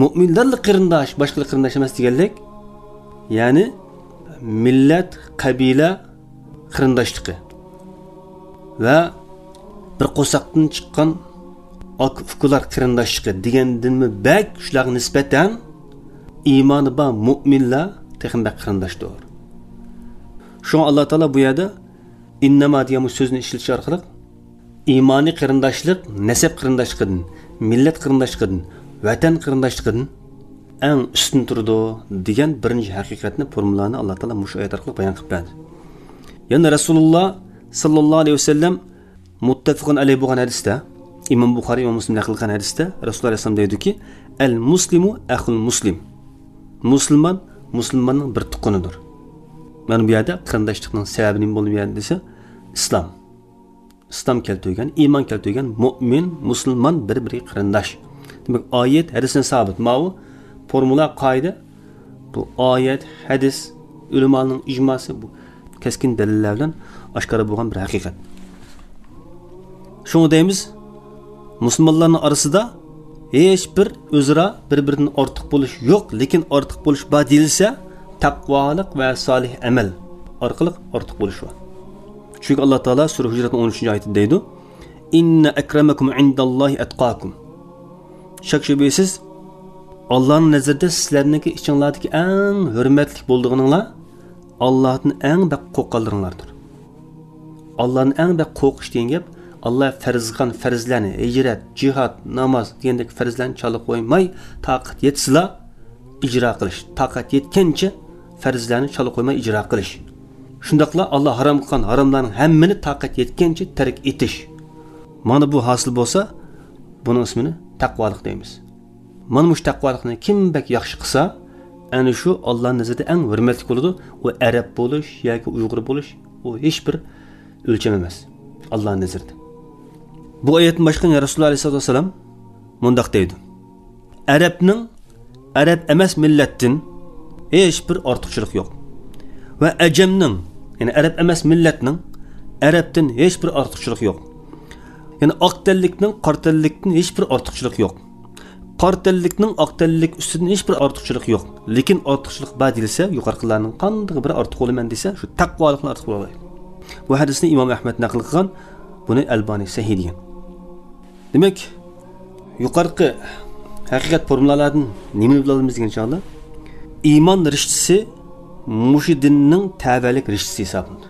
مۇئمىنلارلا قېرىنداش، باشقىلار قېرىنداش ئەمەس دېگەنلىك، يەنى مىللەت، قەبىلە قېرىنداشلىقى ۋە بىر قورساقتىن چىققان ئاكا-ئۇكىلار قېرىنداشلىقى دېگەندىنمۇ بەك شۇلارغا نىسبەتەن ئىمانى بار مۇئمىنلار تېخىمۇ بەك قېرىنداشتۇر. شۇڭا ئاللا تائالا بۇ يەردە «ئىننەما» دېگەن بۇ سۆزنى ئىشلىتىش ئارقىلىق ئىمانىي قېرىنداشلىق نەسەب قېرىنداشلىقىدىن، مىللەت قېرىنداشلىقىدىن، ۋەتەن قېرىنداشلىقىدىن ئەڭ ئۈستۈن تۇرىدۇ دېگەن بىرىنچى ھەقىقەتنى، فورمۇلانى ئاللا تائالا مۇشۇ ئايەت ئارقىلىق بايان قىلىپ بەردى. يەنە رەسۇلۇللا ساللاللاھۇ ئەلەيھى ۋەسەللەم مۇتتەپىقۇن ئەلەيھى بولغان ھەدىستە، ئىمام بۇخارى، ئىمام مۇسلىم نەقىل قىلغان ھەدىستە رەسۇلۇللا ئەلەيھىسسالام دەيدۇكى، «ئەل مۇسلىمۇ ئەخۇل مۇسلىم»، مۇسۇلمان مۇسۇلماننىڭ بىر تۇغقىنىدۇر. مانا بۇ يەردە قېرىنداشلىقنىڭ سەۋەبى نېمە بولدى بۇ يەردە دېسە، ئىسلام. ئىسلام كەلتۈرگەن، ئىمان كەلتۈرگەن مۇئمىن، مۇسۇلمان بىر-بىرىگە قېرىنداش. دېمەك، ئايەت، ھەدىستىن سابىت. ماۋۇ فورمۇلا، قائىدە، بۇ ئايەت، ھەدىس، ئۆلىمانىڭ ئىجماسى، بۇ كەسكىن دەلىللەر بىلەن ئاشكارا بولغان بىر ھەقىقەت. شۇڭا دەيمىز، مۇسۇلمانلارنىڭ ئارىسىدا ھېچ بىر ئۆزئارا بىر-بىرىدىن ئارتۇق بولۇش يوق، لېكىن ئارتۇق بولۇش بار دېيىلسە، تەقۋالىق ۋە سالىھ ئەمەل ئارقىلىق ئارتۇق بولۇش بار. چۈنكى ئاللا تائالا سۈرە ھۇجراتنىڭ ئون ئۈچىنچى ئايىتىدە دەيدۇ، «ئىننە ئەكرەمەكۇم ئىنداللاھى ئەتقاكۇم.» شەك شۈبھىسىز، ئاللانىڭ نەزىرىدە سىلەرنىڭكى ئىچىڭلاردىكى ئەڭ ھۆرمەتلىك بولىدىغىنىڭلار ئاللادىن ئەڭ بەك قورققانلىرىڭلاردۇر. ئاللادىن ئەڭ بەك قورقۇش دېگەن گەپ، ئاللا پەرز قىلغان پەرزلەرنى، ھىجرەت، جىھاد، ناماز دېگەندەك پەرزلەرنى چالا قويماي، تاقەت يەتسىلا ئىجرا قىلىش، تاقەت يەتكەنچە پەرزلەرنى چالا قويماي ئىجرا قىلىش. شۇنداقلا ئاللا ھارام قىلغان ھاراملارنىڭ ھەممىنى تاقەت يەتكەنچە تەرك ئېتىش. مانا بۇ ھاسىل بولسا، بۇنىڭ ئىسمىنى تەقۋالىق دەيمىز. مانا مۇشۇ تەقۋالىقنى كىم بەك ياخشى قىلسا، ئەنە شۇ ئاللانىڭ نەزىرىدە ئەڭ ھۆرمەتلىك بولىدۇ. ئۇ ئەرەب بولۇش ياكى ئۇيغۇر بولۇش، ئۇ ھېچ بىر ئۆلچەم ئەمەس ئاللانىڭ نەزىرىدە. بۇ ئايەتتىن باشقا يەنە رەسۇلۇللا ئەلەيھىسسالاتۇ ۋەسسالام مۇنداق دەيدۇ، ئەرەبنىڭ ئەرەب ئەمەس مىللەتتىن ھېچ بىر ئارتۇقچىلىقى يوق. ۋە ئەجەمنىڭ، يەنى ئەرەب ئەمەس مىللەتنىڭ ئەرەبتىن ھېچ بىر ئارتۇقچىلىقى يوق. يەنى ئاق تەنلىكنىڭ قارا تەنلىكتىن ھېچ بىر ئارتۇقچىلىقى يوق. قارا تەنلىكنىڭ ئاق تەنلىك ئۈستىدىن ھېچ بىر ئارتۇقچىلىقى يوق. لېكىن ئارتۇقچىلىق بار دېيىلسە، يۇقىرىقىلارنىڭ قاندىقى بىرى ئارتۇق بولىمەن دېسە، شۇ تەقۋالىقنى ئارتۇق بولالايدۇ. بۇ ھەدىسنى ئىمام ئەھمەد نەقىل قىلغان، بۇنى ئەلبانى سەھىھ دېگەن. دېمەك، يۇقىرىقى ھەقىقەت فورمۇلالاردىن نېمىنى بىلىۋالىمىز دېگەن چاغدا، ئىمان رىشتىسى مۇشۇ دىننىڭ تەۋەلىك رىشتىسى ھېسابلىنىدۇ.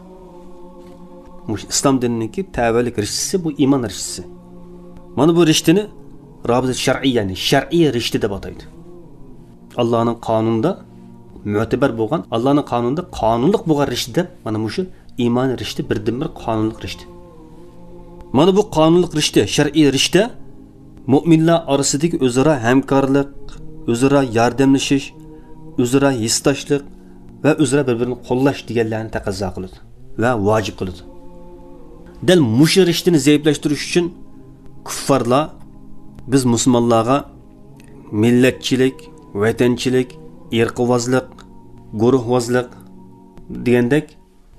مۇشۇ ئىسلام دىنىنىڭكى تەۋەلىك رىشتىسى بۇ ئىمان رىشتىسى. مانا بۇ رىشتىنى رابىتە شەرئىييە، يەنى شەرئىي رىشتە دەپ ئاتايدۇ. ئاللانىڭ قانۇنىدا مۆتىبەر بولغان، ئاللانىڭ قانۇنىدا قانۇنلۇق بولغان رىشتە دەپ، مانا مۇشۇ ئىمانىي رىشتە، بىردىنبىر قانۇنلۇق رىشتە. مانا بۇ قانۇنلۇق رىشتە، شەرئىي رىشتە مۆمىنلەر ئارىسىدىكى ئۆزئارا ھەمكارلىق، ئۆزئارا ياردەملىشىش، ئۆزئارا ھېسداشلىق ۋە ئۆزئارا بىر-بىرىنى قوللاش دېگەنلەرنى تەقەززا قىلىدۇ ۋە ۋاجىپ قىلىدۇ. دەل مۇشۇ رىشتىنى زەئىپلەشتۈرۈش ئۈچۈن كۇففارلار بىز مۇسۇلمانلارغا مىللەتچىلىك، ۋەتەنچىلىك، ئىرقىۋازلىق، گۇرۇھۋازلىق دېگەندەك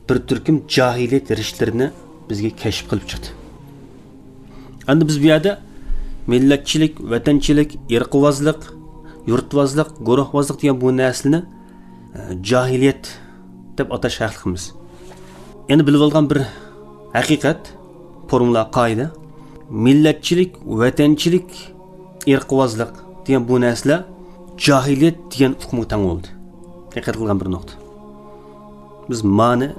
بىر تۈركۈم جاھىلىيەت رىشتىلىرىنى بىزگە كەشىپ قىلىپ چىقتى. ئەمدى بىز بۇ يەردە مىللەتچىلىك، ۋەتەنچىلىك، ئىرقىۋازلىق، يۇرتۋازلىق، گۇرۇھۋازلىق دېگەن بۇ نەرسىلەرنى، ئە، جاھىلىيەت دەپ ئاتاش ھەقلىقمىز. يەنە بىلىۋالغان بىر ھەقىقەت، فورمۇلا، قائىدە، مىللەتچىلىك، ۋەتەنچىلىك، ئىرقىۋازلىق دېگەن بۇ نەرسىلەر جاھىلىيەت دېگەن ئۇقۇمغا تەڭ بولدى. دىققەت قىلغان بىر نۇقتا. بىز مانى،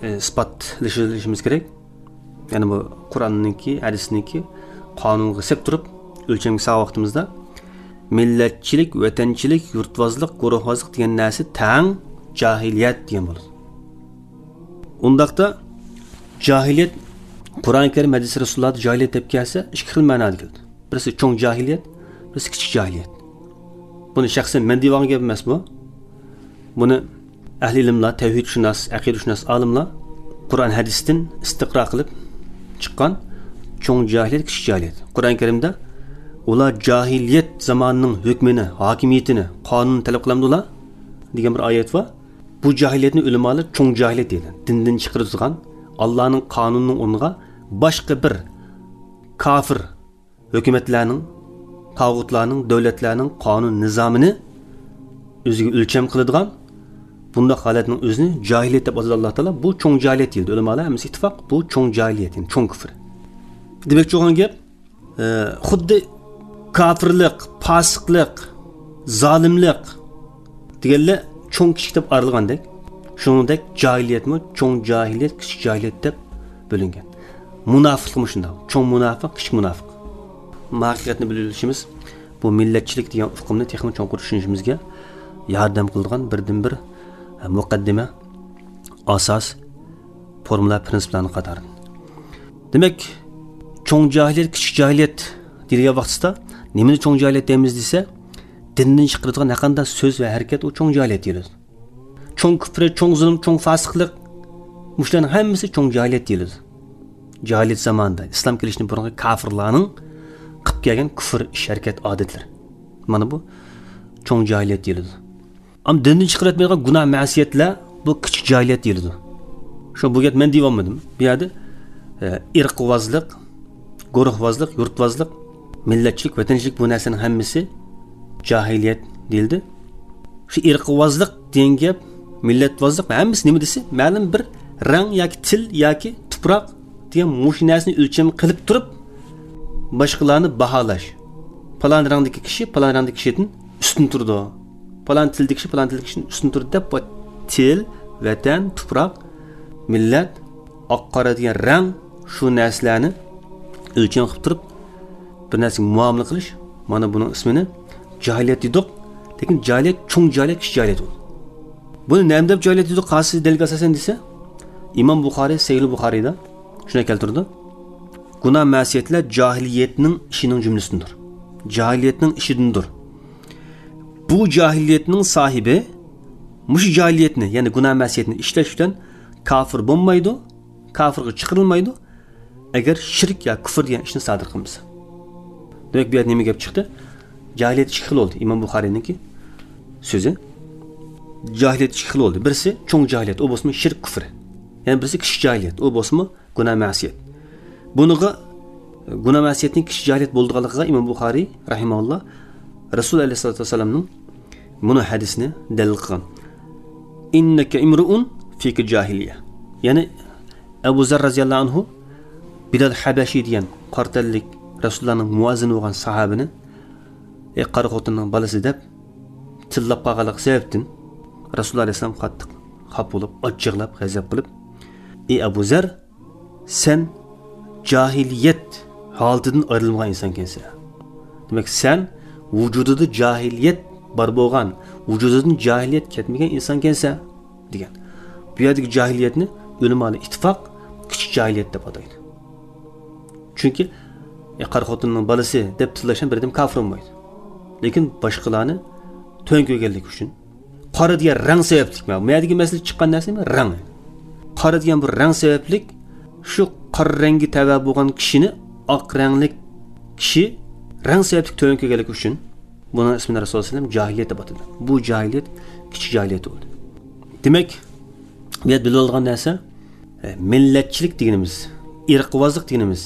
ئى، ئىسپاتلىشىۋېلىشىمىز كېرەك. يەنى بۇ قۇرئاننىڭكى، ھەدىسنىڭكى قانۇنىغا سەپ تۇرۇپ ئۆلچەمگە سالغان ۋاقتىمىزدا مىللەتچىلىك، ۋەتەنچىلىك، يۇرتۋازلىق، گۇرۇھۋازلىق دېگەن نەرسە تەڭ جاھىلىيەت دېگەن بولىدۇ. ئۇنداقتا جاھىلىيەت قۇرئان كەرىم، ھەدىس رەسۇلۇللاھدا جاھىلىيەت دەپ كەلسە، ئىككى خىل مەنادا كېلىدۇ. بىرسى چوڭ جاھىلىيەت، بىرسى كىچىك جاھىلىيەت. بۇنى شەخسەن مەن دېيىۋالغان گەپ ئەمەس بۇ. بۇنى ئەھلى ئىلىملار، تەۋھىدشۇناس، ئەقىدىشۇناس ئالىملار قۇرئان ھەدىستىن ئىستىقرا قىلىپ چىققان چوڭ جاھىلىيەت، كىچىك جاھىلىيەت. قۇرئان كەرىمدە ئۇلار جاھىلىيەت زامانىنىڭ ھۆكمىنى، ھاكىمىيىتىنى، قانۇنىنى تەلەپ قىلامدۇلا دېگەن بىر ئايەت بار. بۇ جاھىلىيەتنى ئۆلىمالار چوڭ جاھىلىيەت دەيدۇ. دىندىن چىقىرىدىغان، ئاللانىڭ قانۇنىنىڭ ئورنىغا باشقا بىر كاپىر ھۆكۈمەتلەرنىڭ، تاغۇتلارنىڭ، دۆلەتلەرنىڭ قانۇن نىزامىنى ئۆزىگە ئۆلچەم قىلىدىغان بۇنداق ھالەتنىڭ ئۆزىنى جاھىلىيەت دەپ ئاتىدۇ ئاللا تائالا. بۇ چوڭ جاھىلىيەت دېيىلدى. ئۆلىمالار ھەممىسى ئىتتىپاق، بۇ چوڭ جاھىلىيەت، يەنى چوڭ كۈفر. دېمەكچى بولغان گەپ، ئە، خۇددى كاپىرلىق، پاسىقلىق، زالىملىق دېگەنلەر چوڭ كىچىك دەپ ئايرىلغاندەك، شۇنىڭدەك جاھىلىيەتمۇ چوڭ جاھىلىيەت، كىچىك جاھىلىيەت دەپ بۆلۈنگەن. مۇناپىقلىقمۇ شۇنداق. چوڭ مۇناپىق، كىچىك مۇناپىق. مۇ ھەقىقەتنى بىلىۋېلىشىمىز بۇ مىللەتچىلىك دېگەن ئۇقۇمنى تېخىمۇ چوڭقۇر چۈشىنىشىمىزگە ياردەم قىلىدىغان بىردىنبىر مۇقەددىمە، ئاساس، فورمۇلا، پىرىنسىپلارنىڭ قاتارىدىن. دېمەك، چوڭ جاھىلىيەت، كىچىك جاھىلىيەت دېيىلگەن ۋاقتىدا نېمىنى چوڭ جاھىلىيەت دەيمىز دېسە، دىندىن چىقىرىدىغان ھەرقانداق سۆز ۋە ھەرىكەت ئۇ چوڭ جاھىلىيەت دېيىلىدۇ. چوڭ كۈفرى، چوڭ زۇلۇم، چوڭ فاسىقلىق، مۇشۇلارنىڭ ھەممىسى چوڭ جاھىلىيەت دېيىلىدۇ. جاھىلىيەت زامانىدا ئىسلام كېلىشتىن بۇرۇنقى كاپىرلارنىڭ قىلىپ كەلگەن كۈفر ئىش، ھەرىكەت، ئادەتلىرى. مانا بۇ چوڭ جاھىلىيەت دېيىلىدۇ. ئەمما دىندىن چىقىرىۋەتمەيدىغان گۇناھ، مەسىيەتلەر، بۇ كىچىك جاھىلىيەت دېيىلىدۇ. شۇ بۇ گەپ مەن دېيىۋالمىدىم. بۇ يەردە، ئە، ئىرقىۋازلىق، گۇرۇھۋازلىق، يۇرتۋازلىق، مىللەتچىلىك، ۋەتەنچىلىك، بۇ نەرسىنىڭ ھەممىسى جاھىلىيەت دېيىلدى. شۇ ئىرقىۋازلىق دېگەن گەپ، مىللەتۋازلىق ۋە ھەممىسى نېمە دېسە، مەلۇم بىر رەڭ ياكى تىل ياكى تۇپراق دېگەن مۇشۇ نەرسىنى ئۆلچەم قىلىپ تۇرۇپ، باشقىلارنى باھالاش. پالان رەڭدىكى كىشى پالان رەڭدىكى كىشىدىن ئۈستۈن تۇرىدۇ. پالان تىلدىكى كىشى پالان تىلدىكى كىشىدىن ئۈستۈن تۇرىدۇ دەپ، بۇ تىل، ۋەتەن، تۇپراق، مىللەت، ئاق قارا دېگەن رەڭ، شۇ نەرسىلەرنى ئۆلچەم قىلىپ تۇرۇپ، بىر نەرسىگە مۇئامىلە قىلىش، مانا بۇنىڭ ئىسمىنى جاھىلىيەت دېدۇق. لېكىن جاھىلىيەت، چوڭ جاھىلىيەت، كىچىك جاھىلىيەت بولدى. بۇنى نېمە دەپ جاھىلىيەت دېدۇق، قايسى دەلىلگە ئاساسەن دېسە، ئىمام بۇخارىي سەھىھ بۇخارىيدا شۇنداق كەلتۈرىدۇ: گۇناھ مەسىيەتلەر جاھىلىيەتنىڭ ئىشىنىڭ جۈملىسىدىندۇر. جاھىلىيەتنىڭ ئىشىدىندۇر. بۇ جاھىلىيەتنىڭ ساھىبى مۇشۇ جاھىلىيەتنى، يەنى گۇناھ مەسىيەتنى ئىشلەش بىلەن كاپىر بولمايدۇ، كاپىرغا چىقىرىلمايدۇ، ئەگەر شىرك يا كۇفر دېگەن ئىشنى سادىر قىلمىسا. دېمەك، بۇ يەردە نېمە گەپ چىقتى؟ جاھىلىيەت ئىككى خىل بولدى. ئىمام بۇخارىينىڭكى سۆزى. جاھىلىيەت ئىككى خىل بولدى. بىرسى چوڭ جاھىلىيەت، ئۇ بولسىمۇ شىرك، كۇفر. يەنە بىرسى كىچىك جاھىلىيەت، ئۇ بولسىمۇ گۇناھ مەسىيەت. بۇنىڭغا، گۇناھ مەسىيەتنىڭ كىچىك جاھىلىيەت بولىدىغانلىقىغا ئىمام بۇخارىي رەھىمەھۇللا رەسۇل ئەلەيھىسسالاتۇ ۋەسسالامنىڭ مۇنۇ ھەدىسىنى دەلىل قىلغان. «ئىننەكە ئىمرۇئۇن فىكە جاھىلىيە.» يەنى ئەبۇ زەر رەزىياللاھۇ ئەنھۇ بىلال ھەبەشى دېگەن قارا تەنلىك رەسۇلۇللانىڭ مۇئەززىنى بولغان ساھابىنى، «ئەي قارا خوتۇننىڭ بالىسى» دەپ تىللاپ قالغانلىقى سەۋەبتىن رەسۇلۇللا ئەلەيھىسسالام قاتتىق خاپا بولۇپ، ئاچچىقلاپ، غەزەپ قىلىپ، «ئەي ئەبۇ زەر، سەن جاھىلىيەت ھالىتىدىن ئايرىلمىغان ئىنسانكەنسەن. دېمەك، سەن ۋۇجۇدىدا جاھىلىيەت بار بولغان، ۋۇجۇدىدىن جاھىلىيەت كەتمىگەن ئىنسانكەنسەن» دېگەن. بۇ يەردىكى جاھىلىيەتنى ئۆلىمالار ئىتتىپاق كىچىك جاھىلىيەت دەپ ئاتايدۇ. چۈنكى، ئە، قارا خوتۇننىڭ بالىسى دەپ تىللاشتىن بىر ئادەم كاپىر بولمايدۇ. لېكىن باشقىلارنى تۆۋەن كۆرگەنلىكى ئۈچۈن، قارا دېگەن رەڭ سەۋەبلىك، مەن، مەيەدىكى مەسىلە چىققان نەرسە نېمە؟ رەڭ. قارا دېگەن بىر رەڭ سەۋەبلىك، شۇ قارا رەڭگە تەۋە بولغان كىشىنى ئاق رەڭلىك كىشى رەڭ سەۋەبلىك تۆۋەن كۆرگەنلىكى ئۈچۈن، بۇنىڭ ئىسمىنى رەسۇلۇللا سەللەللاھۇ ئەلەيھى ۋەسەللەم جاھىلىيەت دەپ ئاتىدى. بۇ جاھىلىيەت، كىچىك جاھىلىيەت بولدى. دېمەك، بۇ يەردە بىلىۋالىدىغان نەرسە، ئە، مىللەتچىلىك دېگىنىمىز، ئىرقىۋازلىق دېگىنىمىز،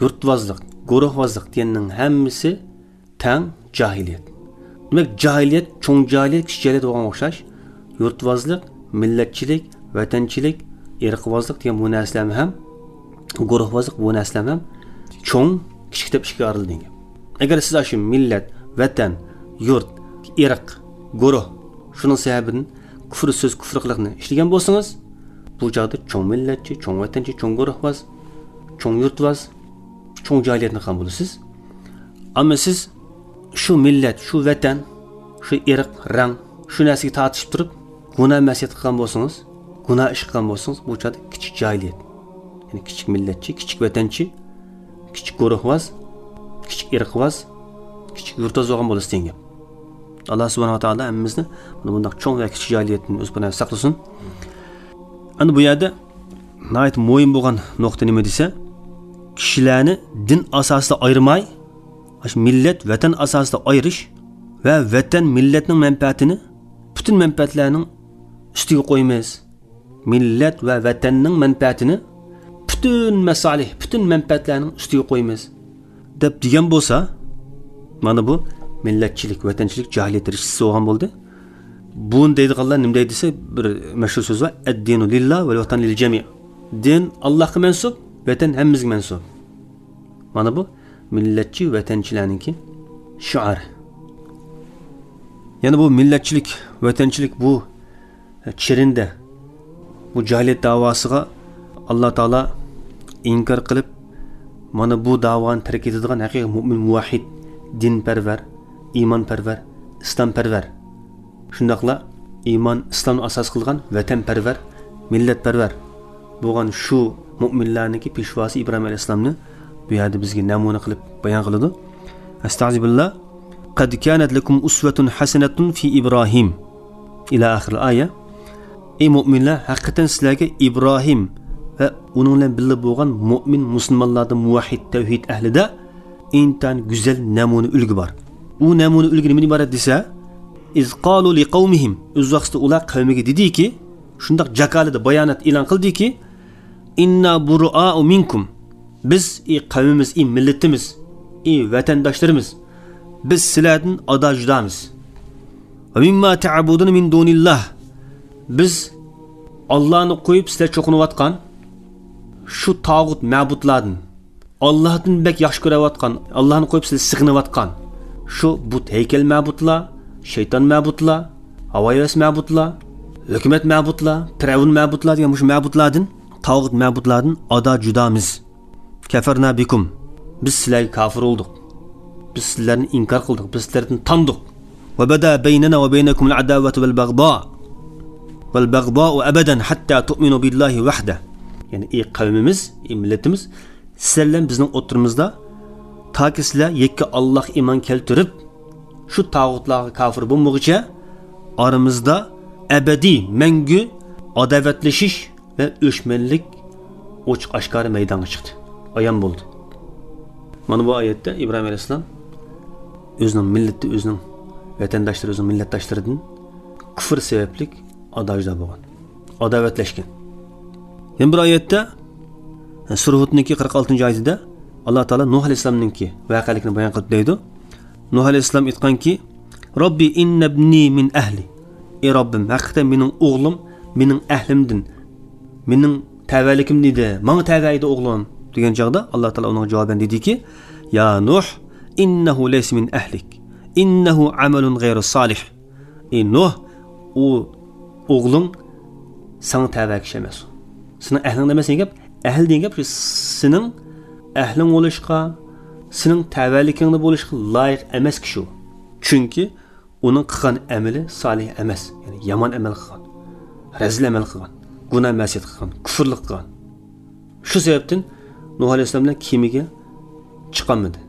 يۇرتۋازلىق، گۇرۇھۋازلىق دېگەننىڭ ھەممىسى تەڭ جاھىلىيەت. دېمەك، جاھىلىيەت، چوڭ جاھىلىيەت، كىچىك جاھىلىيەت بولغانغا ئوخشاش، يۇرتۋازلىق، مىللەتچىلىك، ۋەتەنچىلىك، ئىرقىۋازلىق دېگەن بۇ نەرسىلەرمۇ ھەم، گۇرۇھۋازلىق بۇ نەرسىلەرمۇ ھەم چوڭ، كىچىك دەپ ئىككىگە ئايرىلىدۇ دېگەن گەپ. ئەگەر سىز ئاشۇ مىللەت، ۋەتەن، يۇرت، ئىرق، گۇرۇھ، شۇنىڭ سەۋەبىدىن كۇفر سۆز، كۇفر قىلىقنى ئىشلىگەن بولسىڭىز، بۇ چاغدا چوڭ مىللەتچى، چوڭ ۋەتەنچى، چوڭ گۇرۇھۋاز، چوڭ يۇرتۋاز، چوڭ جاھىلىيەتنى قىلغان بولىسىز. ئەمما سىز شۇ مىللەت، شۇ ۋەتەن، شۇ ئىرق، رەڭ، شۇ نەرسىگە تارتىشىپ تۇرۇپ، گۇناھ مەسىيەت قىلغان بولسىڭىز، گۇناھ ئىش قىلغان بولسىڭىز، بۇ چاغدا كىچىك جاھىلىيەت. يەنى كىچىك مىللەتچى، كىچىك ۋەتەنچى، كىچىك گۇرۇھۋاز، كىچىك ئىرقىۋاز، كىچىك يۇرتۋاز بولغان بولىسىز دېگەن گەپ. ئاللا سۇبھانەھۇ ۋە تائالا ھەممىمىزنى مانا بۇنداق چوڭ ۋە كىچىك جاھىلىيەتتىن ئۆز پاناھىدا ساقلىسۇن. ئەمدى بۇ يەردە ناھايىتى مۇھىم بولغان نۇقتا نېمە دېسە، كىشىلەرنى دىن ئاساسىدا ئايرىماي، ئاشۇ مىللەت، ۋەتەن ئاساسىدا ئايرىش ۋە ۋەتەن، مىللەتنىڭ مەنپەئەتىنى پۈتۈن مەنپەئەتلەرنىڭ ئۈستىگە قويىمىز. مىللەت ۋە ۋەتەننىڭ مەنپەئەتىنى پۈتۈن مەسالىھ، پۈتۈن مەنپەئەتلەرنىڭ ئۈستىگە قويىمىز، دەپ دېگەن بولسا، مانا بۇ مىللەتچىلىك، ۋەتەنچىلىك جاھىلىيەت دەرىجىسى بولغان بولدى. بۇنى دەيدىغانلار نېمە دەيدۇ دېسە، بىر مەشھۇر سۆز بار، «ئەددىنۇ لىللا ۋەل ۋەتەن لىل جەمىئ.» دىن ئاللاھقا مەنسۇپ، ۋەتەن ھەممىمىزگە مەنسۇپ. مانا بۇ مىللەتچى، ۋەتەنچىلەرنىڭكى شىئارى. يەنە بۇ مىللەتچىلىك، ۋەتەنچىلىك بۇ چېرىندە بۇ جاھىلىيەت داۋاسىغا ئاللا تائالا ئىنكار قىلىپ، مانا بۇ داۋانى تەرك ئېتىدىغان ھەقىقىي مۇئمىن، مۇۋەھھىد، دىنپەرۋەر، ئىمانپەرۋەر، ئىسلامپەرۋەر، شۇنداقلا ئىمان، ئىسلامنى ئاساس قىلغان ۋەتەنپەرۋەر، مىللەتپەرۋەر بولغان شۇ مۇئمىنلارنىڭكى پېشۋاسى ئىبراھىم ئەلەيھىسسالامنى بۇ يەردە بىزگە نەمۇنە قىلىپ بايان قىلىدۇ. ئەستەئىزۇبىللا. «قەد كانەت لەكۇم ئۇسۋەتۇن ھەسەنەتۇن فى ئىبراھىم» ئىلى ئاخىرىل ئايە. ئەي مۇئمىنلار، ھەقىقەتەن سىلەرگە ئىبراھىم ۋە ئۇنىڭ بىلەن بىللە بولغان مۇئمىن مۇسۇلمانلاردا، مۇۋەھھىد، تەۋھىد ئەھلىدە ئىنتايىن گۈزەل نەمۇنە ئۈلگە بار. ئۇ نەمۇنە ئۈلگە نېمىدىن ئىبارەت دېسە، «ئىز قالۇ لىقەۋمىھىم»، ئۆز ۋاقتىدا ئۇلار قەۋمىگە دېدىكى، شۇنداق جاكارلىدى، بايانات ئېلان قىلدىكى، «ئىننا بۇرائۇ مىنكۇم»، بىز، ئى قەۋمىمىز، ئى مىللىتىمىز، ئى ۋەتەنداشلىرىمىز، بىز سىلەردىن ئادا جۇدامىز. ۋە مىمما تەئبۇدۇنە مىن دۇنىللاھ، بىز ئاللانى قويۇپ سىلەر چوقۇنۇۋاتقان شۇ تاغۇت مەبۇدلاردىن، ئاللاھتىن بەك ياخشى كۆرۈۋاتقان، ئاللاھنى قويۇپ سىلەر سېغىنىۋاتقان شۇ بۇت ھەيكەل مەبۇدلار، شەيتان مەبۇدلار، ھاۋاھەۋەس مەبۇدلار، ھۆكۈمەت مەبۇدلار، پىرئەۋن مەبۇدلار دېگەن مۇشۇ مەبۇدلاردىن، تاغۇت مەبۇدلاردىن ئادا جۇدامىز. كەفەرنا بىكۇم، بىز سىلەرگە كاپىر بولدۇق. بىز سىلەرنى ئىنكار قىلدۇق، بىز سىلەردىن تاندۇق. ۋە بەدا بەينەنا ۋە بەينەكۇمۇل ئەداۋەتۇ ۋەل بەغدا، ۋەل بەغدائۇ ئەبەدەن ھەتتا تۇئمىنۇ بىللاھى ۋەھدە. يەنى، ئى قەۋمىمىز، ئى مىللىتىمىز، سىلەر بىلەن بىزنىڭ ئوتتۇرىمىزدا، تاكى سىلەر يەككە ئاللاھقا ئىمان كەلتۈرۈپ، شۇ تاغۇتلارغا كاپىر بولمىغۇچە، ئارىمىزدا ئەبەدىي، مەڭگۈ ئاداۋەتلىشىش ۋە ئۆچمەنلىك ئوچۇق ئاشكارا مەيدانغا چىقتى، ئايان بولدى. مانا بۇ ئايەتتە ئىبراھىم ئەلەيھىسسالام ئۆزىنىڭ مىللىتى، ئۆزىنىڭ ۋەتەنداشلىرى، ئۆزىنىڭ مىللەتداشلىرىدىن كۇفر سەۋەبلىك ئادا جۇدا بولغان، ئاداۋەتلەشكەن. يەنە بىر ئايەتتە، سۈرە ھۇدنىڭكى قىرىق ئالتىنچى ئايىتىدە ئاللا تائالا نۇھ ئەلەيھىسسالامنىڭكى ۋەقەلىكىنى بايان قىلىپ دەيدۇ. نۇھ ئەلەيھىسسالام ئېيتقانكى، رەببى ئىننە ئىبنى مىن ئەھلى. ئى رەببىم، ھەقىقەتەن مېنىڭ ئوغلۇم مېنىڭ ئەھلىمدىن، مېنىڭ تەۋەلىكىمدىن ئىدى، ماڭا تەۋە ئىدى ئوغلۇم، دېگەن چاغدا ئاللا تائالا ئۇنىڭغا جاۋابەن دېدىكى، يا نۇھ، ئىننەھۇ لەيسە مىن ئەھلىك، ئىننەھۇ ئەمەلۇن غەيرۇ سالىھ. ئى نۇھ، ئۇ ئوغلۇڭ ساڭا تەۋە كىشى ئەمەس. سېنىڭ ئەھلىڭدە ئەمەس دېگەن گەپ، ئەھل دېگەن گەپ شۇ سېنىڭ ئەھلىڭ بولۇشقا، سېنىڭ تەۋەلىكىڭدە بولۇشقا لايىق ئەمەس كىشى ئۇ. چۈنكى ئۇنىڭ قىلغان ئەمىلى سالىھ ئەمەس، يەنى يامان ئەمەل قىلغان، رەزىل ئەمەل قىلغان، گۇناھ مەسىيەت قىلغان، كۇفرلۇق قىلغان. شۇ سەۋەبتىن نۇھ ئەلەيھىسسالام بىلەن كېمىگە چىقالمىدى.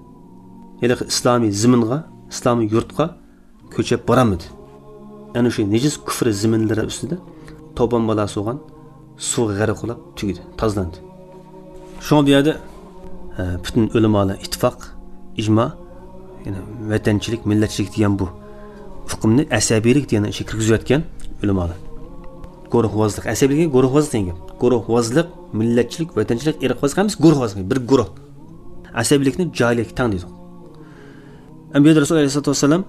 ھېلىقى ئىسلامىي زېمىنغا، ئىسلامىي يۇرتقا كۆچۈپ بارالمىدى. ئەنە شۇ نىجىس كۇفر زېمىنلىرى ئۈستىدە توپان بالاسى بولغان سۇغا غەرق بولاپ تۈگىدى، تازىلاندى. شۇڭا بۇ يەردە، ئە، پۈتۈن ئۆلىمالار ئىتتىپاق، ئىجما، يەنى ۋەتەنچىلىك، مىللەتچىلىك دېگەن بۇ ئۇقۇمنى ئەسەبىيلىك دېگەن ئىشىگە كىرگۈزۈۋەتكەن ئۆلىمالار. گۇرۇھۋازلىق، ئەسەبىيلىك دېگەن گۇرۇھۋازلىق دېگەن گەپ. گۇرۇھۋازلىق، مىللەتچىلىك، ۋەتەنچىلىك، ئىرقۋازلىق ھەممىسى گۇرۇھۋازلىق، بىر گۇرۇھ. ئەسەبىيلىكنى جاھىلىيەتكە تەڭ دەيدۇ. ئەمدى رەسۇل ئەلەيھىسسالاتۇ ۋەسسالام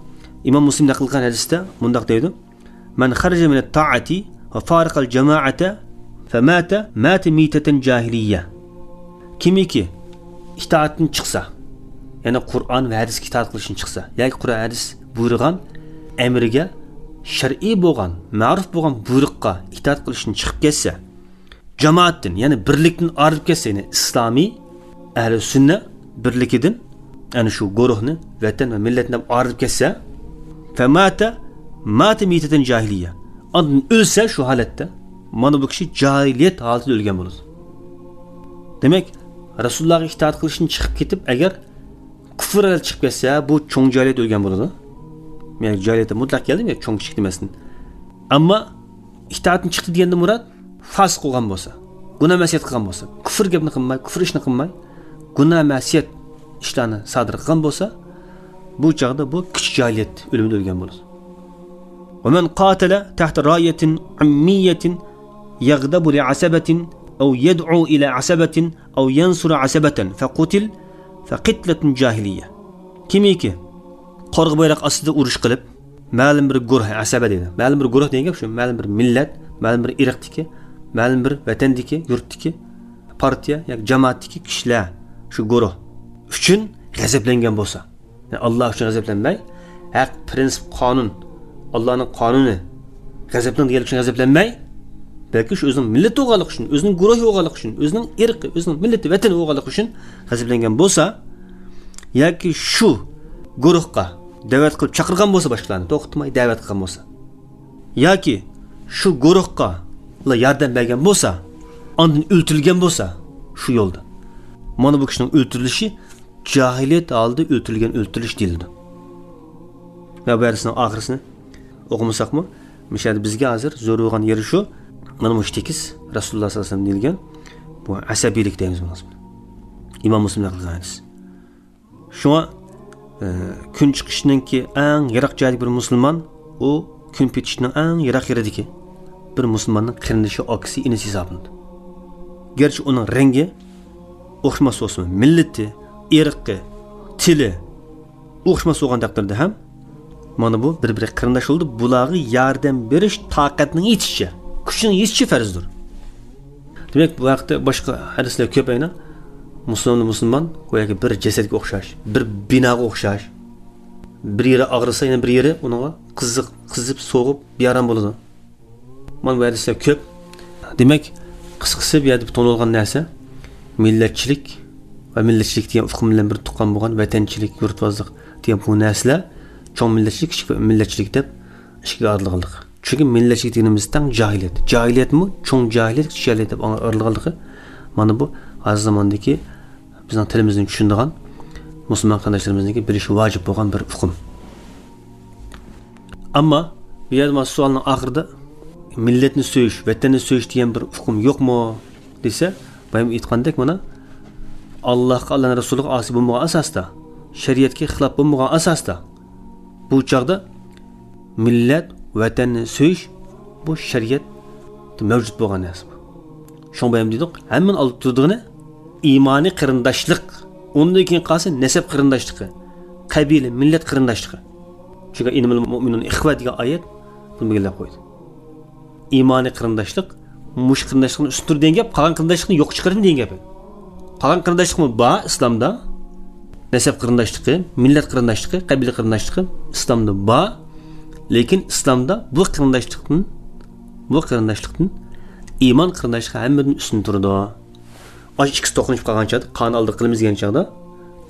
ئىمام مۇسلىم نەقىل قىلغان ھەدىستە مۇنداق دەيدۇ، مەن خەرەجە مىنەت تائەتى ۋە فارەقەل جامائەتە فەماتە ماتە مىتەتەن جاھىلىيە. كىمكى ئىتائەتتىن چىقسا، يەنى قۇرئان ۋە ھەدىسكە ئىتائەت قىلىشتىن چىقسا، ياكى قۇرئان ھەدىس بۇيرۇغان ئەمرىگە، شەرئىي بولغان، مەرۇپ بولغان بۇيرۇققا ئىتائەت قىلىشتىن چىقىپ كەتسە، جامائەتتىن، يەنى بىرلىكتىن ئايرىلىپ كەتسە، يەنى ئىسلامىي ئەھلى سۈننە بىرلىكىدىن، ئەنە شۇ گۇرۇھنى، ۋەتەن ۋە مىللەتنى دەپ ئايرىلىپ كەتسە، فەماتە ماتە مىتەتەن جاھىلىيە. ئاندىن ئۆلسە شۇ ھالەتتە، مانا بۇ كىشى جاھىلىيەت ھالىتىدە ئۆلگەن بولىدۇ. دېمەك، رەسۇلۇللاھقا ئىتائەت قىلىشتىن چىقىپ كېتىپ، ئەگەر كۇفر ھالەتتە چىقىپ كەتسە، بۇ چوڭ جاھىلىيەتتە ئۆلگەن بولىدۇ. يەنى جاھىلىيەتتە مۇتلەق كەلدىم، يا چوڭ كىچىك دېمەستىن. ئەمما ئىتائەتتىن چىقتى دېگەندىن مۇراد، فاسىق بولغان بولسا، گۇناھ مەسىيەت قىلغان بولسا، كۇفر گەپنى قىلماي، كۇفر ئىشنى قىلماي، گۇناھ مەسىيەت ئىشلارنى سادىر قىلغان بولسا، بۇ چاغدا بۇ كىچىك جاھىلىيەت ئۆلۈمىدە ئۆلگەن بولىدۇ. ومن قاتل تحت راية عمية يغضب لعصبة أو يدعو إلى عصبة أو ينصر عصبة فقتل فقتلة جاهلية. كىمكى قارىغا بايراق ئاستىدا ئۇرۇش قىلىپ، مەلۇم بىر گۇرۇھ، ئەسەبە دەيدۇ. مەلۇم بىر گۇرۇھ دېگەن گەپ شۇ، مەلۇم بىر مىللەت، مەلۇم بىر ئىرقتىكى، مەلۇم بىر ۋەتەندىكى، يۇرتتىكى، پارتىيە ياكى جامائەتتىكى كىشىلەر، شۇ گۇرۇھ ئۈچۈن غەزەپلەنگەن بولسا، يەنى ئاللا ئۈچۈن غەزەپلەنمەي، ھەق، پرىنسىپ، قانۇن، ئاللانىڭ قانۇنى، غەزەپلەن دېگەنلىك ئۈچۈن غەزەپلەنمەي، بەلكى شۇ ئۆزىنىڭ مىللىتى بولغانلىقى ئۈچۈن، ئۆزىنىڭ گۇرۇھى بولغانلىقى ئۈچۈن، ئۆزىنىڭ ئىرقى، ئۆزىنىڭ مىللىتى، ۋەتىنى بولغانلىقى ئۈچۈن غەزەپلەنگەن بولسا، ياكى شۇ گۇرۇھقا دەۋەت قىلىپ چاقىرغان بولسا، باشقىلارنى توختىماي دەۋەت قىلغان بولسا، ياكى شۇ گۇرۇھقا ياردەم بەرگەن بولسا، ئاندىن ئۆلتۈرۈلگەن بولسا شۇ يولدا، مانا بۇ كىشىنىڭ ئۆلتۈرۈلۈشى جاھىلىيەت ھالىدا ئۆلتۈرۈلگەن ئۆلتۈرۈلۈش دېيىلىدۇ. ۋە بۇ ھەدىسنىڭ ئاخىرىسىنى ئوقۇمىساقمۇ، مۇشۇ يەردە بىزگە ھازىر زۆرۈر بولغان يېرى شۇ، مانا مۇشۇ تېكىست، رەسۇلۇللا ساللاللاھۇ ئەلەيھى ۋەسەللەم دېيىلگەن بۇ ئەسەبىيلىك دەيمىز بۇنىڭ ئىسمىنى. ئىمام مۇسلىم نەقىل قىلغان ھەدىس. شۇڭا، ئە، كۈن چىقىشنىڭكى ئەڭ يىراق جايىدىكى بىر مۇسۇلمان، ئۇ كۈن پېتىشنىڭ ئەڭ يىراق يېرىدىكى بىر مۇسۇلماننىڭ قېرىندىشى، ئاكىسى، ئىنىسى ھېسابلىنىدۇ. گەرچە ئۇنىڭ رەڭگى ئوخشىماس بولسىمۇ، مىللىتى، ئىرقى، ئېلى ئوخشىماس بولغان تەقدىردە ھەم، مانا بۇ بىر-بىرى قېرىنداش بولىدۇ. بۇلارغا ياردەم بېرىش تاقەتنىڭ يېتىشىچە، كۈچنىڭ يېتىشىچە پەرزدۇر. دېمەك، بۇ ھەقتە باشقا ھەدىسلەر كۆپ ئەينەن. مۇسۇلماننى مۇسۇلمان گوياكى بىر جەسەتكە ئوخشاش، بىر بىناغا ئوخشاش. بىر يېرى ئاغرىسا، يەنە بىر يېرى ئۇنىڭغا قىزىق، قىزىپ، سوغۇپ، بىئارام بولىدۇ. مانا بۇ ھەدىسلەر كۆپ. دېمەك، قىسقىسى، بۇ يەردە تونۇلغان نەرسە مىللەتچىلىك ۋە مىللەتچىلىك دېگەن ئۇقۇم بىلەن بىر تۇغقان بولغان ۋەتەنچىلىك، يۇرتۋازلىق دېگەن بۇ نەرسىلەر چوڭ مىللەتچىلىك، كىچىك مىللەتچىلىك دەپ ئىككىگە ئايرىلغانلىق. چۈنكى مىللەتچىلىك دېگىنىمىز تەڭ جاھىلىيەت. جاھىلىيەتمۇ چوڭ جاھىلىيەت، كىچىك جاھىلىيەت دەپ ئايرىلغانلىقى. مانا بۇ ھازىر زاماندىكى بىزنىڭ تىلىمىزنى چۈشىنىدىغان مۇسۇلمان قېرىنداشلىرىمىزنىڭكى بىلىشى ۋاجىپ بولغان بىر ئۇقۇم. ئەمما بۇ يەردە مانا سوئالنىڭ ئاخىرىدا مىللەتنى سۆيۈش، ۋەتەننى سۆيۈش دېگەن بىر ئۇقۇم يوقمۇ دېسە، بايام ئېيتقاندەك، مانا، ئاللاھقا، ئاللانىڭ رەسۇلىغا ئاسىي بولمىغان ئاساستا، شەرىئەتكە خىلاپ بولمىغان ئاساستا، بۇ چاغدا مىللەت، ۋەتەننى سۆيۈش، بۇ شەرىئەتتە مەۋجۇت بولغان نەرسە. شۇڭا بايام دېدۇق، ھەممىنى ئالدىدا تۇرىدىغىنى ئىمانىي قېرىنداشلىق، ئۇندىن كېيىن قالسا نەسەب قېرىنداشلىقى، قەبىلە، مىللەت قېرىنداشلىقى. چۈنكى «إنما المؤمنون إخوة» دېگەن ئايەت بۇنى بەلگىلەپ قويدى. ئىمانىي قېرىنداشلىق مۇشۇ قېرىنداشلىقنى ئۈستۈن تۇرىدۇ دېگەن گەپ، قالغان قېرىنداشلىقنى يوققا چىقىرىدۇ دېگەن گەپ. قالغان قېرىنداشلىقمۇ بار ئىسلامدا. نەسەب قېرىنداشلىقى، مىللەت قېرىنداشلىقى، قەبىلە قېرىنداشلىقى ئىسلامدا بار. لېكىن ئىسلامدا بۇ قېرىنداشلىقتىن، بۇ قېرىنداشلىقتىن ئىمان قېرىنداشلىقى ھەممىدىن ئۈستۈن تۇرىدۇ. ئاشۇ ئىككىسى توقۇنۇشۇپ قالغان چاغدا، قانۇن ئالدىغا قىلىمىز دېگەن چاغدا،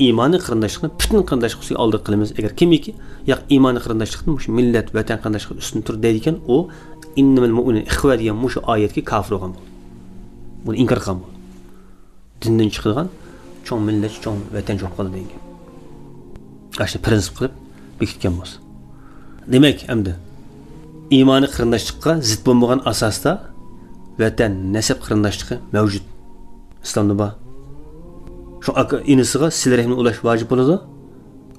ئىمانىي قېرىنداشلىقنى پۈتۈن قېرىنداشلىق ئۈستىگە ئالدىغا قىلىمىز. ئەگەر كىمكى، ياق، ئىمانىي قېرىنداشلىقتىن مۇشۇ مىللەت، ۋەتەن قېرىنداشلىقى ئۈستۈن تۇرىدۇ دەيدىكەن، ئۇ «إنما المؤمنون إخوة» دېگەن مۇشۇ ئايەتكە كاپىر بولغان بولىدۇ. بۇنى ئىنكار قىلغان بولىدۇ. دىندىن چىقىدىغان، چوڭ مىللەتچى، چوڭ ۋەتەنچى بولۇپ قالىدۇ دېگەن گەپ. ئاشۇنى پرىنسىپ قىلىپ بېكىتكەن بولسا. دېمەك، ئەمدى ئىمانىي قېرىنداشلىققا زىت بولمىغان ئاساستا ۋەتەن، نەسەب قېرىنداشلىقى مەۋجۇت. ئىسلامدا بار. شۇ ئاكا ئىنىسىغا سىلە رەھىمنى ئۇلاش ۋاجىپ بولىدۇ.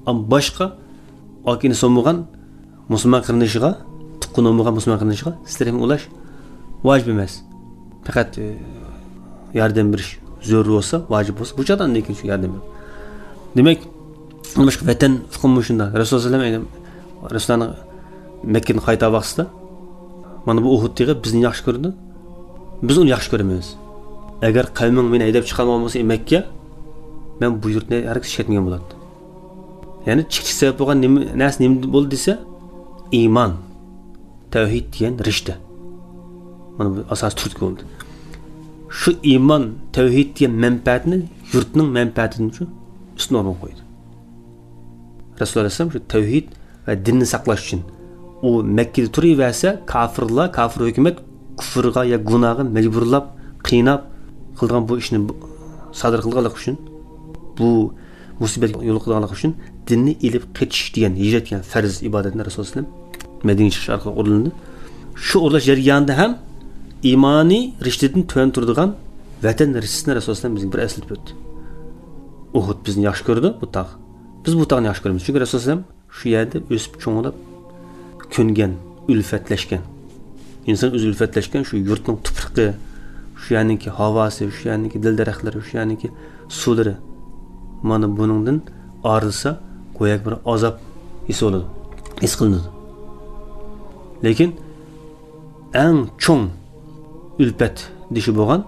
ئەمما باشقا ئاكا ئىنىسى بولمىغان مۇسۇلمان قېرىندىشىغا، تۇغقىنى بولمىغان مۇسۇلمان قېرىندىشىغا سىلە رەھىم ئۇلاش ۋاجىپ ئەمەس. پەقەت، ئى، ياردەم بېرىش زۆرۈر بولسا، ۋاجىپ بولسا، بۇ چاغدا ئاندىن كېيىن شۇ ياردەم بېرىڭ. دېمەك، باشقا ۋەتەن ئۇقۇمى شۇنداق. رەسۇلۇللاھ سەللەللاھۇ ئەلەيھى ۋەسەللەم، ئەينى رەسۇلۇللاھنىڭ مەككىدىن قايتار ۋاقتىسىدا، مانا بۇ ئۇھۇد تېغى بىزنى ياخشى كۆرىدۇ، بىز ئۇنى ياخشى كۆرىمىز. ئەگەر قەۋمىڭ مېنى ھەيدەپ چىقارمىغان بولسا مەككە، مەن بۇ يۇرتنى ھەرگىز ئىشلەتمىگەن بولاتتىم. يەنى چىقىش سەۋەب بولغان نېمە، نەرسە نېمە بولدى دېسە، ئىمان، تەۋھىد دېگەن رىشتە. مانا بۇ ئاساسىي تۈرتكە بولدى. شۇ ئىمان، تەۋھىد دېگەن مەنپەئەتنى يۇرتنىڭ مەنپەئەتىدىن شۇ ئۈستۈن ئورۇنغا قويدى. رەسۇلۇللاھ ئەلەيھىسسالام شۇ تەۋھىد ۋە دىننى ساقلاش ئۈچۈن ئۇ مەككىدە تۇرۇۋەرسە، كاپىرلار، كاپىر ھۆكۈمەت كۇفرغا يا گۇناھقا مەجبۇرلاپ، قىيناپ قىلىدىغان بۇ ئىشنى بۇ، سادىر قىلغانلىقى ئۈچۈن، بۇ مۇسىبەتكە يولۇقىدىغانلىقى ئۈچۈن دىننى ئېلىپ قېچىش دېگەن، ھىجرەت دېگەن پەرز ئىبادەتنى رەسۇلۇللاھ ئەلەيھىسسالام مەدىنىگە چىقىش ئارقىلىق ئورۇنلىدى. شۇ ئورۇنلاش جەريانىدا ھەم ئىمانىي رىشتىدىن تۆۋەن تۇرىدىغان ۋەتەن رىشتىسىنى رەسۇلۇللاھ ئەلەيھىسسالام بىزگە بىر ئەسلىتىپ ئۆتتى. ئۇھۇد بىزنى ياخشى كۆرىدۇ، بۇ تاغ. بىز بۇ تاغنى ياخشى كۆرىمىز. چۈنكى رەسۇلۇللاھ ئەلەيھىسسالام شۇ يەردە ئۆسۈپ چوڭلاپ، كۆنگەن، ئۈلپەتلەشكەن. ئىنسان ئۆزى ئۈلپەتلەشكەن شۇ يۇرتنىڭ تۇپرىقى، شۇ يەرنىڭكى ھاۋاسى، شۇ يەرنىڭكى دىل دەرەخلىرى، شۇ يەرنىڭكى سۇلىرى. مانا بۇنىڭدىن ئايرىلسا، گوياكى بىر ئازاب ھېس بولىدۇ، ھېس قىلىنىدۇ. لېكىن ئەڭ چوڭ ئۈلپەت دېشى بولغان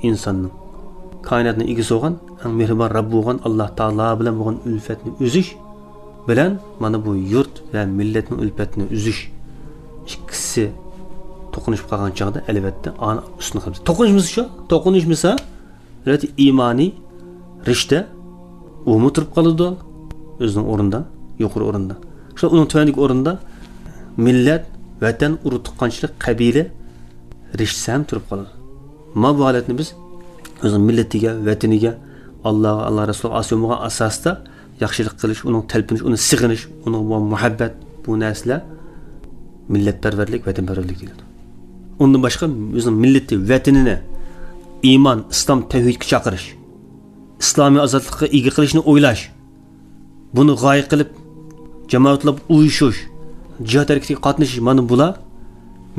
ئىنساننىڭ، كائىناتنىڭ ئىگىسى بولغان، ئەڭ مېھرىبان رەببى بولغان ئاللاھ تائالا بىلەن بولغان ئۈلپەتنى ئۈزۈش بىلەن مانا بۇ يۇرت ۋە مىللەتنىڭ ئۈلپەتنى ئۈزۈش ئىككىسى توقۇنۇشۇپ قالغان چاغدا، ئەلۋەتتە، ئانى ئۈستۈن قىلىمىز. توقۇنۇشمىسا شۇ، توقۇنۇشمىسا، ئەلۋەتتە، ئىمانىي رىشتە ئۇمۇ تۇرۇپ قالىدۇ ئۆزىنىڭ ئورنىدا، يۇقىرى ئورۇندا. شۇ ئۇنىڭ تۆۋەندىكى ئورنىدا مىللەت، ۋەتەن، ئۇرۇق تۇغقانچىلىق، قەبىلە رىشتىسى ھەم تۇرۇپ قالىدۇ. مانا بۇ ھالەتنى بىز ئۆزىنىڭ مىللىتىگە، ۋەتىنىگە، ئاللاھقا، ئاللا رەسۇلىغا ئاسىي بولمىغان ئاساستا ياخشىلىق قىلىش، ئۇنىڭغا تەلپۈنۈش، ئۇنى سېغىنىش، ئۇنىڭغا بولغان مۇھەببەت، بۇ نەرسىلەر مىللەتپەرۋەرلىك، ۋەتەنپەرۋەرلىك دېيىلىدۇ. ئۇندىن باشقا ئۆزىنىڭ مىللىتى، ۋەتىنىنى ئىمان، ئىسلام، تەۋھىدكە چاقىرىش، ئىسلامىي ئازادلىققا ئىگە قىلىشنى ئويلاش، بۇنى غايە قىلىپ جامائەت بولۇپ ئۇيۇشۇش، جىھاد ھەرىكىتىگە قاتنىشىش، مانا بۇلار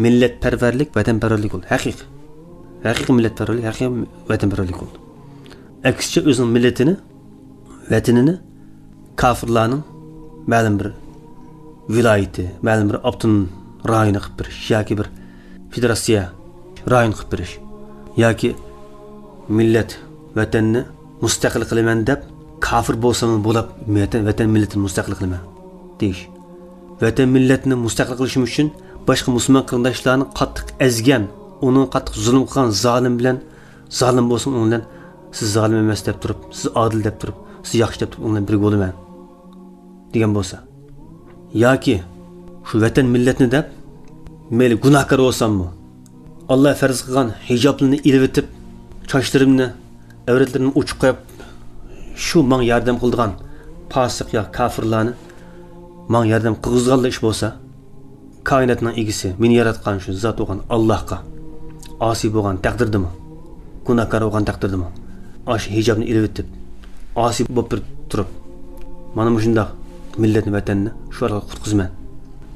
مىللەتپەرۋەرلىك، ۋەتەنپەرۋەرلىك بولىدۇ. ھەقىقىي، ھەقىقىي مىللەتپەرۋەرلىك، ھەقىقىي ۋەتەنپەرۋەرلىك بولىدۇ. ئەكسىچە ئۆزىنىڭ مىللىتىنى، ۋەتىنىنى كاپىرلارنىڭ مەلۇم بىر ۋىلايىتى، مەلۇم بىر ئاپتونوم رايونى قىلىپ بېرىش ياكى بىر فېدېراتسىيە رايونى قىلىپ بېرىش ياكى مىللەت، ۋەتەننى مۇستەقىل قىلىمەن دەپ، كاپىر بولساممۇ بولاپ، ۋەتەن، ۋەتەن مىللىتىنى مۇستەقىل قىلىمەن دېيىش. ۋەتەن مىللەتنى مۇستەقىل قىلىشىم ئۈچۈن باشقا مۇسۇلمان قېرىنداشلارنى قاتتىق ئەزگەن، ئۇنىڭغا قاتتىق زۇلۇم قىلغان زالىم بىلەن، زالىم بولسىمۇ ئۇنىڭ بىلەن، سىز زالىم ئەمەس دەپ تۇرۇپ، سىز ئادىل دەپ تۇرۇپ، سىز ياخشى دەپ تۇرۇپ، ئۇنىڭ بىلەن بىرگە بولىمەن دېگەن بولسا، ياكى شۇ ۋەتەن مىللەتنى دەپ، مەيلى گۇناھكار بولساممۇ، ئاللا پەرز قىلغان ھىجابلىرىنى ئېلىۋېتىپ، چاچلىرىمنى، ئەۋرەتلىرىمنى ئوچۇق قويۇپ، شۇ ماڭا ياردەم قىلىدىغان پاسىق يا كاپىرلارنى ماڭا ياردەم قىلغۇزغانلا ئىش بولسا، كائىناتنىڭ ئىگىسى، مېنى ياراتقان شۇ زات بولغان ئاللاھقا ئاسىي بولغان تەقدىردىمۇ، گۇناھكار بولغان تەقدىردىمۇ، ئاشۇ ھىجابنى ئېلىۋېتىپ، ئاسىي بولۇپ بىر تۇرۇپ، مانا مۇشۇنداق مىللەتنى، ۋەتەننى شۇ ئارقىلىق قۇتقۇزىمەن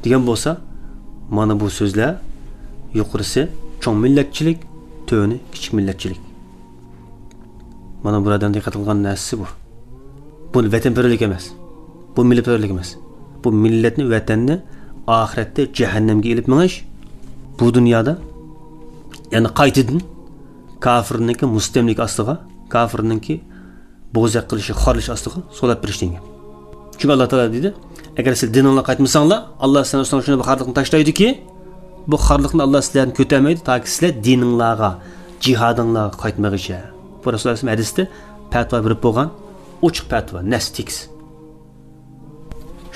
دېگەن بولسا، مانا بۇ سۆزلەر يۇقىرىسى چوڭ مىللەتچىلىك، تۆۋىنى كىچىك مىللەتچىلىك. مانا بۇرادەرنىڭ دىققەت قىلغان نەرسىسى بۇ. بۇ ۋەتەنپەرۋەرلىك ئەمەس. بۇ مىللەتپەرۋەرلىك ئەمەس. بۇ مىللەتنى، ۋەتەننى ئاخىرەتتە جەھەننەمگە ئېلىپ مېڭىش، بۇ دۇنيادا يەنە قايتىدىن كاپىرنىڭكى مۇستەملىكە ئاستىغا، كاپىرنىڭكى بوزەك قىلىشى، خارلىشى ئاستىغا سولاپ بېرىش دېگەن گەپ. چۈنكى ئاللا تائالا دېدى، ئەگەر سىلەر دىنىڭلارغا قايتمىساڭلار، ئاللا سىلەرنىڭ ئۈستىڭلار شۇنداق بىر خارلىقنى تاشلايدۇكى، بۇ خارلىقنى ئاللا سىلەرنى كۆتەرمەيدۇ، تاكى سىلەر دىنىڭلارغا، جىھادىڭلارغا قايتمىغىچە. بۇ رەسۇلۇللا ئەلەيھىسسالام ھەدىستە پەتىۋا بېرىپ بولغان، ئوچۇق پەتىۋا، نەس تېكىست.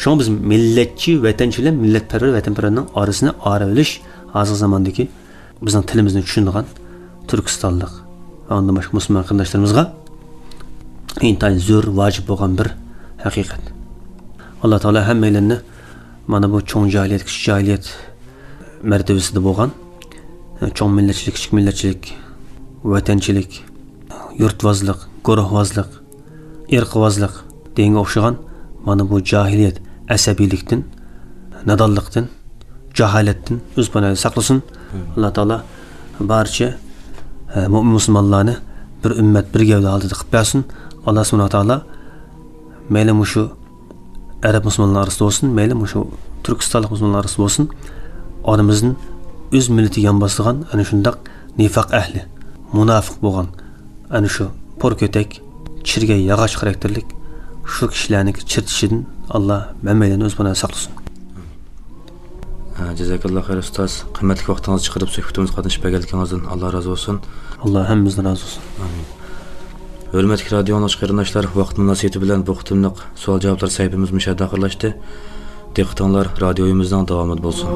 شۇڭا بىز مىللەتچى، ۋەتەنچى بىلەن مىللەتپەرۋەر، ۋەتەنپەرۋەرنىڭ ئارىسىنى ئايرىۋېلىش ھازىرقى زاماندىكى بىزنىڭ تىلىمىزنى چۈشىنىدىغان تۈركىستانلىق ۋە ئۇندىن باشقا مۇسۇلمان قېرىنداشلىرىمىزغا ئىنتايىن زۆرۈر، ۋاجىپ بولغان بىر ھەقىقەت. ئاللا تائالا ھەممەيلەننى مانا بۇ چوڭ جاھىلىيەت، كىچىك جاھىلىيەت مەرتىۋىسىدە بولغان، چوڭ مىللەتچىلىك، كىچىك مىللەتچىلىك، ۋەتەنچىلىك، يۇرتۋازلىق، گۇرۇھۋازلىق، ئىرقىۋازلىق دېگەنگە ئوخشىغان مانا بۇ جاھىلىيەت، ئەسەبىيلىكتىن، نادانلىقتىن، جاھالەتتىن ئۆز پاناھىدا ساقلىسۇن. ئاللا تائالا بارچە، ئە، مۆمىن مۇسۇلمانلارنى بىر ئۈممەت، بىر گەۋدە ھالىتىدە قىلىپ بەرسۇن. ئاللا سۇبھانەھۇ ۋە تائالا مەيلى مۇشۇ ئەرەب مۇسۇلمانلار ئارىسىدا بولسۇن، مەيلى مۇشۇ تۈركىستانلىق مۇسۇلمانلار ئارىسىدا بولسۇن، ئارىمىزدىن ئۆز مىللىتىگە يان باسىدىغان ئەنە شۇنداق نىفاق ئەھلى، مۇناپىق بولغان، ئەنە شۇ پور كۆتەك، چىرىگەي ياغاچ خاراكتېرلىك شۇ كىشىلەرنىڭكى چىرتىشىدىن ئاللا ھەممەيلەننى ئۆز پاناھىدا ساقلىسۇن. ھە، جازاكاللا خەير ئۇستاز. قىممەتلىك ۋاقتىڭىزنى چىقىرىپ سۆھبىتىمىزگە قاتنىشىپ بەرگەنلىكىڭىزدىن ئاللا رازى بولسۇن. ئاللا ھەممىمىزدىن رازى بولسۇن. ئامىن. ھۆرمەتلىك رادىيو ئاڭلىغۇچى قېرىنداشلار، ۋاقىت مۇناسىۋىتى بىلەن بۇ قېتىملىق سوئال جاۋابلار سەھىپىمىز مۇشۇ يەردە ئاخىرلاشتى. دىققىتىڭلار رادىيويىمىزنىڭ داۋامىدا بولسۇن.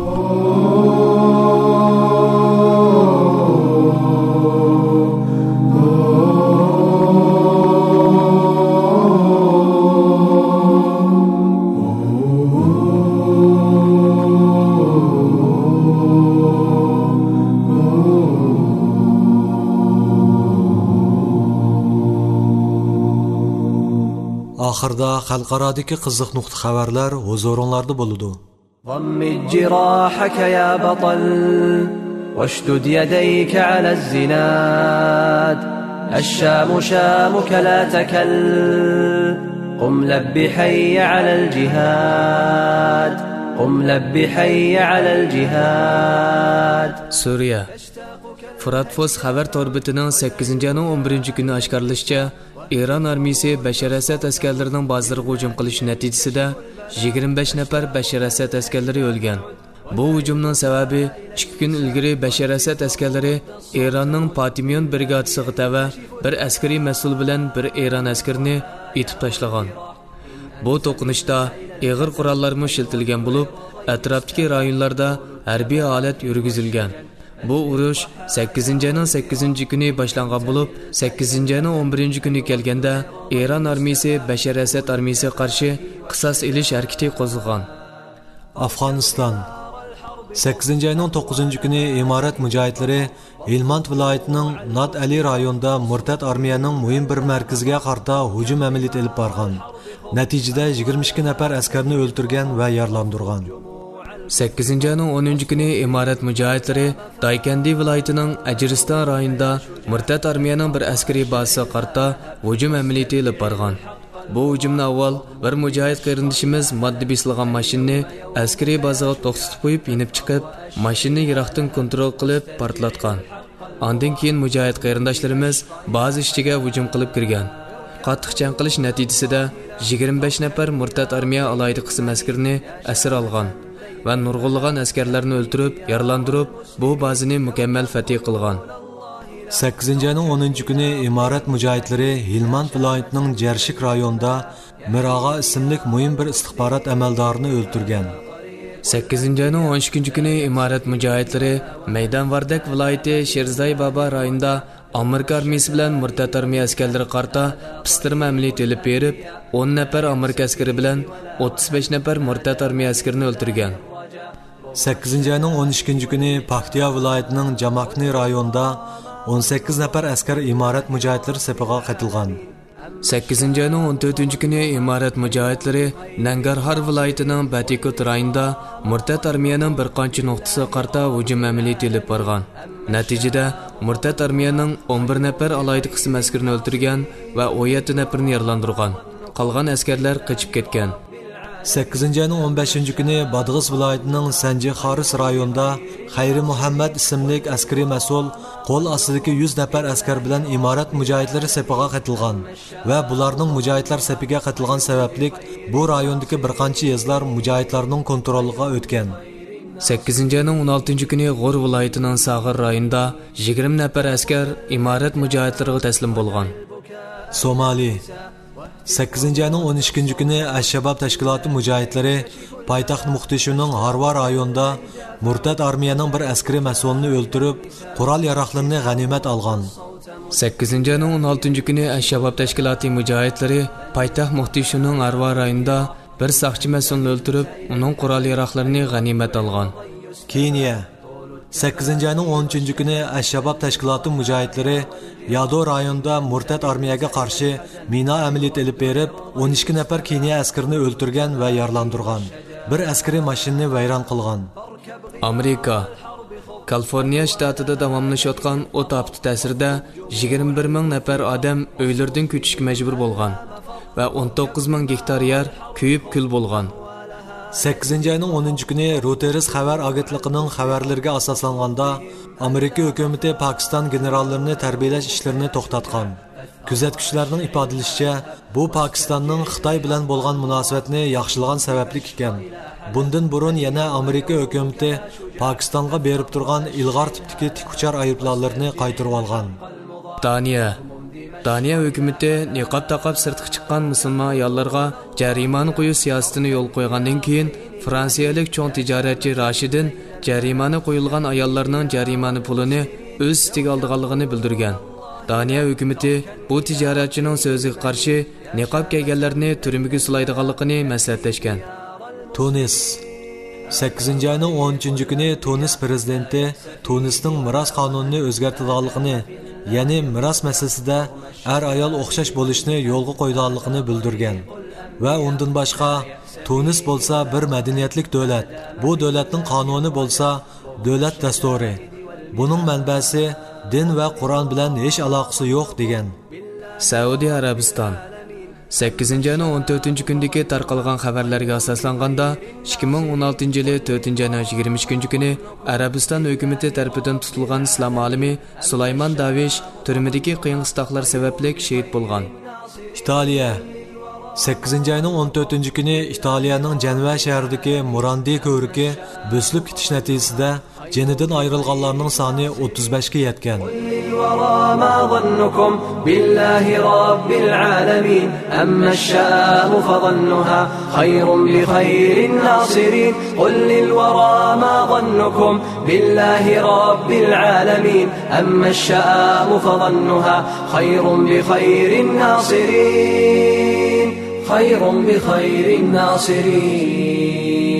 ئاخىردا خەلقئارادىكى قىزىق نۇقتا خەۋەرلەر ھۇزۇرۇڭلاردا بولىدۇ. ضمد جراحك يا بطل، واشدد يديك على الزناد. الشام شامك لا تكل، قم لب حي على الجهاد، قم لب حي على الجهاد. سۈرىيە. فرات فوس خەۋەر تور بېتىنىڭ سەككىزىنچى ئاينىڭ ئون بىرىنچى كۈنى ئاشكارىلىشىچە، ئىران ئارمىيىسى بەشار ئەسەد ئەسكەرلىرىنىڭ بازىلىرىغا ھۇجۇم قىلىشى نەتىجىسىدە يىگىرمە بەش نەپەر بەشار ئەسەد ئەسكەرلىرى ئۆلگەن. بۇ ھۇجۇمنىڭ سەۋەبى، ئىككى كۈن ئىلگىرى بەشار ئەسەد ئەسكەرلىرى ئىراننىڭ پاتىميون برىگادىسىغا تەۋە بىر ئەسكىرىي مەسئۇل بىلەن بىر ئىران ئەسكىرىنى ئېتىپ تاشلىغان. بۇ توقۇنۇشتا ئېغىر قوراللارمۇ ئىشلىتىلگەن بولۇپ، ئەتراپتىكى رايونلاردا ھەربىي ھالەت يۈرگۈزۈلگەن. بۇ ئۇرۇش سەككىزىنچى ئاينىڭ سەككىزىنچى كۈنى باشلانغان بولۇپ، سەككىزىنچى ئاينىڭ ئون بىرىنچى كۈنى كەلگەندە، ئىران ئارمىيىسى بەشار ئەسەد ئارمىيىسىغا قارشى قىساس ئېلىش ھەرىكىتى قوزغىغان. ئافغانىستان. سەككىزىنچى ئاينىڭ توققۇزىنچى كۈنى ئىمارەت مۇجاھىدلىرى ھىلماند ۋىلايىتىنىڭ نات ئەلى رايونىدا مۇرتەت ئارمىيەنىڭ مۇھىم بىر مەركىزىگە قارىتا ھۇجۇم ئەمەلىيىتى ئېلىپ بارغان. نەتىجىدە يىگىرمە ئىككى نەپەر ئەسكەرنى ئۆلتۈرگەن ۋە يارىلاندۇرغان. سەككىزىنچى ئاينىڭ ئونىنچى كۈنى ئىمارەت مۇجاھىدلىرى دايكەندى ۋىلايىتىنىڭ ئەجرىستان رايونىدا مۇرتەت ئارمىيەنىڭ بىر ئەسكىرىي بازىسىغا قارىتا ھۇجۇم ئەمەلىيىتى ئېلىپ بارغان. بۇ ھۇجۇمنى ئاۋۋال بىر مۇجاھىد قېرىندىشىمىز ماددا بېسىلغان ماشىنىنى ئەسكىرىي بازىغا توختىتىپ قويۇپ يېنىپ چىقىپ، ماشىنىنى يىراقتىن كونترول قىلىپ پارتلاتقان. ئاندىن كېيىن مۇجاھىد قېرىنداشلىرىمىز بازا ئىچىگە ھۇجۇم قىلىپ كىرگەن. قاتتىق جەڭ قىلىش نەتىجىسىدە يىگىرمە بەش نەپەر مۇرتەت ئارمىيە ئالاھىدە قىسىم ئەسكىرىنى ئەسىر ئالغان ۋە نۇرغۇنلىغان ئەسكەرلەرنى ئۆلتۈرۈپ، يارىلاندۇرۇپ، بۇ بازىنى مۇكەممەل فەتھى قىلغان. سەككىزىنچى ئاينىڭ ئونىنچى كۈنى ئىمارەت مۇجاھىدلىرى ھىلماند ۋىلايىتىنىڭ جەرشىك رايونىدا مىر ئاغا ئىسىملىك مۇھىم بىر ئىستىخبارات ئەمەلدارىنى ئۆلتۈرگەن. سەككىزىنچى ئاينىڭ ئون ئىككىنچى كۈنى ئىمارەت مۇجاھىدلىرى مەيدان ۋاردەك ۋىلايىتى شىرزاي بابا رايونىدا ئامېرىكا ئارمىيىسى بىلەن مۇرتەت ئارمىيە ئەسكەرلىرىگە قارىتا پىستىرما ئەمەلىيىتى ئېلىپ بېرىپ، ئون نەپەر ئامېرىكا ئەسكىرى بىلەن ئوتتۇز بەش نەپەر مۇرتەت ئارمىيە ئەسكىرىنى ئۆلتۈرگەن. سەككىزىنچى ئاينىڭ ئون ئىككىنچى كۈنى پاكتىيا ۋىلايىتىنىڭ جاماكنى رايونىدا ئون سەككىز نەپەر ئەسكەر ئىمارەت مۇجاھىدلىرى سېپىغا قېتىلغان. سەككىزىنچى ئاينىڭ ئون تۆتىنچى كۈنى ئىمارەت مۇجاھىدلىرى نەنگەرھار ۋىلايىتىنىڭ بەتىكوت رايونىدا مۇرتەت ئارمىيەنىڭ بىر قانچە نۇقتىسىغا قارىتا ھۇجۇم ئەمەلىيىتى ئېلىپ بارغان. نەتىجىدە، مۇرتەت ئارمىيەنىڭ ئون بىر نەپەر ئالاھىدە قىسىم ئەسكىرىنى ئۆلتۈرگەن ۋە ئون يەتتە نەپىرىنى يارىلاندۇرغان. قالغان ئەسكەرلەر قېچىپ كەتكەن. سەككىزىنچى ئاينىڭ ئون بەشىنچى كۈنى بادغىس ۋىلايىتىنىڭ سەنجى خارىس رايونىدا خەيرى مۇھەممەد ئىسىملىك ئەسكىرىي مەسئۇل قول ئاستىدىكى يۈز نەپەر ئەسكەر بىلەن ئىمارەت مۇجاھىدلىرى سېپىغا قېتىلغان ۋە بۇلارنىڭ مۇجاھىدلار سېپىگە قېتىلغان سەۋەبلىك بۇ رايوندىكى بىر قانچە يېزىلار مۇجاھىدلارنىڭ كونترولىغا ئۆتكەن. سەككىزىنچى ئاينىڭ ئون ئالتىنچى كۈنى غور ۋىلايىتىنىڭ ساغىر رايونىدا يىگىرمە نەپەر ئەسكەر ئىمارەت مۇجاھىدلىرىغا تەسلىم بولغان. سومالى. سەككىزىنچى ئاينىڭ ئون ئىككىنچى كۈنى ئەششەباب تەشكىلاتى مۇجاھىدلىرى پايتەخت موقدىشۇنىڭ ھارۋا رايونىدا مۇرتەت ئارمىيەنىڭ بىر ئەسكىرىي مەسئۇلىنى ئۆلتۈرۈپ، قورال-ياراغلىرىنى غەنىيمەت ئالغان. سەككىزىنچى ئاينىڭ ئون ئالتىنچى كۈنى ئەششەباب تەشكىلاتى مۇجاھىدلىرى پايتەخت موقدىشۇنىڭ ھارۋا رايونىدا بىر ساقچى مەسئۇلنى ئۆلتۈرۈپ، ئۇنىڭ قورال-ياراغلىرىنى غەنىيمەت ئالغان. كېنىيە. سەككىزىنچى ئاينىڭ ئون ئۈچىنچى كۈنى ئەششەباب تەشكىلاتى مۇجاھىدلىرى يادو رايونىدا مۇرتەت ئارمىيەگە قارشى مىنا ئەمەلىيىتى ئېلىپ بېرىپ، ئون ئىككى نەپەر كېنىيە ئەسكىرىنى ئۆلتۈرگەن ۋە يارىلاندۇرغان. بىر ئەسكىرىي ماشىنىنى ۋەيران قىلغان. ئامېرىكا. كالىفورنىيە شتاتىدا داۋاملىشىۋاتقان ئوت ئاپىتى تەسىرىدە يىگىرمە بىر مىڭ نەپەر ئادەم ئۆيلىرىدىن كۆچۈشكە مەجبۇر بولغان ۋە ئون توققۇز مىڭ گېكتار يەر كۆيۈپ كۈل بولغان. سەككىزىنچى ئاينىڭ ئونىنچى كۈنى رويتېرس خەۋەر ئاگېنتلىقىنىڭ خەۋەرلىرىگە ئاساسلانغاندا، ئامېرىكا ھۆكۈمىتى پاكىستان گېنېراللىرىنى تەربىيەلەش ئىشلىرىنى توختاتقان. كۆزەتكۈچىلەرنىڭ ئىپادىلىشىچە، بۇ پاكىستاننىڭ خىتاي بىلەن بولغان مۇناسىۋەتنى ياخشىلىغان سەۋەبلىك ئىكەن. بۇندىن بۇرۇن يەنە ئامېرىكا ھۆكۈمىتى پاكىستانغا بېرىپ تۇرغان ئىلغار تىپتىكى تىك ئۇچار ئايروپىلانلىرىنى قايتۇرۇۋالغان. دانىيە. دانىيە ھۆكۈمىتى نىقاب تاقاپ سىرتقا چىققان مۇسۇلمان ئاياللارغا جەرىمانە قويۇش سىياسىتىنى يولغا قويغاندىن كېيىن، فرانسىيەلىك چوڭ تىجارەتچى راشىدىن جەرىمانە قويۇلغان ئاياللارنىڭ جەرىمانە پۇلىنى ئۆز ئۈستىگە ئالىدىغانلىقىنى بىلدۈرگەن. دانىيە ھۆكۈمىتى بۇ تىجارەتچىنىڭ سۆزىگە قارشى نىقاب كىيگەنلەرنى تۈرمىگە سولايدىغانلىقىنى مەسلىھەتلەشكەن. تۇنىس. سەككىزىنچى ئاينىڭ ئون ئۈچىنچى كۈنى تۇنىس پىرېزىدېنتى تۇنىسنىڭ مىراس قانۇنىنى ئۆزگەرتىدىغانلىقىنى، يەنى مىراس مەسىلىسىدە ئەر-ئايال ئوخشاش بولۇشنى يولغا قويىدىغانلىقىنى بىلدۈرگەن. ۋە ئۇندىن باشقا، تۇنىس بولسا بىر مەدەنىيەتلىك دۆلەت. بۇ دۆلەتنىڭ قانۇنى بولسا دۆلەت دەستۇرى. بۇنىڭ مەنبەسى دىن ۋە قۇرئان بىلەن ھېچ ئالاقىسى يوق، دېگەن. سەئۇدى ئەرەبىستان. سەككىزىنچى ئاينىڭ ئون تۆتىنچى كۈندىكى تارقالغان خەۋەرلەرگە ئاساسلانغاندا، ئىككى مىڭ ئون ئالتىنچى يىلى تۆتىنچى ئاينىڭ يىگىرمە ئىككىنچى كۈنى ئەرەبىستان ھۆكۈمىتى تەرىپىدىن تۇتۇلغان ئىسلام ئالىمى سۇلايمان داۋىش تۈرمىدىكى قىيىن-قىستاقلار سەۋەبلىك شېھىت بولغان. ئىتالىيە. سەككىزىنچى ئاينىڭ ئون تۆتىنچى كۈنى ئىتالىيەنىڭ جەنۋە شەھىرىدىكى مۇراندى كۆۋرۈكى بۆسۈلۈپ كېتىش نەتىجىسىدە جېنىدىن ئايرىلغانلارنىڭ سانى ئوتتۇز بەشكە يەتكەن. قل للورى ما ظنكم بالله رب العالمين، أما الشآم فظنها خير بخير الناصرين. قل للورى ما ظنكم بالله رب العالمين، أما الشآم فظنها خير بخير الناصرين، خير بخير الناصرين.